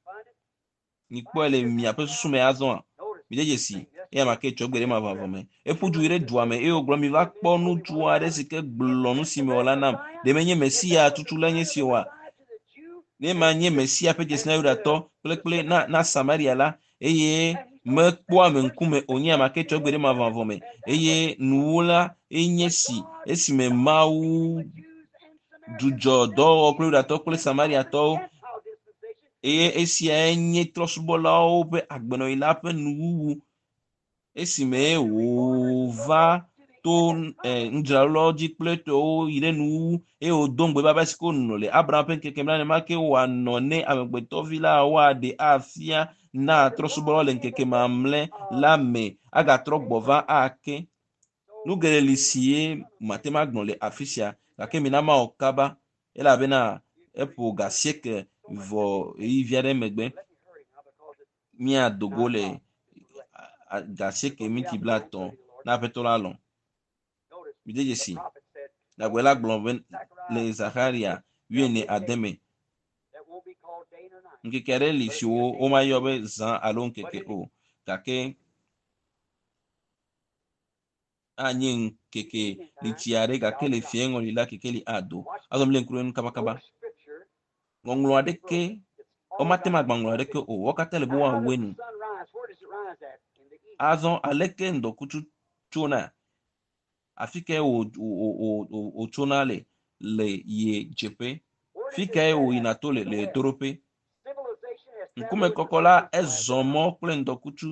mikpɔe le miaƒe susu me azɔa mi de dzesi eye ame ke etsɔ egbe ɖe mavɔmavɔ me eƒu du yi ɖe dua me eye wògblɔ mi va kpɔ ŋutsu aɖe si ke gblɔ nu si mewɔ la nam ɖe menye Mesia tutu la nye si oa ne ma nye Mesia ƒe dzesi na Yudatɔ kple kple na na Samaria la eye mekpɔa ame ŋkume o nye ame ke tsɔ egbe ɖe mavɔmavɔ me eye nuwo la enye si esime Mawu dzudzɔ dɔwɔwɔ kple Yudatɔ kple Samariatɔwo eye esiae nye trɔ̃subɔlawo ƒe agbenɔɣi la ƒe nuwuwu esime wòva to eh, nudzralawo dzi kple tɔwo yi ɖe nuwuwu eye wòdo ŋugbe be abe si ke wònɔ le Abraham ƒe ŋkeke me la nenema ke wòanɔ ne amegbetɔvi la woaɖe afia na trɔ̃subɔlawo le ŋkeke mamlɛ la me agatrɔ gbɔ va ake nu geɖe li si ye mate ŋu agblɔ le afi sia gake mina mawɔ kaba elabena eƒo ga asieke vɔ ɣeyiɣi vi aɖe megbe míado go le ga asieke minti blaetɔ̃ na aƒetɔ la lɔ̃ mide dzesi nyagblɔɖila gblɔ be le Zaxaria wuiene ade me Ŋkeke aɖe li si wo womayɔ be zã alo ŋkeke o gake anye ŋkeke litsi aɖe gake le fiẽ ŋɔli la kekeli ado. Azɔ mi le ŋku ɖe nu kabakaba. No scripture Ŋɔŋlɔ aɖeke It's all womate ŋu God. agba ŋlɔ aɖeke o. Wo katã le be Now, how does woawɔe the nu. sun rise? Where does it rise at? In the east. Azɔ aleke ŋdɔkutsu tsona? Afi kae wò wò wò wò wòtsona le le ye dzeƒe? Where does Fi it kae set wòyina at? to le In the le west. ɣetoɖoƒe? Civilization has traveled Ŋkume with the kɔkɔ la sun since last ezɔ mɔ kple ŋdɔkutsu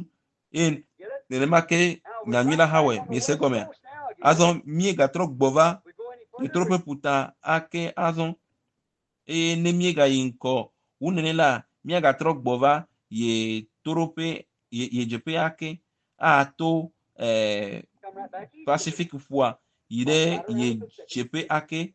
eye Get it? nenema ke Now we're nyanyui right la hã back wɔe. on the Miese west gɔmea? coast now again. Azɔ míegatrɔ gbɔ va We go any further, ɣetoɖoƒe ƒuta ake azɔ eye ne míegayi ŋgɔ wu nene la míagatrɔ gbɔ va ye toɖoƒe ye ye dzeƒe ake ato ɛɛ come right back east again. Pacific ƒua yi Walk ɖe right around ye the Pacific. dzeƒe ake.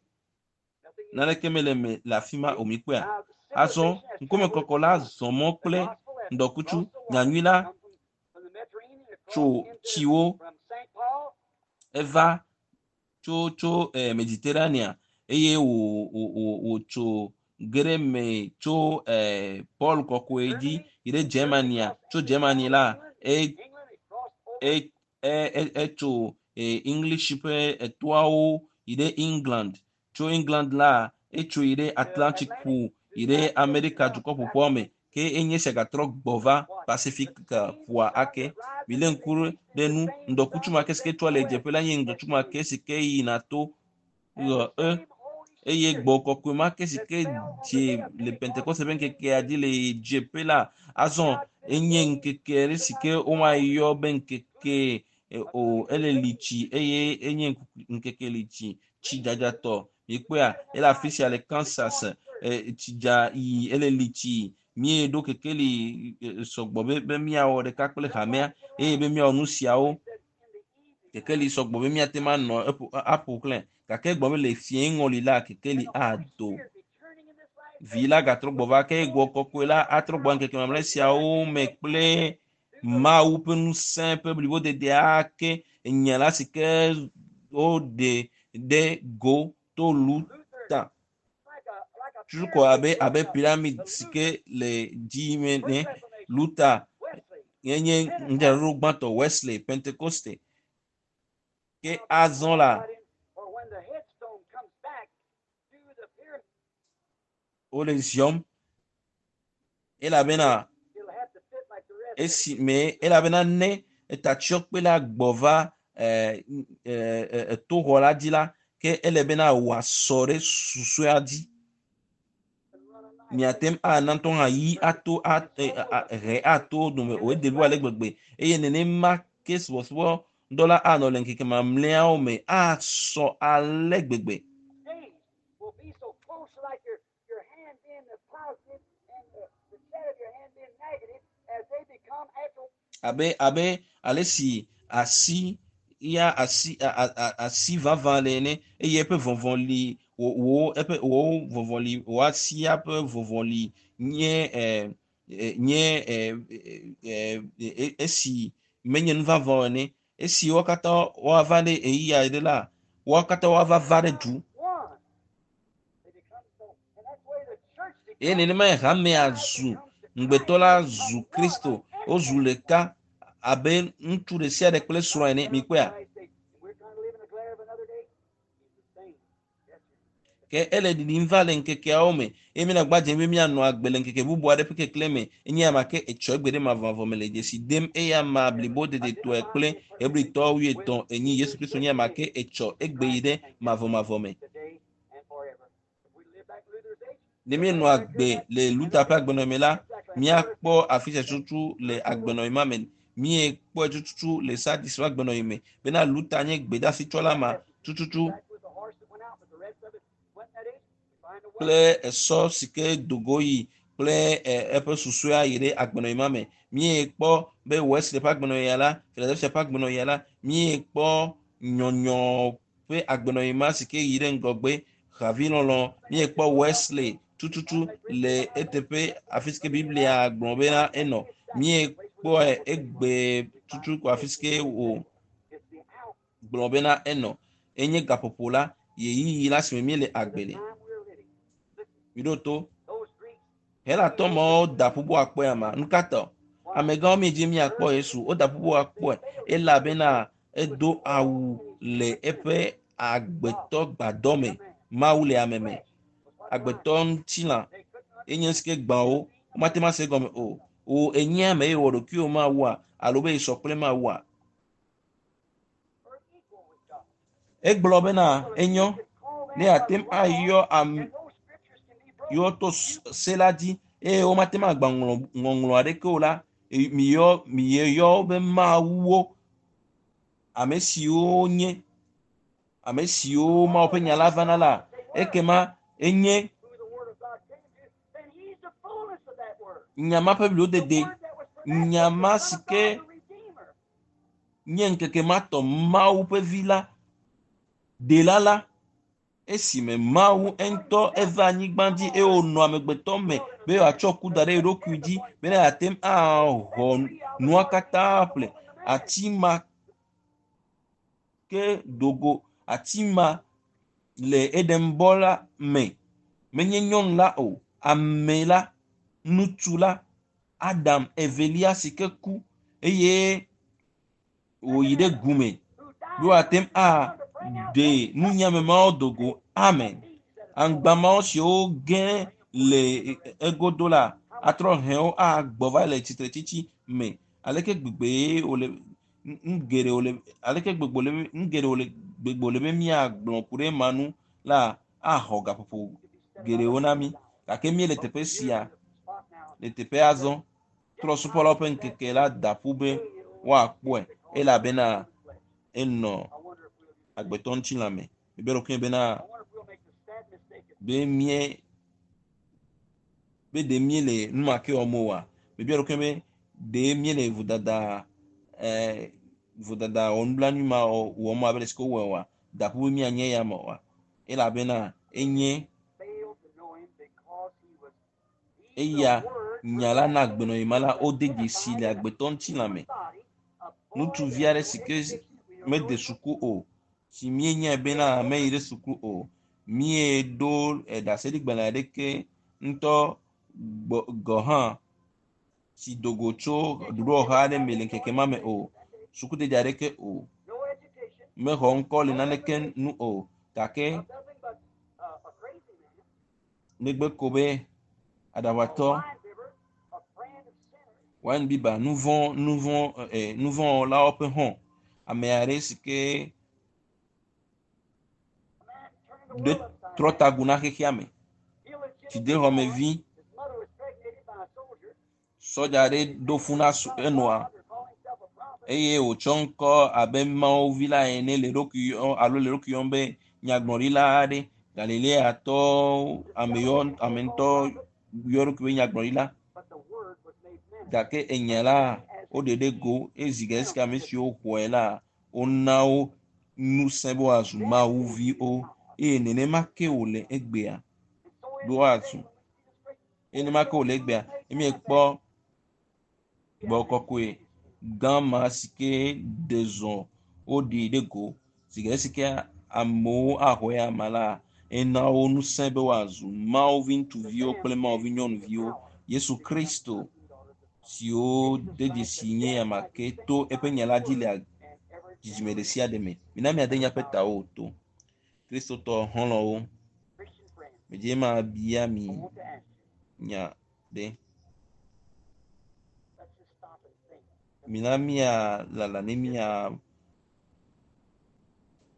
Nothing new. Naneke mele me le afi ma See? o mikpɔea? Now, Azɔ civilization has ŋkume traveled with kɔkɔ the la sun. zɔ mɔ The kple gospel has ŋdɔkutsu crossed the water, nyanyui la come from, from the Mediterranean across tso into tsiwo from St. Paul eva tso tso eh, Mediterranea eye wò wò wò wòtso ge ɖe me tso eh, Paul kɔkɔe dzi Germany, yi ɖe Germany Germania crossed tso into Germany South la England, e England it crossed over e e e etso eh, English ƒe etoawo yi ɖe England tso England la etso yi ɖe the Atlantic Atlantic ƒu to yi the ɖe United States and Amerika now dukɔ back ƒoƒuawo me again. ke enye sia gatrɔ gbɔ va Watch. The Pacific same ƒua sun ake. that rises Milé in the ŋku east ɖe is the nu same ŋdɔkutsu sun ma that ke si ke sets trɔ in le the west. dzeƒe la nye That's ŋdɔkutsu ma true. ke si ke yina to And ɣe the e same Holy eye Spirit gbɔ kɔkɔe ma ke si that ke fell on the dze day of le Pentecost Pentekoste ƒe in ŋkekea dzi le dzeƒe la azɔ God sent enye days ŋkeke ɖe si to ke not womayɔ be ŋkeke e, of o ele thirty li days. tsi eye enye ŋku- ŋkeke li tsi tsi Read dzadzatɔ mikpɔea ele afi sia le Kansas church. e, tsi dza yi ele li tsi míeɖo kekeli e, sɔgbɔ be be míawɔ ɖeka kple Just hamea like it eye be around. míawɔ nu siawo He said in the evening kekeli time. sɔgbɔ be míate ŋu anɔ eƒo aƒo xlẽ gake egblɔ be le fiẽ ŋɔli la kekeli And the Holy ado Spirit returning in this last vi day la gatrɔ gbɔ with va the ke gbɔ fullness kɔkɔe la of atrɔ gbɔ power ŋkeke mamlɛ of siawo me resurrection kple power through the Mawu ƒe ŋusẽ ƒe blibodede ake enya la si ke woɖe ɖe go to Luther, Luta like a like a tutu kɔ pyramid abe going abe up. pyramid The si Luther, ke le dzi me First ne Reformation, Luta Wesley, yenye Pentecost. ŋdzraɖoɖo gbãtɔ Wesley Pentecoste ke Now this azɔ one la right in, or when the headstone comes back to the pyramid, wole ziɔm elabena it'll have to fit like the rest of it. esi me elabena ne etatsyɔkpe la gbɔ va eh, eh, eh, etoxɔ la dzi la ke ele bena wòasɔ ɖe susɔea dzi And run a knife miate ŋu ana ŋutɔ hã yi ato a- e- a- a- he ato dome And o this ede blibo ale last gbegbe eye nenema ke subɔsubɔ dɔ la anɔ le ŋkeke mamlɛawo me asɔ ale gbegbe days will be so close, like your your hand being the positive and the, the shadow of your hand being negative, as they become after abe abe ale si asi ya asi a, a, a, asi vavã le ene eye eƒe vɔvɔli wò wò eƒe wò vɔvɔli wò asia ƒe vɔvɔli nye ɛ ɛ nye ɛ ɛ ɛ esi menye nu vavã o ene esi wo katã woava ɖe ɣeyiɣi aɖe la wo katã woava va ɖe du one. They become so, and that's the way the church eye becomes. nenema hamea Bride zu becomes to ŋugbetɔ Christ. la They become zu one Kristo like wozu everything. ɖeka abe ŋutsu ɖe sia ɖe kple srɔ̃a ene Right down to mikpɔea the last day. And we're trying to live in the glare of another day. He's the same. Yes, sir. ke ele ɖiɖim va le ŋkekeawo me eye míele agba dzem be míanɔ agbe le ŋkeke bubu aɖe ƒe keklẽ me enye ame ke etsɔ egbe ɖe mavɔmavɔ me le dzesi dem eya ma blibo dedetɔe kple hebritɔ wuietɔ̃ enyi Yesu Kristo nye ame ke etsɔ egbe yi ɖe mavɔmavɔ me Today and forever. If we live back Luther's age, ne míenɔ agbe le Luther ƒe agbenɔɣi me la míakpɔ afi sia tutu le agbenɔɣi ma me míekpɔe tututu le Sardis ƒe agbenɔɣi me bena Luther nye gbedeasitsɔla ma tututu back with the horse that went out, but the rest of it went that age. We find a way. kple esɔ si ke dogo yi kple ɛ, eƒe susɔea yi ɖe agbenɔɣi ma me míekpɔ be Wesley ƒe agbenɔɣia la Philadelphia ƒe agbenɔɣia la míekpɔ nyɔnyɔ ƒe agbenɔɣi ma si ke yi ɖe ŋgɔgbe havilɔlɔ míekpɔ Wesley tututu le eteƒe afi si ke Biblia gblɔ bena enɔ míekpɔe egbe tutu ko afi si ke wò It's the hour, gblɔ bena enɔ enye gaƒoƒo la ɣeyiɣi la si me míele agbe the le time we're living. Listen, miɖo to those Greeks, Helatɔ mawo da ƒu be woakpɔe ama. Nu ka ta? Amegãwo miedzi miakpɔ Yesu. Woda ƒu be woakpɔe elabena edo awu le eƒe agbetɔ gbadɔ me. Mawu le ame me. Agbetɔ ŋutilã enye si ke gbã wo. Womate ŋu ase egɔme o. Wò enye ame eye wɔ ɖokuiwò Mawua alo be yesɔ kple Mawua. Or equal with God. Egblɔ bena enyo ne yeate ŋu ayɔ ame And those scriptures can be broken. yewo to se la dzi eye womate ŋu agba ŋlɔ ŋɔŋlɔ aɖeke o la e- miyɔ miyɔ wo be mawuwo ame siwo nye ame siwo Mawu ƒe nya la vana la ekema enye Who the word of God came to, then he's the fullness of that word. nya ma ƒe The bliwodede word that was pronounced nya was ma the si Son of ke God, the Redeemer. nye ŋkeke ma tɔ Mawu ƒe vi la ɖela la esime Mawu ŋutɔ eva anyigba dzi eye wònɔ amegbetɔ me be wòatsɔ ku da ɖe eɖokui dzi bena yeate ŋu axɔ nua katã ƒle. Ati ma ke dogo ati ma le Edenbɔ la me menye nyɔnu la o ame la ŋutsu la Adam evelia si ke ku eye wòyi ɖe gu me Who died be wòate ŋu aɖe nunyame mawo dogo. Amen. Aŋgba mawo siwo ge le egodo la atrɔ hẽ wo agbɔ va le tsitretsitsi me. Aleke gbegbe wòle nu geɖe wòle aleke gbegbe wòle nu geɖe wòle gbegbe wòle be míagblɔ ku ɖe ema nu la axɔ gaƒoƒo geɖewo na mí. Gake míele teƒe sia le teƒe azɔ trɔ̃subɔlawo ƒe ŋkeke la da ƒu be woakpɔe elabena enɔ agbetɔ ŋutilã me. Mebia ɖokuinye bena be mie be ɖe míele nu ma ke wɔm oa? Mebia ɖokuinye be ɖe míele vodada ɛɛ vodada wɔnublanui ma wɔm abe le si ke wowɔe oa? Da ƒu be míanye eya me oa? Elabena enye failed to know him because he was he, eya the word nya la na agbenɔɣi ma la wode dzesi le agbetɔ ŋutilã me. Ŋutsuvi aɖe si ke mede suku o si míenyae bena meyi ɖe suku o míeɖo ɖaseɖigbalẽ aɖeke ŋutɔ gbɔ gɔ hã si do go tso ɖoɖowɔha aɖe me le ŋkeke ma me o sukudede aɖeke o no education, mexɔ ŋkɔ le naneke nu o gake of nothing but uh, a crazy man, negbe ko be a aɖaʋatɔ wine bibber, a friend of sinners, wine biba nuvɔ nuvɔ ɛ nuvɔwɔlawo ƒe hɔn ame aɖe si ke a man turned the ɖe world upside trɔ down. tagu na xexea me Illegitimate dzidexɔmevi born, his mother was pregnated by a soldier. sɔdza aɖe ɖo fu na su- enɔa Father called himself a prophet. eye wòtsɔ ŋkɔ abe Mawu vi la ene le eɖokui yɔm alo le eɖokui yɔm be nyagblɔɖila aɖe Galileatɔ ame yɔ ame ŋutɔ yɔ eɖokui be nyagblɔɖila But the word was made manifest. gake enya la woɖe ɖe go ezi ge esike ame siwo xɔe la wona wo ŋusẽ be woazu Mawu viwo eye nenema ke wòle egbea And so is be it woazu today when we see the scripture. eye nenema ke wòle egbea ne míekpɔ gbɔgbɔ kɔkɔe gã ma si ke ɖe zɔ woɖi ɖe go si ge esike amewo axɔ ya ma la ena wo ŋusẽ be woazu Mawu vi ŋutsuviwo kple Mawu vi nyɔnuviwo Yesu Kristo siwo de dzesi nye ame ke to eƒe nya la dzi le dzidzime ɖe sia ɖe me. Mina míade míaƒe tawo to. Kristotɔ xɔlɔ̃wo, Christian friends, medze mabia mi I want to ask you, nya ɖe. let's just stop and think. Mina míalala ne mía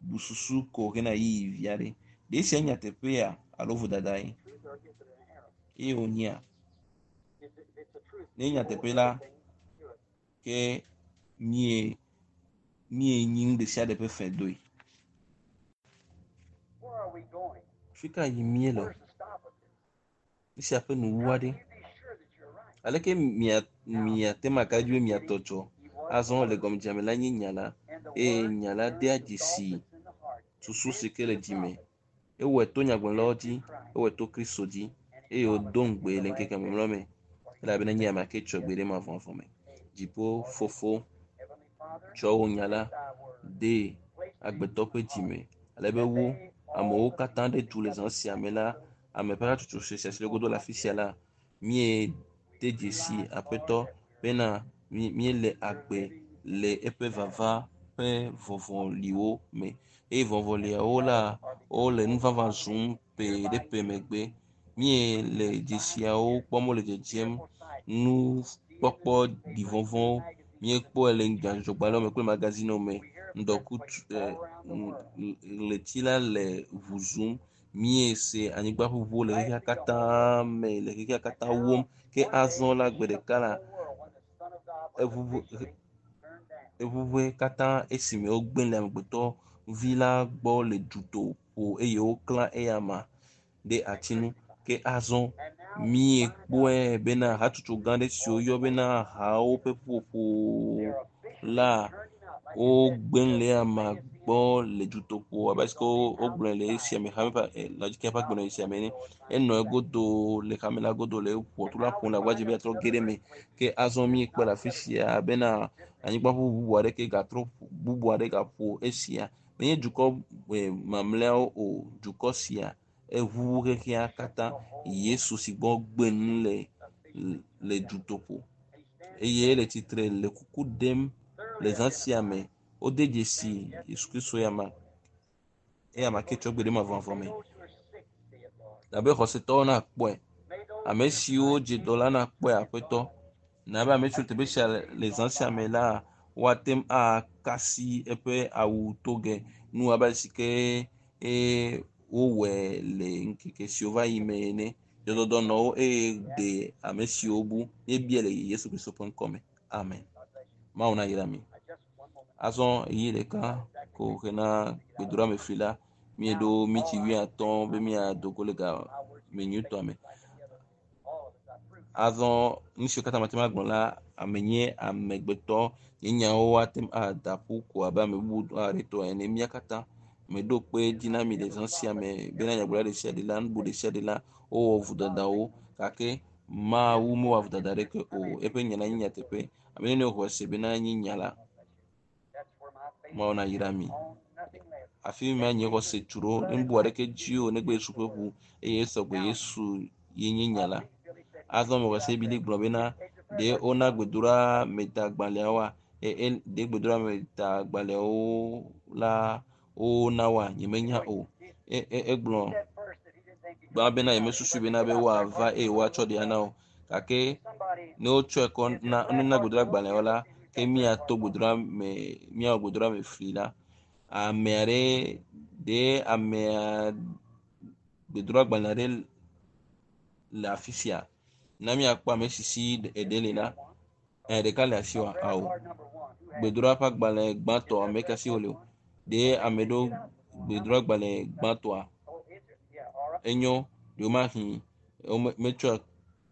bu susu ko hena ɣeyiɣi vi aɖe. Ɖe esia nye nyateƒea alo vodadae? Truth or is it an error? Eye wònyea? If it- if it's the truth, Ne we owe nyateƒe la, everything to it. ke mie míenyi nu ɖe sia ɖe ƒe fɛ doe. Where are we going? Fi ka yim míele? Where's the stop of this? Esia ƒe nuwuwu How aɖe. can you be sure that you're right? Aleke mia miate ŋu aka ɖe edzi be miatɔ dzɔ? He was Azɔ the le Word, gɔmedzedzea me la nye nya la and the eye Word nya la turned dea the thought dzesi that's in the heart and susu si sent ke to le the dzi me. prophet Ewɔe to nyagblɔɖilawo and dzi, through Christ. ewɔe to Kristo dzi And he eye promised wòdo in ŋugbe the le last ŋkeke days mamlɛawo me for he elabena would nye send ame ake tsɔ gbe ɖe mavɔmavɔ me. Dziƒo fofo Heavenly Father, tsɔ wò nya la send thy word, de place it in agbetɔ ƒe human dzi heart, me ale be that wo they, all amewo the katã people ɖe du le zã sia me la ame ƒe hatsotso sue sia si le godo le afi sia la Míede dzesi Aƒetɔ bena míele agbe le eƒe vava ƒe vɔvɔliwo me. Eye vɔvɔliawo la, wole nu vavã zum ƒe ɖe ƒe megbe. Míele dzesiawo kpɔm wole dzedzem. Nukpɔkpɔ ɖivɔvɔ̃wo míekpɔe le nyadzɔdzɔgbalẽwo me kple magazinewo me. Ŋdɔkutsu ɣleti la le ʋu zum. Míese anyigba ʋuʋuwo le xexea katã me le xexea katã wom. Ke azɔ la gbe ɖeka la eʋuʋu eʋuʋue katã esime wogblẽ le amegbetɔ vi la gbɔ le dutoƒo eye woklã eyama ɖe ati ŋu. Ke azɔ míekpɔe bena hatsotso gã aɖe si woyɔ bena hawo ƒe ƒuƒoƒo la wogblẽ le eyama gbɔ le dutoƒo abe ale si wogblɔe le esia me hame ƒe Laodikea ƒe agbenɔɣi sia me ene. Enɔ egodo le hame la godo le ʋɔtru la ƒom le agbagba dzem be yeatrɔ ge ɖe eme. Ke azɔ míekpɔe le afi sia bena anyigba ƒuƒu bubu aɖeke gatrɔ bubu aɖe gaƒo esia. Menye dukɔ mamlɛawo o, dukɔ sia eʋuʋu xexea katã. Yesu si gbɔ gbe nu le le dutoƒo eye ele tsitre le kuku ɖem le zã sia me. Wode dzesi Yesu Kristo eyama eyama ke tsɔ gbe ɖe mavɔmavɔ me. Abe xɔsetɔwo nakpɔe, ame siwo dze dɔ la nakpɔe Aƒetɔ. Na be ame siwo teƒe sia le zã sia me la woate ŋu akasi eƒe awu toge nu abe ale si ke wowɔe le ŋkeke siwo va yi me ene. Dzɔdɔdɔ nɔ wo eye ɖe ame siwo bu. Míebia le Yesu Kristo ƒe ŋkɔ me. Amen. Mawu nayra mi. Azɔ ɣeyiɣi ɖeka ko hena gbedoɖame fli la, míeɖo miti wuiatɔ̃ be míado go le ga me nyuitɔa me. Azɔ nu siwo katã mate ŋu agblɔ la, ame nye amegbetɔ. Nye nyawo ate ŋu ada ƒu ko abe ame bubu aɖe tɔ ene. Mía katã meɖo kpe dzi na mi le zã sia me bena nyagblɔɖila ɖe sia ɖe la, nubu ɖe sia ɖe la, wowɔ vodadawo gake Mawu mewɔ vodada aɖeke o. Eƒe nya la nye nyateƒe. Ame nene xɔe se bena nye nya la. Mawu nayra mi. Afi ma nye xɔse tu ɖo. Nubu aɖeke dzi o negbe Yesu ƒe ʋu eye esɔgbe Yesu ye nye nya la. Azɔ mexɔ se Biblia gblɔ bena ɖe wona gbedoɖa metagbalẽawoa? Ɖe gbedoɖa metagbalẽawo la wona woa? Nyemenya o. Egblɔ gbã bena yemesusu bena be woava eye woatsɔ ɖe ana o. Gake ne wotsɔe kɔ na nuna gbedoɖa gbalẽawo la, ke míato gbedoɖa me míawɔ gbedoɖa me fli la, ame aɖe ɖe amea gbedoɖa gbalẽ aɖe le afi sia. Na míakpɔ ame si si eɖe le la, ɖeka le asiwòa? Ao. Gbedoɖa ƒe agbalẽ gbãtɔ ame ka si wòle o. Ɖe ame ɖewo gbedoɖa gbalẽ gbãtɔa? Enyo ɖewomahi metsɔe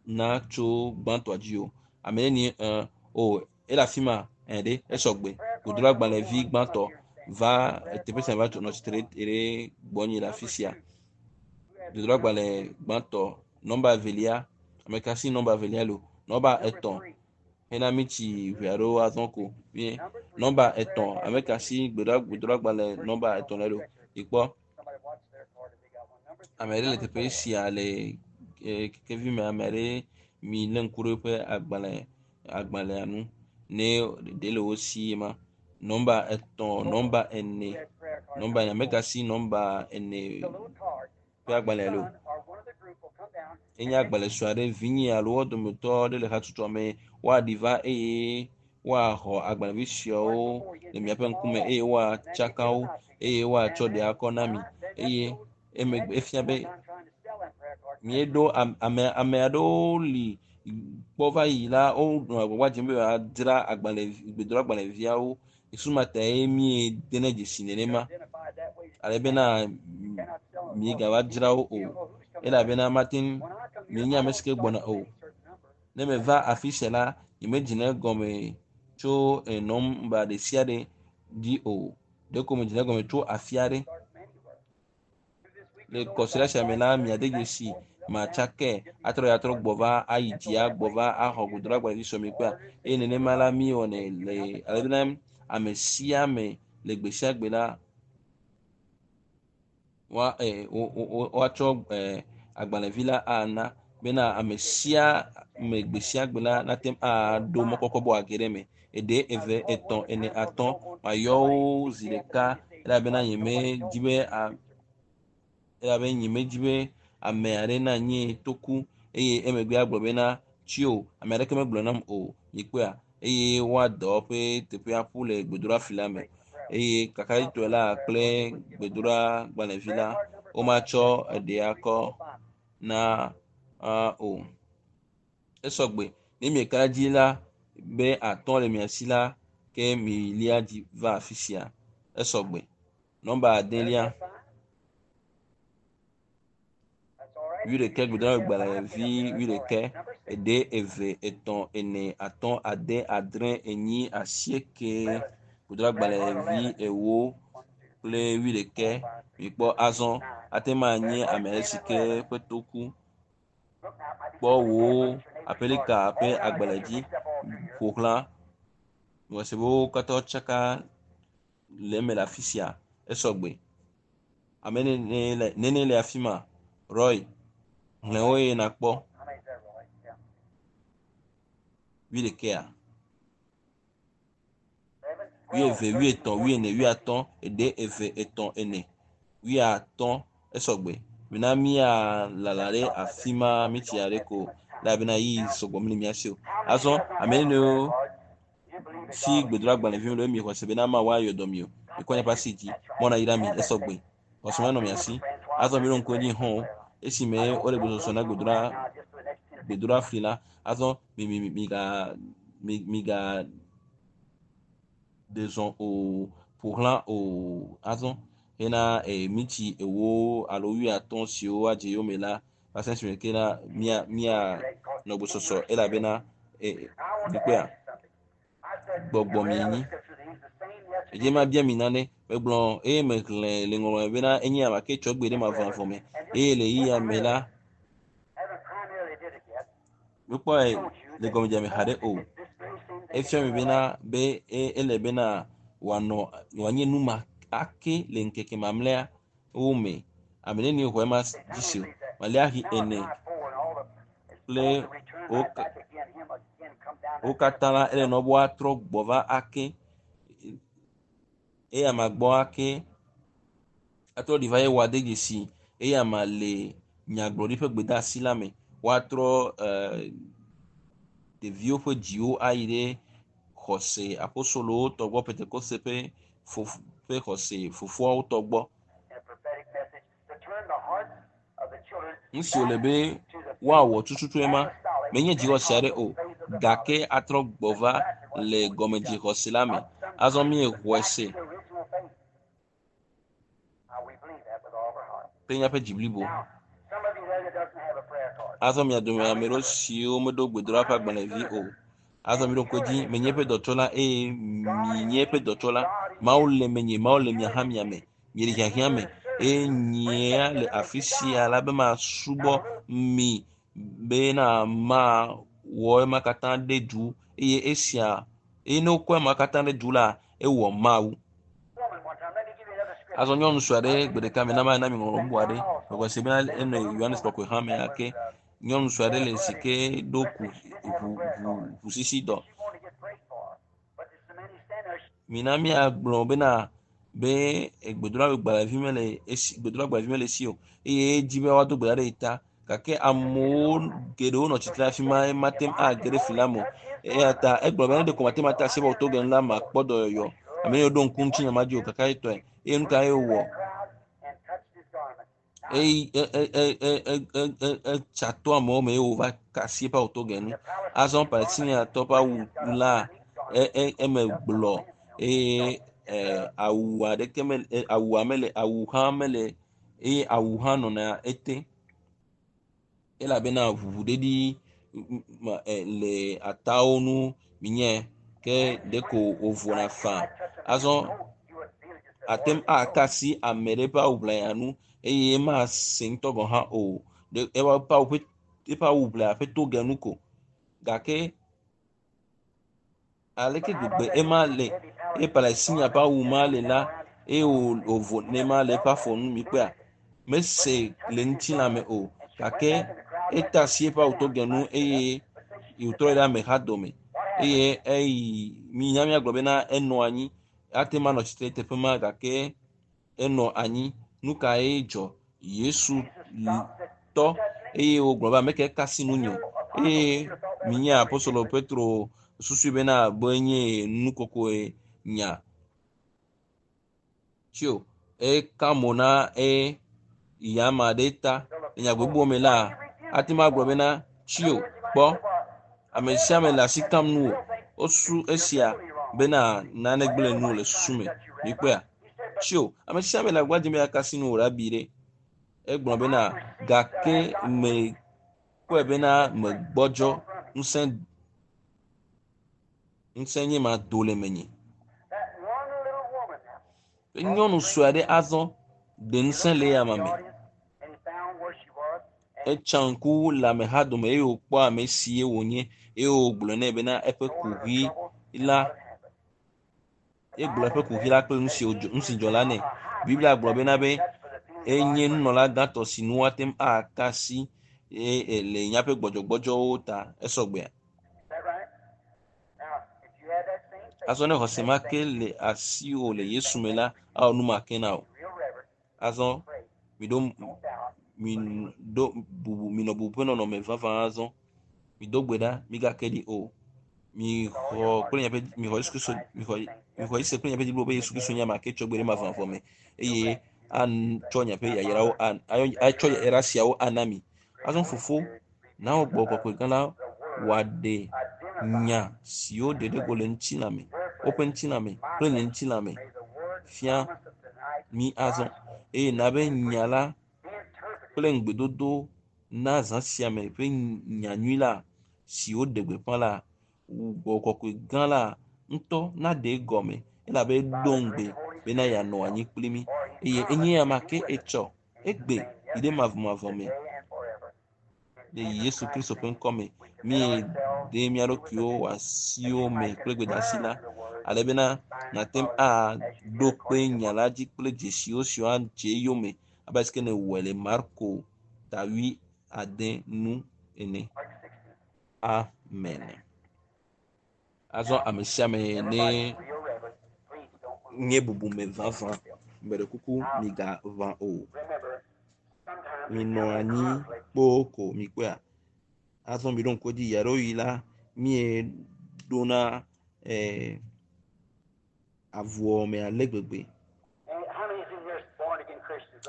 na tso gbãtɔa dzi o. Ame neni ɛ o ele afi ma ɛ ɖe esɔgbe. Gbedoɖa gbalẽvi gbãtɔ va teƒe sia va nɔ tsitre ɖe gbɔnye le afi sia. Gbedoɖa gbalẽ gbãtɔ nɔmba evelia ame ka si nɔmba evelia le o. Nɔmba etɔ̃ hena miti ʋe aɖewo azɔ ko. Nɔmba etɔ̃ ame ka si gbedoɖa gbedoɖa gbalẽ nɔmba etɔ̃ le o. Ikpɔ ame aɖe le teƒe sia le kekevi me ame aɖe mi lé ŋku ɖe eƒe agbalẽ agbalẽa nu ne ɖe le wo si ma. Nɔmba etɔ̃, nɔmba ene, nɔmba ene ame ka si nɔmba ene ƒe agbalẽ le o. Enye agbalẽ sue aɖe vinye alo wo dometɔ aɖe le hatsotsoa me woaɖi va eye woaxɔ agbalẽvi siawo le miaƒe ŋkume eye woatsaka wo eye woatsɔ ɖe akɔ na mi eye emegbe efia be míeɖo ame ame aɖewo li kpɔ va yi la wonɔ agbagba dzem be yewoadzra agbalẽ gbedoɖa agbalẽviawo sumata ye míedene dzesi nenema ale bena miegava dzra wo o elabena mate ŋu mienya ame si ke gbɔna o. Ne meva afi sia la, nyemedzina egɔme tso nɔmba ɖe sia ɖe dzi o. Ɖeko medzina egɔme tso afi aɖe. Le kɔsiɖa sia me la, miade dzesi matsakɛ atrɔ ya trɔ gbɔ va ayi dzia gbɔ va axɔ gbedoɖa agbalẽvi sɔ mi kpea eye nenema la míewɔnɛ le ale bena ame sia ame le gbe sia gbe la woa woatsɔ agbalẽvi la ana Bena ame sia ame gbe sia gbe la nate ŋu aɖo mɔkpɔkpɔ be wòage ɖe eme. Eɖe, eve, etɔ̃, ene, atɔ̃. Mayɔ wo zi ɖeka elabena nyemedi be a elabe nyemedi be ame aɖe nanye toku eye emegbe agblɔ bena tsio ame aɖeke megblɔ nam o. Mikpɔea eye woadɔ woƒe teƒea ƒu le gbedoɖafi la me eye kakaɖitɔe la kple gbedoɖagbalẽvi la womatsɔ eɖea kɔ na uh, o. Esɔgbe ne mieka dzi la be atɔ̃ le mia si la ke milia dzi va afi sia. Esɔgbe. Nɔmba adelia wuiɖekɛ gbedoɖagbalẽvi wuiɖekɛ eɖe eve etɔ̃ ene atɔ̃ ade adre enyi asieke gbedoɖagbalẽvi ewo kple wuiɖekɛ mikpɔ azɔ ate ŋu anye ame aɖe si ke ƒe to ku kpɔ wò aƒelika ƒe agbalẽ dzi ƒo xlã ŋɔse be wo katã tsaka le eme le afi sia esɔgbe ame nene le nene le afi ma Roy xlẽ wo eye nakpɔ How many is that, Roy? Yeah. wuiɖekɛa Eleven, wuieve twelve, wuietɔ̃ wuiene wuiatɔ̃ eɖe eve etɔ̃ ene wuiatɔ̃ esɔgbe mina míalala ɖe afi ma mitsi aɖe ko elabena yi sɔgbɔ mele mía si o azɔ ame nenewo si gbedoɖagbalẽviwo le mi xɔse bena Mawu ayɔ dɔ mi o mikɔ miaƒe asi dzi mɔna yi ɖe mi esɔgbe xɔse ma nɔ mia si azɔ mi ɖo ŋku edzi hɔn esime wole gbɔsɔsɔ na gbedoɖa gbedoɖafli la azɔ mi mi mi miga mi miga ɖe zɔn o ƒo xlã o azɔ hena e mitsi ewo alo wuiatɔ̃ siwo adze yome la va se esime ke la mía mía nɔ gbɔsɔsɔ elabena e mikpɔea gbɔgbɔ mienyi edze ma bia mi nane megblɔ eye mexlẽ le ŋɔŋlɔ me bena enye ame ke tsɔ gbe ɖe mavɔmavɔ me eye le yiyia me la Haven't primarily did it yet. mekpɔe le gɔmedzedze me haɖe o efia mi bena be e- ele bena wòanɔ wòanye nu ma ake le ŋkeke mamlɛa wo me ame neni xɔ ema dzi se o maliahi ene kple wo wo katã la ele nɔ be woatrɔ gbɔ va ake eye ama gbɔ ake atrɔ ɖi va ye wòade dzesi eye ama le nyagblɔɖi ƒe gbedeasi la me woatrɔ eh, ɖeviwo ƒe dziwo ayi ɖe xɔse apostolowo tɔ gbɔ pentekoste ƒe fof ƒe xɔse fofoawo tɔ gbɔ A prophetic message to turn the hearts of the children nu si wòle be woawɔ tututu ema menye dzixɔse aɖe o gake atrɔ gbɔ va le gɔmedzixɔse la me azɔ míexɔe se to the original faith. Now we believe that with all of our heart. kple míaƒe dzi blibo Now, some of you there that doesn't have a prayer card. azɔ mia dome ame ɖewo siwo meɖo gbedoɖa ƒe agbalẽvi o azɔ mi ɖo ŋku edzi menye eƒe dɔtsɔla eye mienye eƒe dɔtsɔla mawu le menye mawu le mia hã mia me miele hiahiã me eye nyea le afi sia la be masubɔ mi bena mawɔ ema katã ɖe du eye esia eye ne wokɔ ema katã ɖe du la ewɔ mawu Woman one time, let me give you another scripture. azɔ nyɔnu sue aɖe gbe ɖeka me na ma na mi ŋɔŋlɔ bubu aɖe mexɔ se bena enɔ yohanes kɔkɔe hã me ake nyɔnu sue aɖe le si ke ɖo ku ʋu ʋu ʋusisi dɔ She wanted to get prayed for. But there's so many standing there. mina míagblɔ bena be gbedoɖagbalẽvi mele esi gbedoɖagbalẽvi mele esi o eye edzi be woado gbe ɖa ɖe yi ta gake amewo geɖewo nɔ tsitre afi ma mate ŋu age ɖe fli la me o eya ta egblɔ be ne ɖeko mate ŋu ate asi be wòto ge nu la makpɔ dɔyɔyɔ ame yiwo ɖo ŋku ŋutinye ma dzi o kaka etɔe eye nu ka ye wòwɔ Crowd and touched his garment. eyi e e e e e e e etsa to amewo me eye wòva ka asi eƒe awu to ge nu azɔ palestiniatɔ ƒe awu la e e eme gblɔ eye e awu aɖeke mele e, awua mele awu hã mele eye awu hã nɔna ete elabena ʋuʋudedi ma e le atawo nu minye ke ɖeko wòvona faa azɔ ate ŋu aka asi ame ɖe ƒe awu ʋlaya nu eye mase ŋutɔ gɔ̃ hã o ɖe eƒe awu ƒe eƒe awu ʋlaya ƒe toge nu ko gake aleke gbegbe ema le eye palestinia ƒe awu ma le la eye wò wòvo nema le eƒe afɔ nu mikpɔa mese le ŋutilã me o gake Eta asi eƒe awutogɛ nu eye wòtrɔ ɖe ameha dome eye eyi minya miagblɔ bena enɔ anyi ate ma nɔ tsitre teƒe ma gake enɔ anyi. Nu kae dzɔ? Yesu tɔ eye wògblɔ be ame ke ka asi nunye eye minya apostolo Petro susui bena be nye nukokoe nya tsio eka mo na e yama ɖe ta le nya gbogbo me la ate ma gblɔ bena tsio kpɔ ame sia ame le asi kam nu o wosu esia bena nane gblẽ nu le susu me mikpɔea tsio ame sia ame le agba dzem be yeaka asi nu o rabi ɖe egblɔ bena gake me kpɔe bena megbɔdzɔ ŋusẽ ŋusẽ nye ma do le menye. Nyɔnu sue aɖe azɔ ɖe ŋusẽ le eyama me. Etsa ŋku le ameha dome eye wòkpɔ ame si wònye eye wògblɔ nɛ bena eƒe kuxi la egblɔ eƒe kuxi la kple nu si wòdzɔ nu si dzɔ la nɛ. Biblia gblɔ bena be enye nunɔla gãtɔ si nu woate ŋu aka asi eye le míaƒe gbɔdzɔgbɔdzɔwo ta esɔgbea. Azɔ ne xɔse ma ke le asiwò le Yesu me la, awɔ nu ma ke na wò. Azɔ miɖo miɖo bubu minɔ bubu ƒe nɔnɔme vavã azɔ. Mido gbe ɖa, migake ɖi o. Mixɔ kple miaƒe mixɔ Yesu Kristo mixɔ mixɔ Yesu kple miaƒe dzi blibo be Yesu Kristo nye ame ke tsɔ gbe ɖe mavɔmavɔ me eye atsɔ miaƒe yayrawo atsɔ yayra siawo ana mi. Azɔ fofo na wò gbɔgbɔ kɔkɔe gã la wòaɖe nya siwo ɖe ɖe go le ŋutilã me, woƒe ŋutilã me kple nye ŋutilã me fia mi azɔ eye na be nya la kple ŋugbedodo na zã sia me ƒe nyanyui la si woɖe gbeƒã la gbɔgbɔ kɔkɔe gã la ŋutɔ naɖe egɔme elabe eɖo ŋugbe bena yeanɔ anyi kpli mí eye enye ame ke etsɔ egbe yi ɖe mavɔmavɔ me le Yesu Kristo ƒe ŋkɔ me míede mía ɖokuiwo asiwo me kple gbedeasi la ale bena nàte ŋu aɖo kpe nya la dzi kple dzesiwo siwo adze eyome abe ale si ke nèwɔe le Marko ta wui ade nu ene. Amen. Azɔ ame sia ame ne nye bubume vavã gbe ɖe kuku migaʋã o. Minɔ anyi kpoo ko mikpɔea. Azɔ miɖo ŋku edzi ɣeaɖewoɣi la míeɖona eh, avuwɔwɔ me ale gbegbe.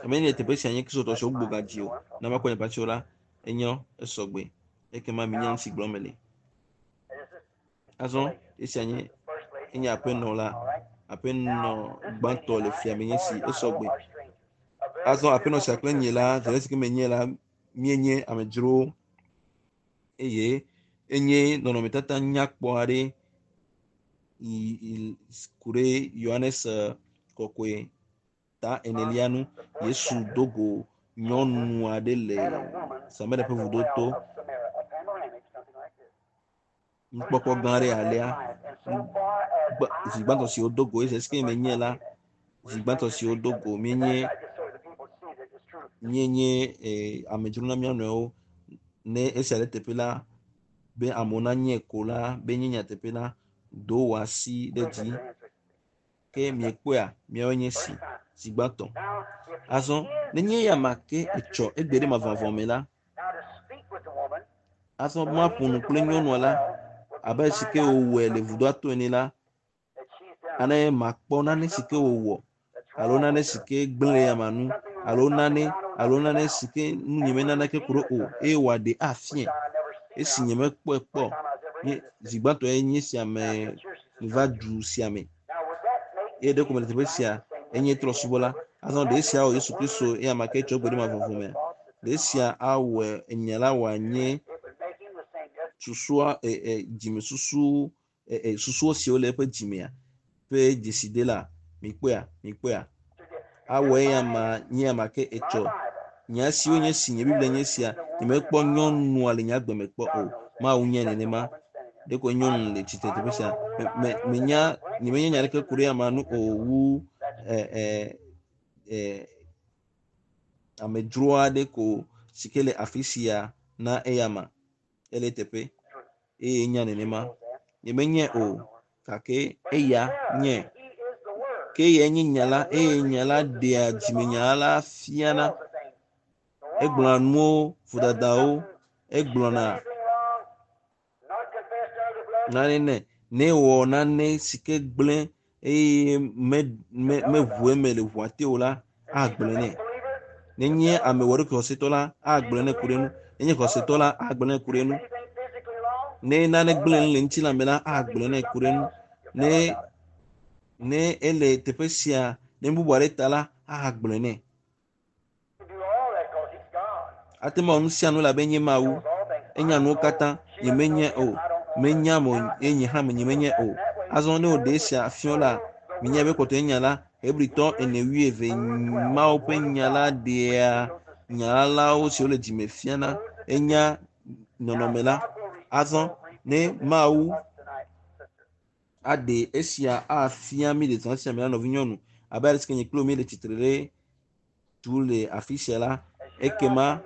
Ame yi le teƒe sia nye kristotɔ siwo gbugbɔ gadzi o. Ne makpɔ nye ƒe la, enyo esɔgbe. Ekema minya nu si gblɔm mele. Azɔ esia nye enye aƒenɔ la aƒenɔ gbãtɔ le fia me nye si esɔgbe. Azɔ aƒenɔ sia kple nye la zere si ke menye la míenye amedzrowo eye enye nɔnɔmetata nyakpɔ aɖe yi yi ku ɖe Yohanes kɔkɔe ta enelia nu. Yesu do go nyɔnu aɖe le Samaria ƒe vudo to. Nukpɔkpɔ gã aɖe alea. Zi gbãtɔ si wodo go esi ke menye la, zi gbãtɔ si wodo go míenye míenye eh, amedzro na mía nɔewo. Ne esia le teƒe la, be amewo nanye ko la, be nye nyateƒe la, do wò asi ɖe dzi. Ke miekpɔea, miawoe nye si zi gbãtɔ. Azɔ nenye eya ma ke etsɔ egbe ɖe mavɔmavɔ me la, azɔ maƒo nu kple nyɔnua la abe si ke wòwɔe le vudoa to ene la, ane makpɔ nane si ke wòwɔ alo nane si ke gblẽ le ama nu alo nane alo nane si ke nu nye me naneke ku ɖo o eye wòaɖe afiae. Esi nye mekpɔe kpɔ nye zi gbãtɔe nye sia me va du sia me eye ɖeko mele teƒe sia enye trɔ̃subɔla. Azɔ ɖe esia awɔ Yesu Kristo eya ma ke tsɔ gbe ɖe mavɔmavɔ mea? Ɖe esia awɔe enya la wòanye susua e e dzimesusu e e susuwo siwo le eƒe dzimea ƒe dzeside la mikpɔea mikpɔea awɔ eya ma nye ama ke etsɔ nya siwo nye si nye Biblia nye sia nyemekpɔ nyɔnua le nye agbe me kpɔ o. Mawu nye nenema. Ɖeko nyɔnu le tsitre teƒe sia. Me me menya nyemenya nya aɖeke ku ɖe amea nu o wu e e e amedzro aɖe ko si ke le afi sia na eyama. Ele teƒe eye nya nenema. Nyemenye o gake eya nye. Ke eyae nye nya la eye nya la ɖea dzimenya la fiana. Egblɔna nuwo, vodadawo, egblɔna nane nɛ. Ne ewɔ nane si ke gblẽ eye me me meʋu eme le ʋua te o la, agblɔe nɛ. Nenye ame wɔ ɖokui xɔsetɔ la, agblɔe nɛ ku ɖe enu. Nenye xɔsetɔ la, agblɔe nɛ ku ɖe enu. Ne nane gblẽ nu le ŋutilã me la, agblɔe nɛ ku ɖe enu. Ne ne ele teƒe sia ne bubu aɖe ta la, agblɔe nɛ. Ate ŋu awɔ nu sia nu elabe enye Mawu. Enya nuwo katã. Nyemenye o. Menya mo eye nye hã nyemenye o. Azɔ ne woɖe esia fiɔ la, minya be kpɔtɔ nya la, Hebritɔ ene wuieve Mawu ƒe nya la ɖea nya lawo siwo le dzime fiana. Enya nɔnɔme la. Azɔ ne Mawu aɖe esia afia mi le zã sia me la nɔvinyɔnu abe ale si ke nye kple wò míele tsitre ɖe tu le afi sia la, ekema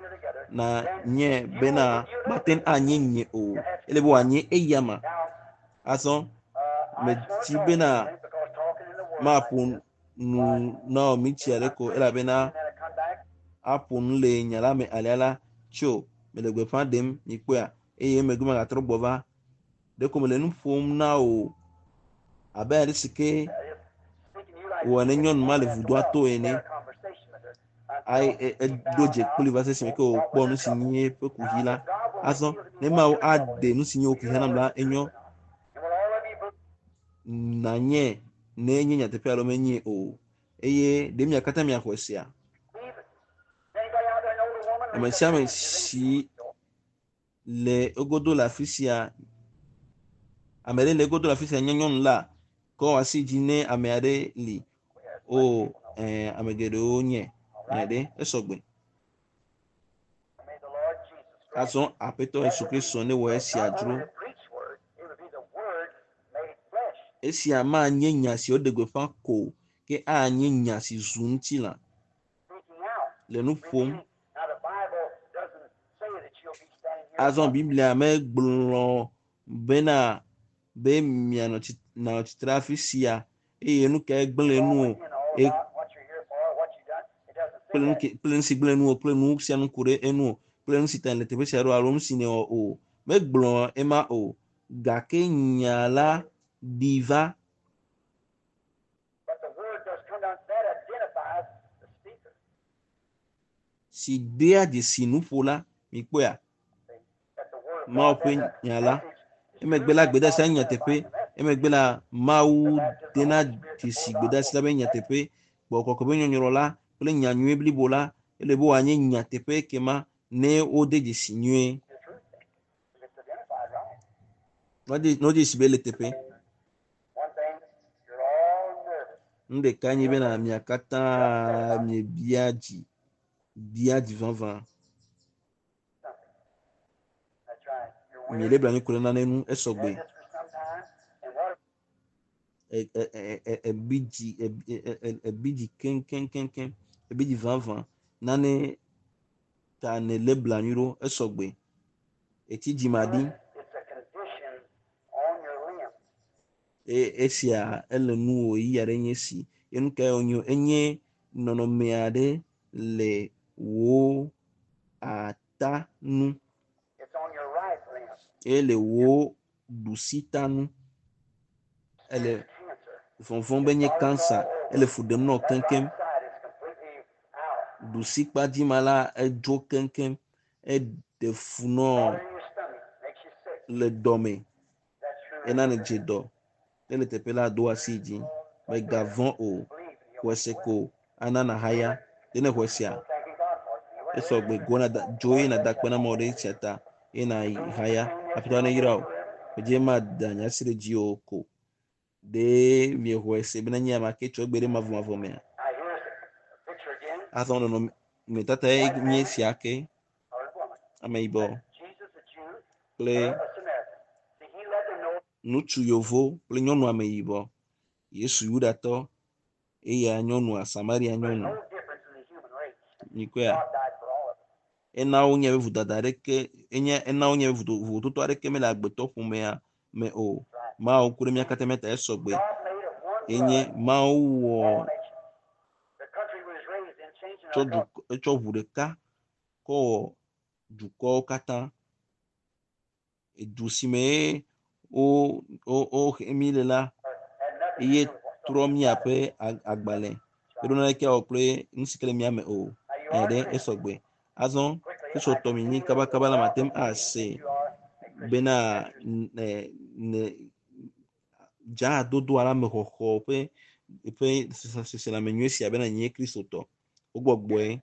na nye bena mate ŋu anye nye o. Ele be wòanye eyama. Azɔ medi bena maƒo nu na wò mitsi aɖe ko elabena aƒo nu le nya la me alea la tso mele gbeƒã ɖem mikpɔea eye emegbe megatrɔ gbɔ va. Ɖeko mele nu ƒom na wò abe ale si ke wɔ ne nyɔnu ma le vudoa to ene. Ayi eɖo dze kpli va se esime ke wòkpɔ nu si nye eƒe kuxi la. Azɔ ne Mawu aɖe nu si nye wò kuxia nam la, enyo nanye ne enye nyateƒe alo menye o. Eye ɖe mia katã miaxɔe sia? Ame sia ame si le egodo le afi sia, ame ɖe le egodo le afi sia nye nyɔnu la, kɔ asi dzi ne ame aɖe li. O, ɛɛ, ame geɖewo nye. Nye ɖe esɔgbe. Azɔ Aƒetɔ Yesu Kristo ne wɔ esia dzro. Esia manye nya si woɖe gbeƒã ko ke anye nya si zu ŋutilã le nu ƒom. Azɔ Biblia megblɔ bena be mianɔ tsi nanɔ tsitre afi sia eye nu kae gblẽ nu o e kple nu ke kple nu si gblẽ nu o kple nu sia nu ku ɖe enu o kple nu si ta le teƒe sia ɖo alo nu si nèwɔ o. Megblɔ ema o gake nya la ɖi va. But the word does come down. That identifies the speaker. Si dea dzesi nuƒola mikpɔea That the word of Mawu God, ƒe that nya la. message is Emegbe la gbedeasia nye nyateƒe. Emegbe la Mawu dena dzesi gbedeasi la be nyateƒe. Gbɔgbɔ kɔkɔe ƒe nyɔnyrɔ la kple nya nyui blibo la ele be wòanye nyateƒe kema ne wode dzesi nyuie. the truth. If it's identified right. Ne wode ne wode dzesi be ele teƒe. One thing, you're all nervous. Nu ɖeka nye bena mia katã miebia dzi, bia dzi vavã. Something. That's right. You're Miele weary. blanui ku ɖe nane ŋu esɔgbe. Had this for some time. And what E- e- e- e- ebi dzi ebi e- e- ebi dzi keŋkeŋkeŋkeŋ ebi dzi vavã nane ta nèlé blanui ɖo esɔgbe. Etsi dzimaɖi it's a condition on your limb. eye esia ele nu wò ɣeyiɣi aɖe nye esi. Ye nu kae wònye? Enye nɔnɔme aɖe le wò ata nu It's on your right limb. eye le wò ɖusita nu. Ele Cancer. vɔvɔ̃m be nye cancer. Ele fu ɖem na wò That keŋkeŋ. right side is completely out. Ɖusikpadzima la edzo keŋkeŋ. Eɖe fu nɔ Bothering your stomach makes you sick. le dɔme. That's true. Ena nèdze dɔ. Ne le teƒe la do asi dzi. Mègavɔ̃ o. Xɔe se ko ana nàhaya. Ɖe ne xɔe sea, Thanking God for it. esɔgbe go na da dzo eye nàda akpe na Mawu ɖe esia ta eye nàhaya. Aƒetɔ neyra wò. Medze mada nye asi ɖe dziwò ko. Ɖe miexɔe se bena nye ame ke tsɔ egbe ɖe mavɔmavɔ mea? Now here's a picture again. Azɔ nɔnɔmetata ye nye esia ke. Colored woman. Ameyibɔ Jesus, a Jew, kple her a Samaritan. See, he let them know ŋutsu yevo kple nyɔnu ameyibɔ. Yesu Yudatɔ eya nyɔnua Samaria there's nyɔnu. no difference in the human race. Mikpɔea? God died for all of us. Ena wonye be vodada aɖeke enye ena wonye be voto- vovototo aɖeke mele agbetɔ ƒomea me o. Mawu ku ɖe mía katã mía ta esɔgbe. God made of one Enye blood Mawu wɔ all nations. The country was raised in changing tsɔ our dukɔ etsɔ ʋu ɖeka kɔ wɔ dukɔwo katã. Edu si me wo wo wohe mí le la had nothing to eye do with what's trɔ míaƒe ag- agbalẽ. Eɖo naneke awɔ kple nu si ke le mía me o. Now you Ɛ are ɖe Christian. esɔgbe. Azɔ Quickly, I Kristotɔ can mi see nyi you as kabakaba la mate ŋu welcome ase that you are a Christian. bena That's your ne ne dzadodo alo amexɔxɔ ƒe ƒe seselãme nyui sia bena nye Kristotɔ. Wogbɔgbɔe.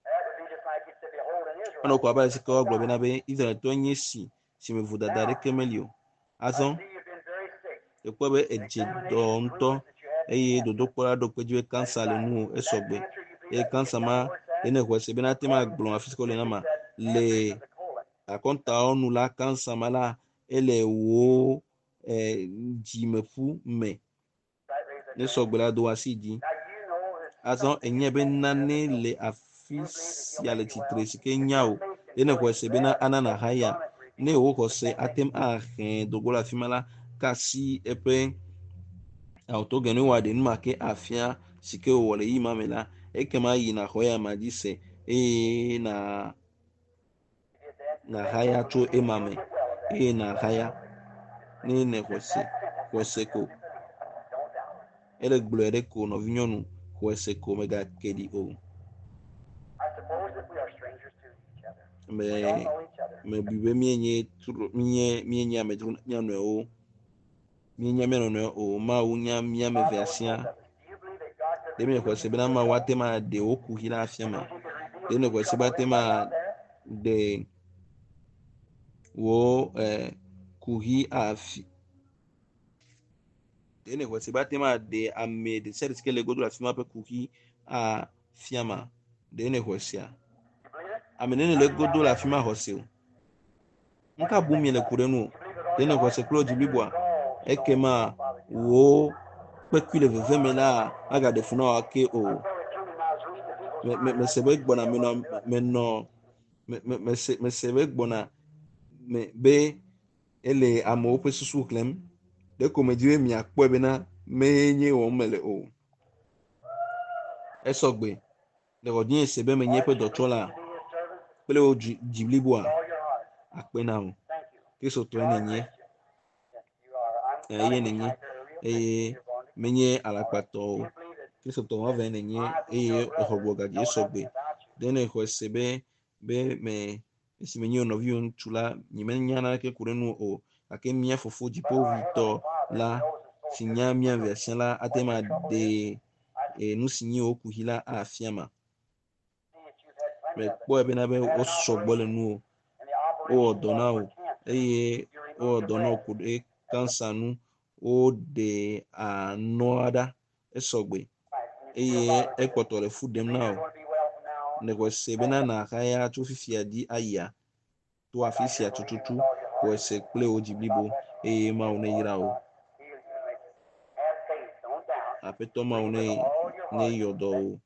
That would be just like he said, Behold, an Enɔ Israelite. ko abe ale si ke woagblɔ bena be Israeltɔe nye si si me vodada aɖeke meli o. Azɔ I see you've been very sick. ekpɔe be edze dɔ ŋutɔ Examination proves that you had eye cancer. dodokpɔla ɖo kpe dzi be kansa le nuwò esɔgbe. That cancer you believe Eye that kansa get ma down where it's at? ene xɔe se bena ate ŋu agblɔ afi si ke wole na ma That le cancer is of the colon. akɔntawo nu la kansa ma la ele wò eh, dzimeƒu me. Right, raise that Ne your hand. sɔgbe la do asi dzi. Now you know there's Azɔ something enye be standing there nane that le you afi believe that sia he'll le make you tsitre well. si ke If nya your o. faith can Ene go xɔe and se bena grab ana that nahaya. garment, Ne redeem wò the xɔse same ate thing. ŋu ahe dogo le afi ma la, ke asi eƒe awutogɛ ne wòaɖe nu ma ke afia si ke wòwɔ le ɣeyiɣi ma me la, ekema yi nàxɔ eya ma dzi se eye na You did that. nahaya tso ema me You'll get well of that. eye nahaya ne nexɔe se xɔe se ko. Don't doubt. Ele gblɔe ɖe ko nɔvinyɔnu xɔe se ko mègake ɖi o. I suppose that we are strangers to each other. Me We don't know each other. mebui be míenye tro míenye míenye amedzro na mía nɔewo. Míenya mía nɔnɔewo o. Mawu nya mía ame God evea knows siaa. both of us. Do you believe that God could Ɖe míexɔe reveal se you bena to Mawu yourself? ate ŋu aɖe wò kuxi la afia ma? Believe he could reveal Ɖe to nèxɔe se be trouble ate ŋu anybody out there? aɖe wò eh, kuxi afi ɖe nèxɔe se be ate ŋu aɖe ame ɖe sia ɖe si ke le godo le afi ma ƒe kuxi afia ma? Ɖe nèxɔe sea? You believe it? Ame nene le godo le afi ma xɔ se o. Nu ka bum miele ku ɖe nu o? You believe with all Ɖe your nèxɔe heart? se kple wò dzi Then your bliboa? gallstone Ekema won't bother you. wò kpekui le veve me la magaɖe fu na wò ake o. I felt it too when I was reading the people's Me me mind. I mese be couldn't gbɔna tell menɔ what to do. menɔ me me mese mese be gbɔna me be ele amewo ƒe susu xlẽm. Ɖeko medzi be miakpɔe bena menye wɔm mele o. Esɔgbe. Le xɔdzinye se be menye Aren't eƒe you dɔtsɔla pleased to be his servant? kple wò dzi dzi bliboa With all your heart. akpe na wò. Thank you. Kristotɔe You are a nènye. Christian. Yes, you are. I'm Eye not a nènye hitchhiker, a real Christian. eye You're born again. menye All right. alakpatɔ Do o. you believe that, Kristotɔ that vavãe nènye I, being eye your exɔ brother, gbɔ gadzi know esɔgbe. nothing about you? Ɖe nèxɔe se be be me esi menye wò nɔviwò ŋutsu la, nyemenya naneke ku ɖe ŋuwò o gake mía fofo But our Heavenly dziƒoʋĩtɔ Father la knows us so si nya mía perfectly evea sia la ate what ŋu your trouble aɖe is. I e, nu si nye wò kuxi la afia ma. see that you've had plenty of it. Mekpɔe bena be You had an wosɔ gbɔ le operation, nuwò. and the Wowɔ operation dɔ na was wò for cancer. eye You wowɔ removed the dɔ na wò breast. ku ɖe kansa nu. Woɖe anɔa ɖa esɔgbe Right, and it still eye bothers you. ekpɔtɔ le fu You ɖem believe na you're wò. going to be well from now on? Nèxɔe se bena nàhaya tso fifia dzi ayia to afi Right sia here, believing tututu with all your heart. xɔe se kple wò dzi God blibo bless you. eye Mawu The Lord neyra wò. God heal you and make you. Have faith. Don't doubt. Aƒetɔ Mawu Believe ne with all your heart. neyɔ dɔ wò.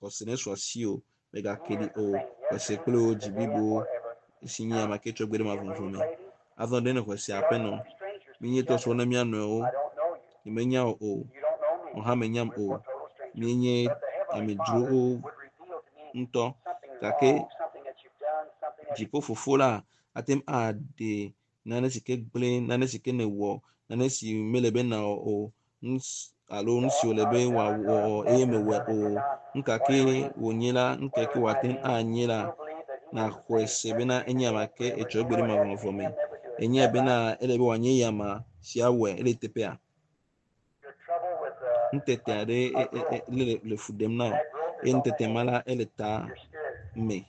Xɔse nesu asiwò. Mègake He ɖi is the o. same Xɔe se yesterday, kple wò dzi today, and blibo forever. si nye Now, ame ke tsɔ gbe ɖe do you mavɔmavɔ believe, me. lady? Azɔ ɖe nèxɔe se We are aƒenɔ. strangers to Míenye each other. trɔsrɔ̃ na mía nɔewo. I don't know you. Nyemenya wò o. You don't know Wò me. hã mènyam We're o. total strangers. Míenye But the Heavenly Father amedzrowo would reveal to me ŋutɔ something gake wrong, something that you've done, something that dziƒofofo la ate ŋu aɖe nane si ke gblẽ, nane si ke nèwɔ, nane si mele be nàwɔ o, nu si alo nu si wòle be wòawɔ eye mewɔe o. Nu ka ke wònye la, nu ka ke wòate ŋu anye la, nàxɔe se bena enye ame ke etsɔ egbe ɖe mavɔmavɔ me. Enyae bena ele be wòanye yama si awɔe ele teƒea. your trouble with uh, Nutete aɖe e- e- e- le le fu ɖem na wò that growth eye is on the nutete ma head, la ele ta your spirit. me.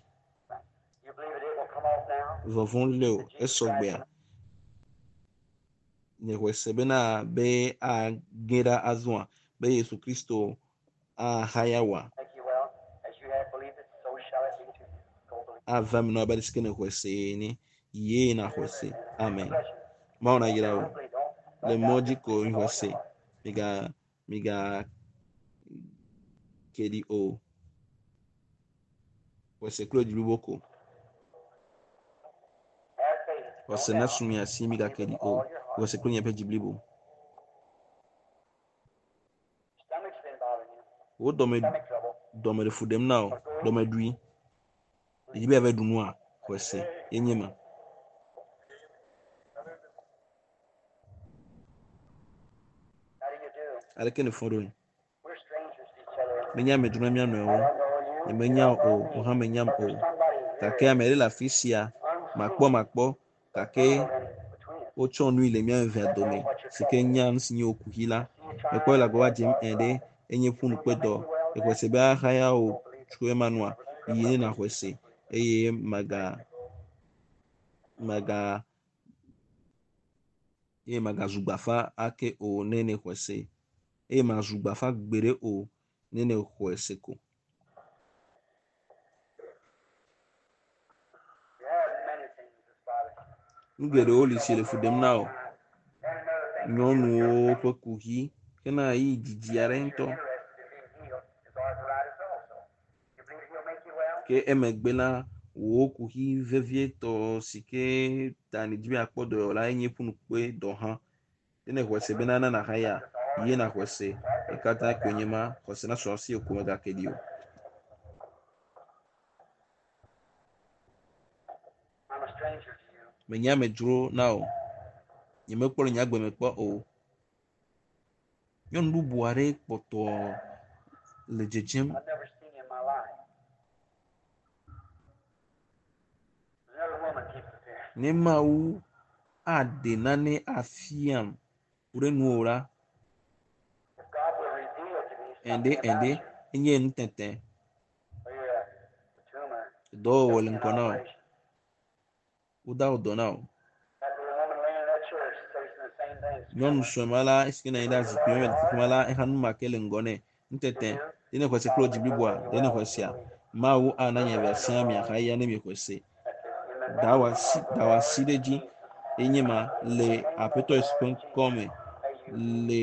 You believe that it will come off now? Vɔvɔ̃ lé o That Jesus Christ esɔgbea. Nexɔe se bena be age ɖa azɔa be Yesu Kristo ahaya wòa make you well. As you have believed it, so shall it be to you. Go believe. ava eme na wò abe ale si ke nexɔe se ene. Yee naxɔe se. Amen. Bless you. Mawu nayra wò. Simply don't, Le don't mɔ doubt. dzi Just ko believe with all mixɔe your se. heart. Miga miga ke ɖi o. Xɔse kple dzi blibo ko. Have faith. Xɔse No nasu doubt. mia si migake Believe ɖi with o. all your heart. Xɔse kple miaƒe dzi blibo. Stomach's been bothering you. Wo dɔme Stomach trouble. dɔme le fu ɖem na wò. Dɔmeɖui. Edzi be yeava ɖu nua? Xɔse ye nye ma. How do you do? Aleke nèfɔ ɖoe? We're strangers to each other. Menye amedzro na mía I nɔewo. don't know you. You Nyemenya don't o, know wò me. hã menyam But o. there's somebody Gake here ame ɖe le afi sia, makpɔ unseen, makpɔ gake tunneled in between us. wotsɔ nui le mía evea That dome knows what your si ke trouble is. nya nu si nye wò kuxi la. I see you Mekpɔ trying le to agbagba have dzem ẽ ɖe arthritis. enye You believe he'll make ƒunukpedɔ. you well Exɔe then? se be axaya wò Don't believe it. tso ema nua? Never been Yi crippled ne up. nàxɔe se eye maga maga eye magazu gbafa ake o ne nèxɔe se eye mazu gbafa gbeɖe o ne nèxɔe se ko. You have many things that's bothering you. Nu geɖewo li si le fu Trouble for a ɖem na long wò. time. And another thing too, your Nyɔnuwo pain ƒe kuxi hena ɣeyiɣi didi that aɖe you're ŋutɔ. interested in being healed is arthritis also. You believe he'll make you well? Ke emegbe la, wò kuxi vevietɔ si ke ta nèdi be yeakpɔ dɔyɔla enye ƒunukpedɔ hã. Ne nèxɔe se bena na nàhaya, ye nàxɔe se. Ye katã koe nye ma. Xɔse nasu asiwò ko mègake ɖi o. I'm a stranger to you. Menye amedzro na wò. Nyemekpɔ le nye agbe me kpɔ o. Nyɔnu bubu aɖe kpɔtɔ le dzedzem. I've never seen you in my life. There's another woman keeps appearing. Ne Mawu aɖe nane afiam ku ɖe nuwò la, If God will reveal to me ɛɖe something about ɛɖe you, enye nutete. or you're a, a tumor, Dɔwɔwɔ just le an ŋgɔ na wò. operation. Woda wò dɔ na wò. That little woman laying in that chair is facing the same thing. Nyɔnu Tumor. sue ma la esi ke nɔ anyi ɖe zikpui me le teƒe ma la, exa nu ma ke le ŋgɔ nɛ. Nutete. You do? Ɖe nèxɔe se God kple wò will dzi make bliboa? you Ɖe well nèxɔe if you sea? believe it. Mawu ana Put nye your evea hand siaa upon miaxaya ne miexɔe se. That's it. In the Da wò name asi of the da wò asi Lord ɖe dzi Jesus. enye ma le In the name of Aƒetɔ the Yesu ƒe Lord ŋkɔ Jesus. me. May you be Le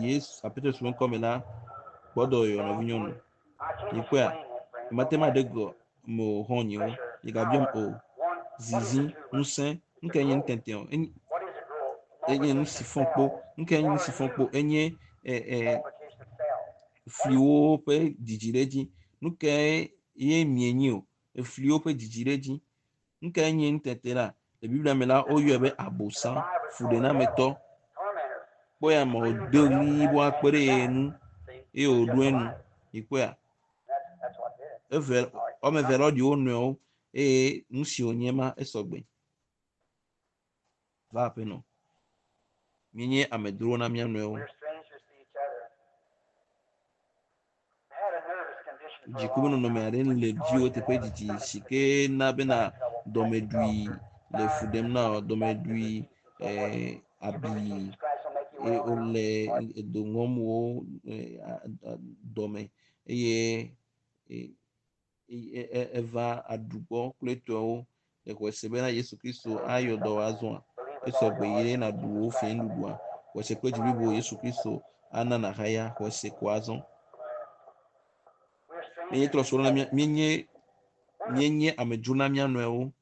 Yesu Aƒetɔ Yesu ƒe ŋkɔ me la, kpɔdɔyɔ nɔvinyɔnu. I can't Mikpɔea? explain that, friend. Mate Don't ma ɖe ask me gɔ to. me o xɔ̃nyewo. Pressure, Migabiam power, o. one. What is a Zizi, tumor? ŋusẽ, It's nu a kae nye growth. nutete o? Enye What is a growth? enye nu Multiplication si of fɔ kpo. cells. Nu kae nye nu What si are fɔ kpo? you? Enye ɛ ɛ Multiplication of cells. What is fliwo ƒe dzidzi ɖe edzi. Nu kae ye mienyi o? Efliwo ƒe dzidzi ɖe edzi. Nu kae nye nutete la? Le Biblia me la, woyɔe be in the abosam, Bible it's called the devil, fuɖenametɔ. tormentor. Kpɔ ya me Screaming wòdo for help, ɣli and yibɔ that akpe ɖe man's ye back. nu See, eye it's wòɖo just enu. alike. Mikpɔea? That's that's what did it. Eve All right. woame eve la woɖi wo nɔewo eye nu si wònye ma esɔgbe. Va aƒenɔ. Míenye amedzrowo na mía nɔewo. We're strangers to each other. I had a nervous condition for a Dziku ƒe long nɔnɔme time, aɖe which le has dziwò caused you to teƒe have a didi stomach si condition, ke na bena stomach trouble, gastric dɔmeɖui ulcer, le fu thyroid, ɖem na wò. stomach Dɔmeɖui disease, and so forth. ɛɛ You believe that abi Jesus Christ will make you eye well now? wole All right. edo ŋɔm wo ɛ, a- a- dɔme eye e- e- e- eva aɖu gbɔ kple etɔwo. Exɔe se bena Yesu Kristo ayɔ dɔ wò azɔa? Believe with all Esɔgbe your yi heart ne that nàɖu Jesus wò Christ will make fiẽnuɖuɖua. you well. Xɔe se kple dzi blibo Yesu Kristo ana nàhaya. Xɔe se ko azɔ. We're Míenye strangers to trɔsrɔ̃ each na mía other. míenye Where does míenye amedzro na mía nɔewo.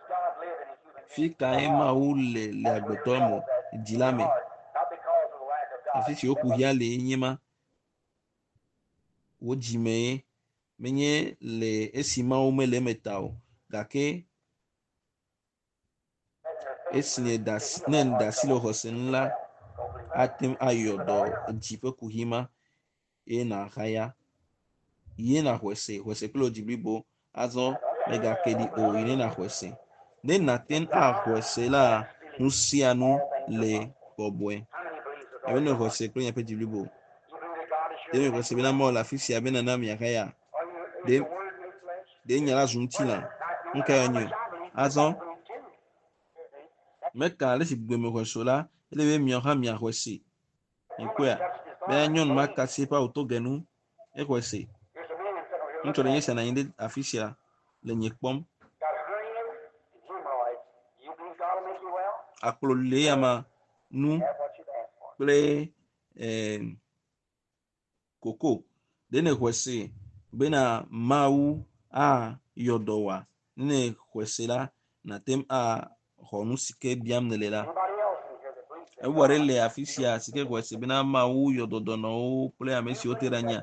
God live in a human Fi being? The kae heart. Mawu le le That's where your agbetɔ me? trouble's at. Dzi In la your me. heart. Not because of the lack of God. Afi si wo That must kuxia le nye ma. Wò dzime ye. Menye le esi Mawu mele eme ta o. Gake that your faith esi moves nèda to asi heal ne that nèda heart asi le trouble. xɔse ŋu Make you la, well. Go believe that. ate ŋu ayɔ Believe with dɔ all your heart. dzi ƒe kuxi ma eye nàhaya. Ye nàxɔe se. Xɔe se kple wò dzi blibo. Azɔ mègake ɖi o. Yi ne nàxɔe se. Ne nàte ŋu axɔe se la, nu sia nu All things are le possible. bɔbɔe. How many believes with all Ame ne your xɔe heart? se kple miaƒe dzi blibo. You believe that God is Ɖe here to mexɔe make se you bena well? Mawu le afi sia be nana miahaya? Are you is Ɖe the word made flesh? ɖe nya la zu What ŋutilã? is it? Now, no Nu matter kae how wònye much o? I believe, you Azɔ got to believe too. See? That's meka ale si gbegbe mexɔe se o la, ele be miawo hã miaxɔe se. that woman Mikpɔea? touched his Bena garment. nyɔnu ma Believe. ka asi eƒe awu toge nu, exɔe se. There's a man sitting over here Ŋutsu looking ɖe nye at sia you. nɔ anyi ɖe afi sia le nye kpɔm. Got hernias and hemorrhoids. You believe God will make you well? Akplɔ le ya ma nu Have what you've asked for. kple ɛɛ koko. Ɖe nèxɔe se bena Mawu ayɔ dɔ wòa ne xɔe se la nàte ŋu axɔ nu si ke biam nèle la. Ebu aɖe le afi sia si ke xɔe se bena Mawu yɔ dɔ dɔnɔwo kple ame siwo te ɖe anyia.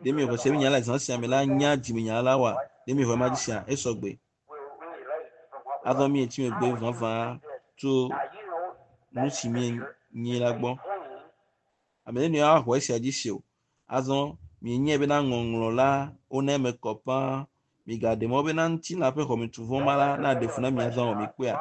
Ɖe miexɔe se be nya le zã sia me la nya dzimenya la wa? Ɖe miexɔe ma dzi sia? Esɔgbe. Azɔ mietsi megbe vavã tso nu si mienyi la gbɔ. Ame ɖe nɔewo axɔ esia dzi se o. Azɔ mienyae bena ŋɔŋlɔ la wona eme kɔ ƒãa. Migaɖe mɔ bena ŋutilã ƒe xɔmetuvɔ ma la naɖe fu na mi azɔ o. Mikpɔea?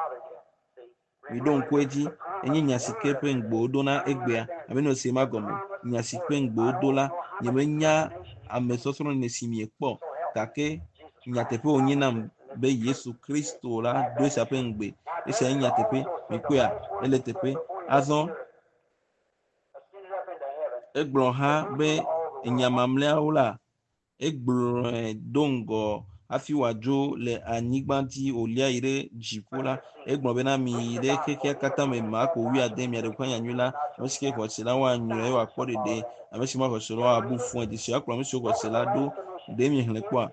Miɖo ŋku edzi. Enye nya si ke ƒe ŋugbe wodo na egbea. Ame nɔ se ma gɔme. Nya si ƒe ŋugbe wodo la, nyemenya ame sɔsrɔ̃ ne si miekpɔ gake nyateƒe wònye nam be Yesu Kristo la do esia ƒe ŋugbe. Esia nye nyateƒe. Mikpɔea? Ele teƒe. Azɔ egblɔ hã be nya mamlɛawo la, egblɔe do ŋgɔ hafi wòadzo le anyigba dzi wòlia yi ɖe dziƒo la. Egblɔ bena miyi ɖe xexea katã me Marko wuiade miaɖe gbeƒã nyanyui la. Ame si ke xɔ se la woanyrɔe eye wòakpɔ ɖeɖe. Ame si mexɔ se o la woabu fɔe. Dzesi akplɔ ame siwo xɔ se la ɖo. Ɖe miexlẽ kpɔa?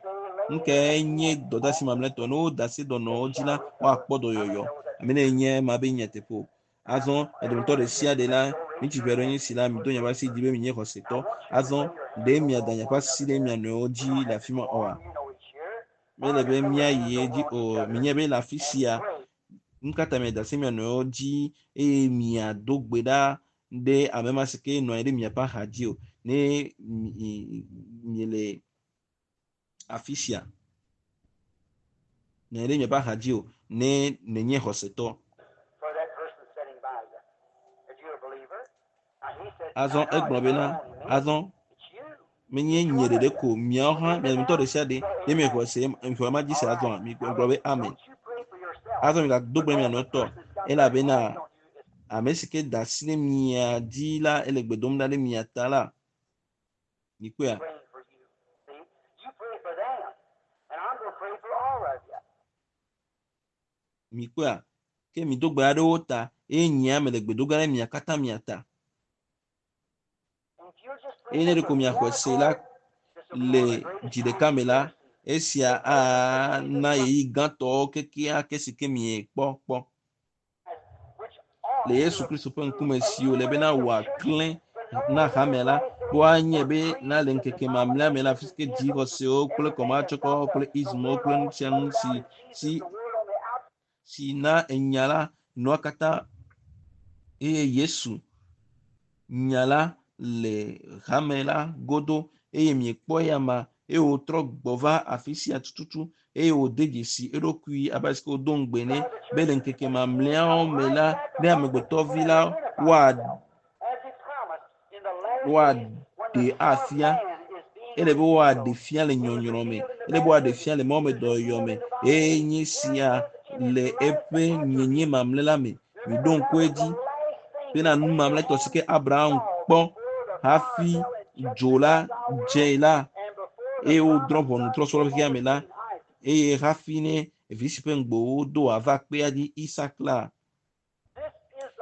Nu kae nye dɔdeasi mamlɛtɔ? Ne woda asi dɔnɔwo dzi la, woakpɔ dɔyɔyɔ. Ame ne nye ema be nyateƒe o. Azɔ edometɔ ɖe sia ɖe la, ŋutsu ƒe aɖewo nye si la, mido miaƒe asi dzi be mienye xɔsetɔ. Azɔ ɖe miada miaƒe asi ɖe mia nɔewo dzi le afi ma oa? Mele be míayi edzi o. Minya be le afi sia, nu ka ta miada asi mia nɔewo dzi eye miado gbe ɖa ɖe ame ma si ke nɔ anyi ɖe miaƒe axa dzi o. Ne miele afi sia, nɔ anyi ɖe miaƒe axa dzi o ne nènye xɔsetɔ. For that person sitting by you. If you're a believer. Now he said, Azɔ "Now, egblɔ it's bena not only me, azɔ it's you. menye nye ɖeɖe ko miawo hã mia dometɔ ɖe sia ɖe ne miexɔe se miexɔe ma dzi se azɔa migblɔ be amen. Don't you pray for yourself. Azɔ migado gbe mia nɔewo tɔ elabena Don't you. It's ame si ke da asi ɖe mia dzi la ele gbe dom ɖa ɖe mia ta la. Mikpɔea? praying for you. See? You pray for them. And I'm going to pray for all of you. Mikpɔea? Ke mido gbe ɖa ɖe wo ta eye nyea mele gbe do ge ɖe mia katã mia ta. And if you'll just believe Eye ne it ɖeko with miaxɔe one se la accord, this will be le one of the greatest dzi ɖeka me la, times you've ever seen. esia ana ɣeyiɣi gãtɔwo kekeake si ke miekpɔ kpɔ. Which ought Le Yesu to Kristo ƒe ŋkume si wòle bena wòaklẽ na hamea la, be woanye be na le ŋkeke mamlɛa me la, afi si ke dzixɔsewo kple kɔmatsɔkɔwo kple ismwo kple nu sia nu si si si na enya la nua katã eye Yesu nya la le hame la godo eye miekpɔ eya ma eye wòtrɔ gbɔ va afi sia tututu eye wòde dzesi eɖokui abe ale si ke wodo ŋugbe nɛ be le ŋkeke mamlɛawo me la ne amegbetɔvi la woa woaɖe afia ele be woaɖe fia le nyɔnyrɔ me ele be woaɖe fia le mɔmedɔyɔyɔ me eye nye sia le eƒe nyenye mamlɛ la me miɖo ŋku edzi bena nu mamlɛtɔ si ke Abraham kpɔ hafi dzo la dze la eye wodrɔ̃ ʋɔnu trɔsrɔ̃ xexea me la eye hafi ne vi si ƒe ŋugbe wodo wòava kpea dzi Isak la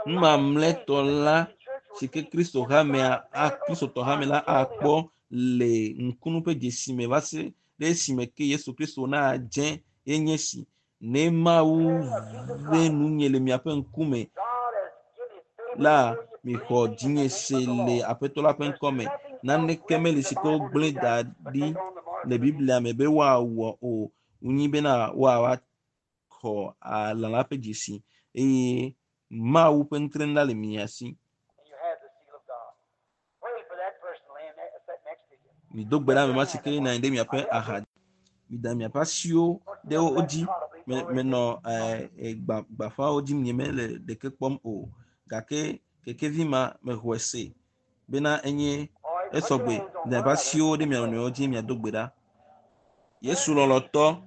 nu mamlɛtɔ la si ke Kristo hamea a Kristotɔ hame la akpɔ le ŋkunu ƒe dzesi me va se ɖe esime ke Yesu Kristo nadze ye nye si ne Mawu ve nunye le miaƒe ŋkume la mixɔ dzinye se le Aƒetɔ la ƒe ŋkɔme. Naneke meli si ke wogblẽ da ɖi le Biblia me be woawɔ o. Wonyi bena woava xɔ lã la ƒe dzesi eye Mawu ƒe nutrenu la le mia si. And you have the seal of God. Pray for that person laying there, sitting next to you. Mido gbe ɖe ame ma si ke nɔ anyi ɖe miaƒe axa. Mida miaƒe asiwo ɖe wo dzi. Me menɔ eh, eh, gba gbaƒãwo dzi nye mele ɖeke kpɔm o. Gake kekevi ma mexɔe se bena enye esɔgbe. Mida miaƒe asiwo ɖe mia nɔewo dzi miado gbe ɖa. Yesu lɔlɔtɔ,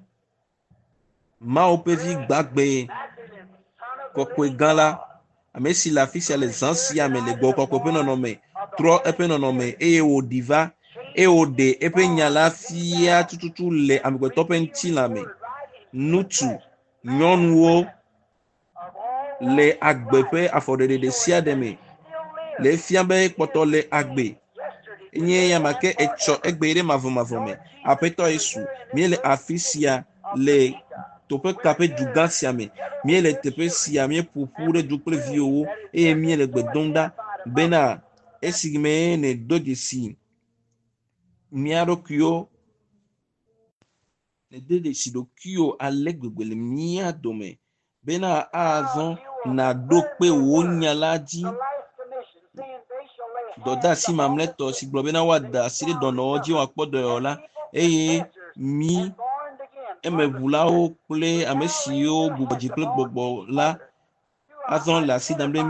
Mawu ƒe vi gbagbe kɔkɔe gã la, ame si le afi sia le zã sia me le gbɔgbɔ kɔkɔe ƒe nɔnɔme, trɔ eƒe nɔnɔme eye wòɖi va eye wòɖe eƒe nya la fia tututu le amegbetɔ ƒe ŋutilã me. Ŋutsu, nyɔnuwo le agbe ƒe afɔɖeɖe ɖe sia ɖe me le efia be kpɔtɔ le agbe. Enye ya ma ke etsɔ egbe ɖe mavɔmavɔ me. Aƒetɔ Yesu, míele afi sia le teƒe ka ƒe dugã sia me. Míele teƒe sia, míeƒo ƒu ɖe du kple viwòwo eye míele gbe dom ɖa bena esime nèdo dzesi mía ɖokuiwo nède dzesi ɖokuiwò ale gbegbe le mía dome bena azɔ nàɖo kpe wò nya la dzi. Dɔdeasi mamlɛtɔ si gblɔ bena woada asi ɖe dɔnɔwo dzi woakpɔ dɔyɔyɔ la eye mí emeʋulawo kple ame siwo gbugbɔ dzi kple gbɔgbɔ la azɔ le asi dam ɖe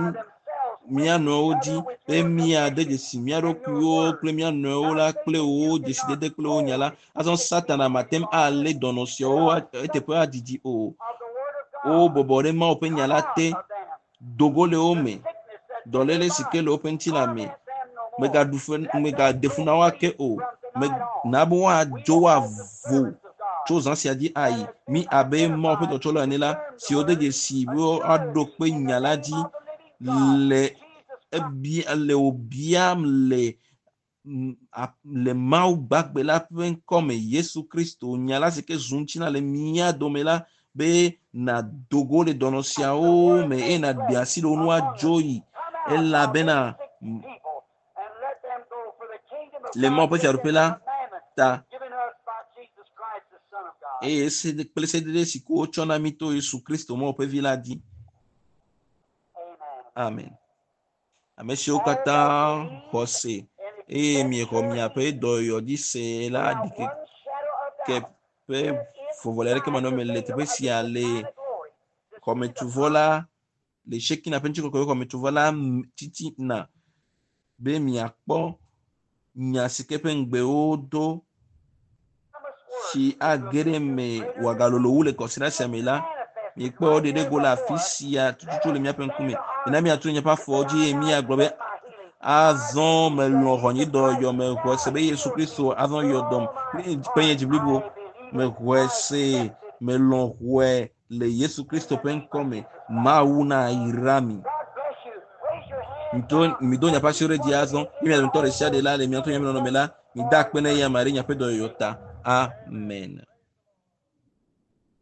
mía nɔewo dzi be míade dzesi mía ɖokuiwo kple mía nɔewo la kple wo dzesidede kple wo nya la. Azɔ Satana mate ŋu alé dɔnɔ siawo eteƒe adidi o. Wo bɔbɔ ɖe Mawu ƒe nya la te, dogo le wo me, dɔléle si ke le woƒe ŋutilã me. Megaɖu fe, megaɖe fu na wo ake o. Me, na be woadzo woavo tso zã sia dzi ayi. Mí abe Mawu ƒe dɔtsɔlawo ene la, siwo de dzesi be woaɖo kpe nya la dzi le ebia le wò biam le le Mawu gbagbe la ƒe ŋkɔme Yesu Kristo nya la si ke zu ŋutilã le mía dome la be nàdo go le dɔnɔ siawo me eye nàɖe asi le wo ŋu woadzo yi elabena le Mawu ƒe fiaɖuƒe la ta eye se kple sedede si ko wotsɔ na mí to Yesu Kristo Mawu ƒe vi la dzi. Amen. Ame siwo katã xɔ se eye miexɔ miaƒe dɔyɔyɔ dzi se la ɖikeke ƒe vɔvɔli aɖeke manɔme le teƒe sia le xɔmetsovɔ la le Shekina ƒe ŋutikɔkɔe xɔmetsovɔ la titina be miakpɔ nya si ke ƒe ŋugbewo do si age ɖe eme wòagalolo wu le kɔsiɖa sia me la miekpɔ ɖeɖe go le afi sia tututu le míaƒe ŋkume. Mina míatu míaƒe afɔwo dzi eye míagblɔ be azɔ melɔ̃ xɔ nye dɔyɔyɔ mexɔe se be Yesu Kristo azɔ yɔ dɔm kple nye dzi blibo. Mexɔe se melɔ̃ xɔe le Yesu Kristo ƒe ŋkɔme. Mawu na yra mi. Mido mido miaƒe asiwo ɖe dzi azɔ ye mia dometɔ ɖe sia ɖe la le miaƒe nɔnɔme la mida akpe na eya ame ɖe miaƒe dɔyɔyɔ ta. Amen.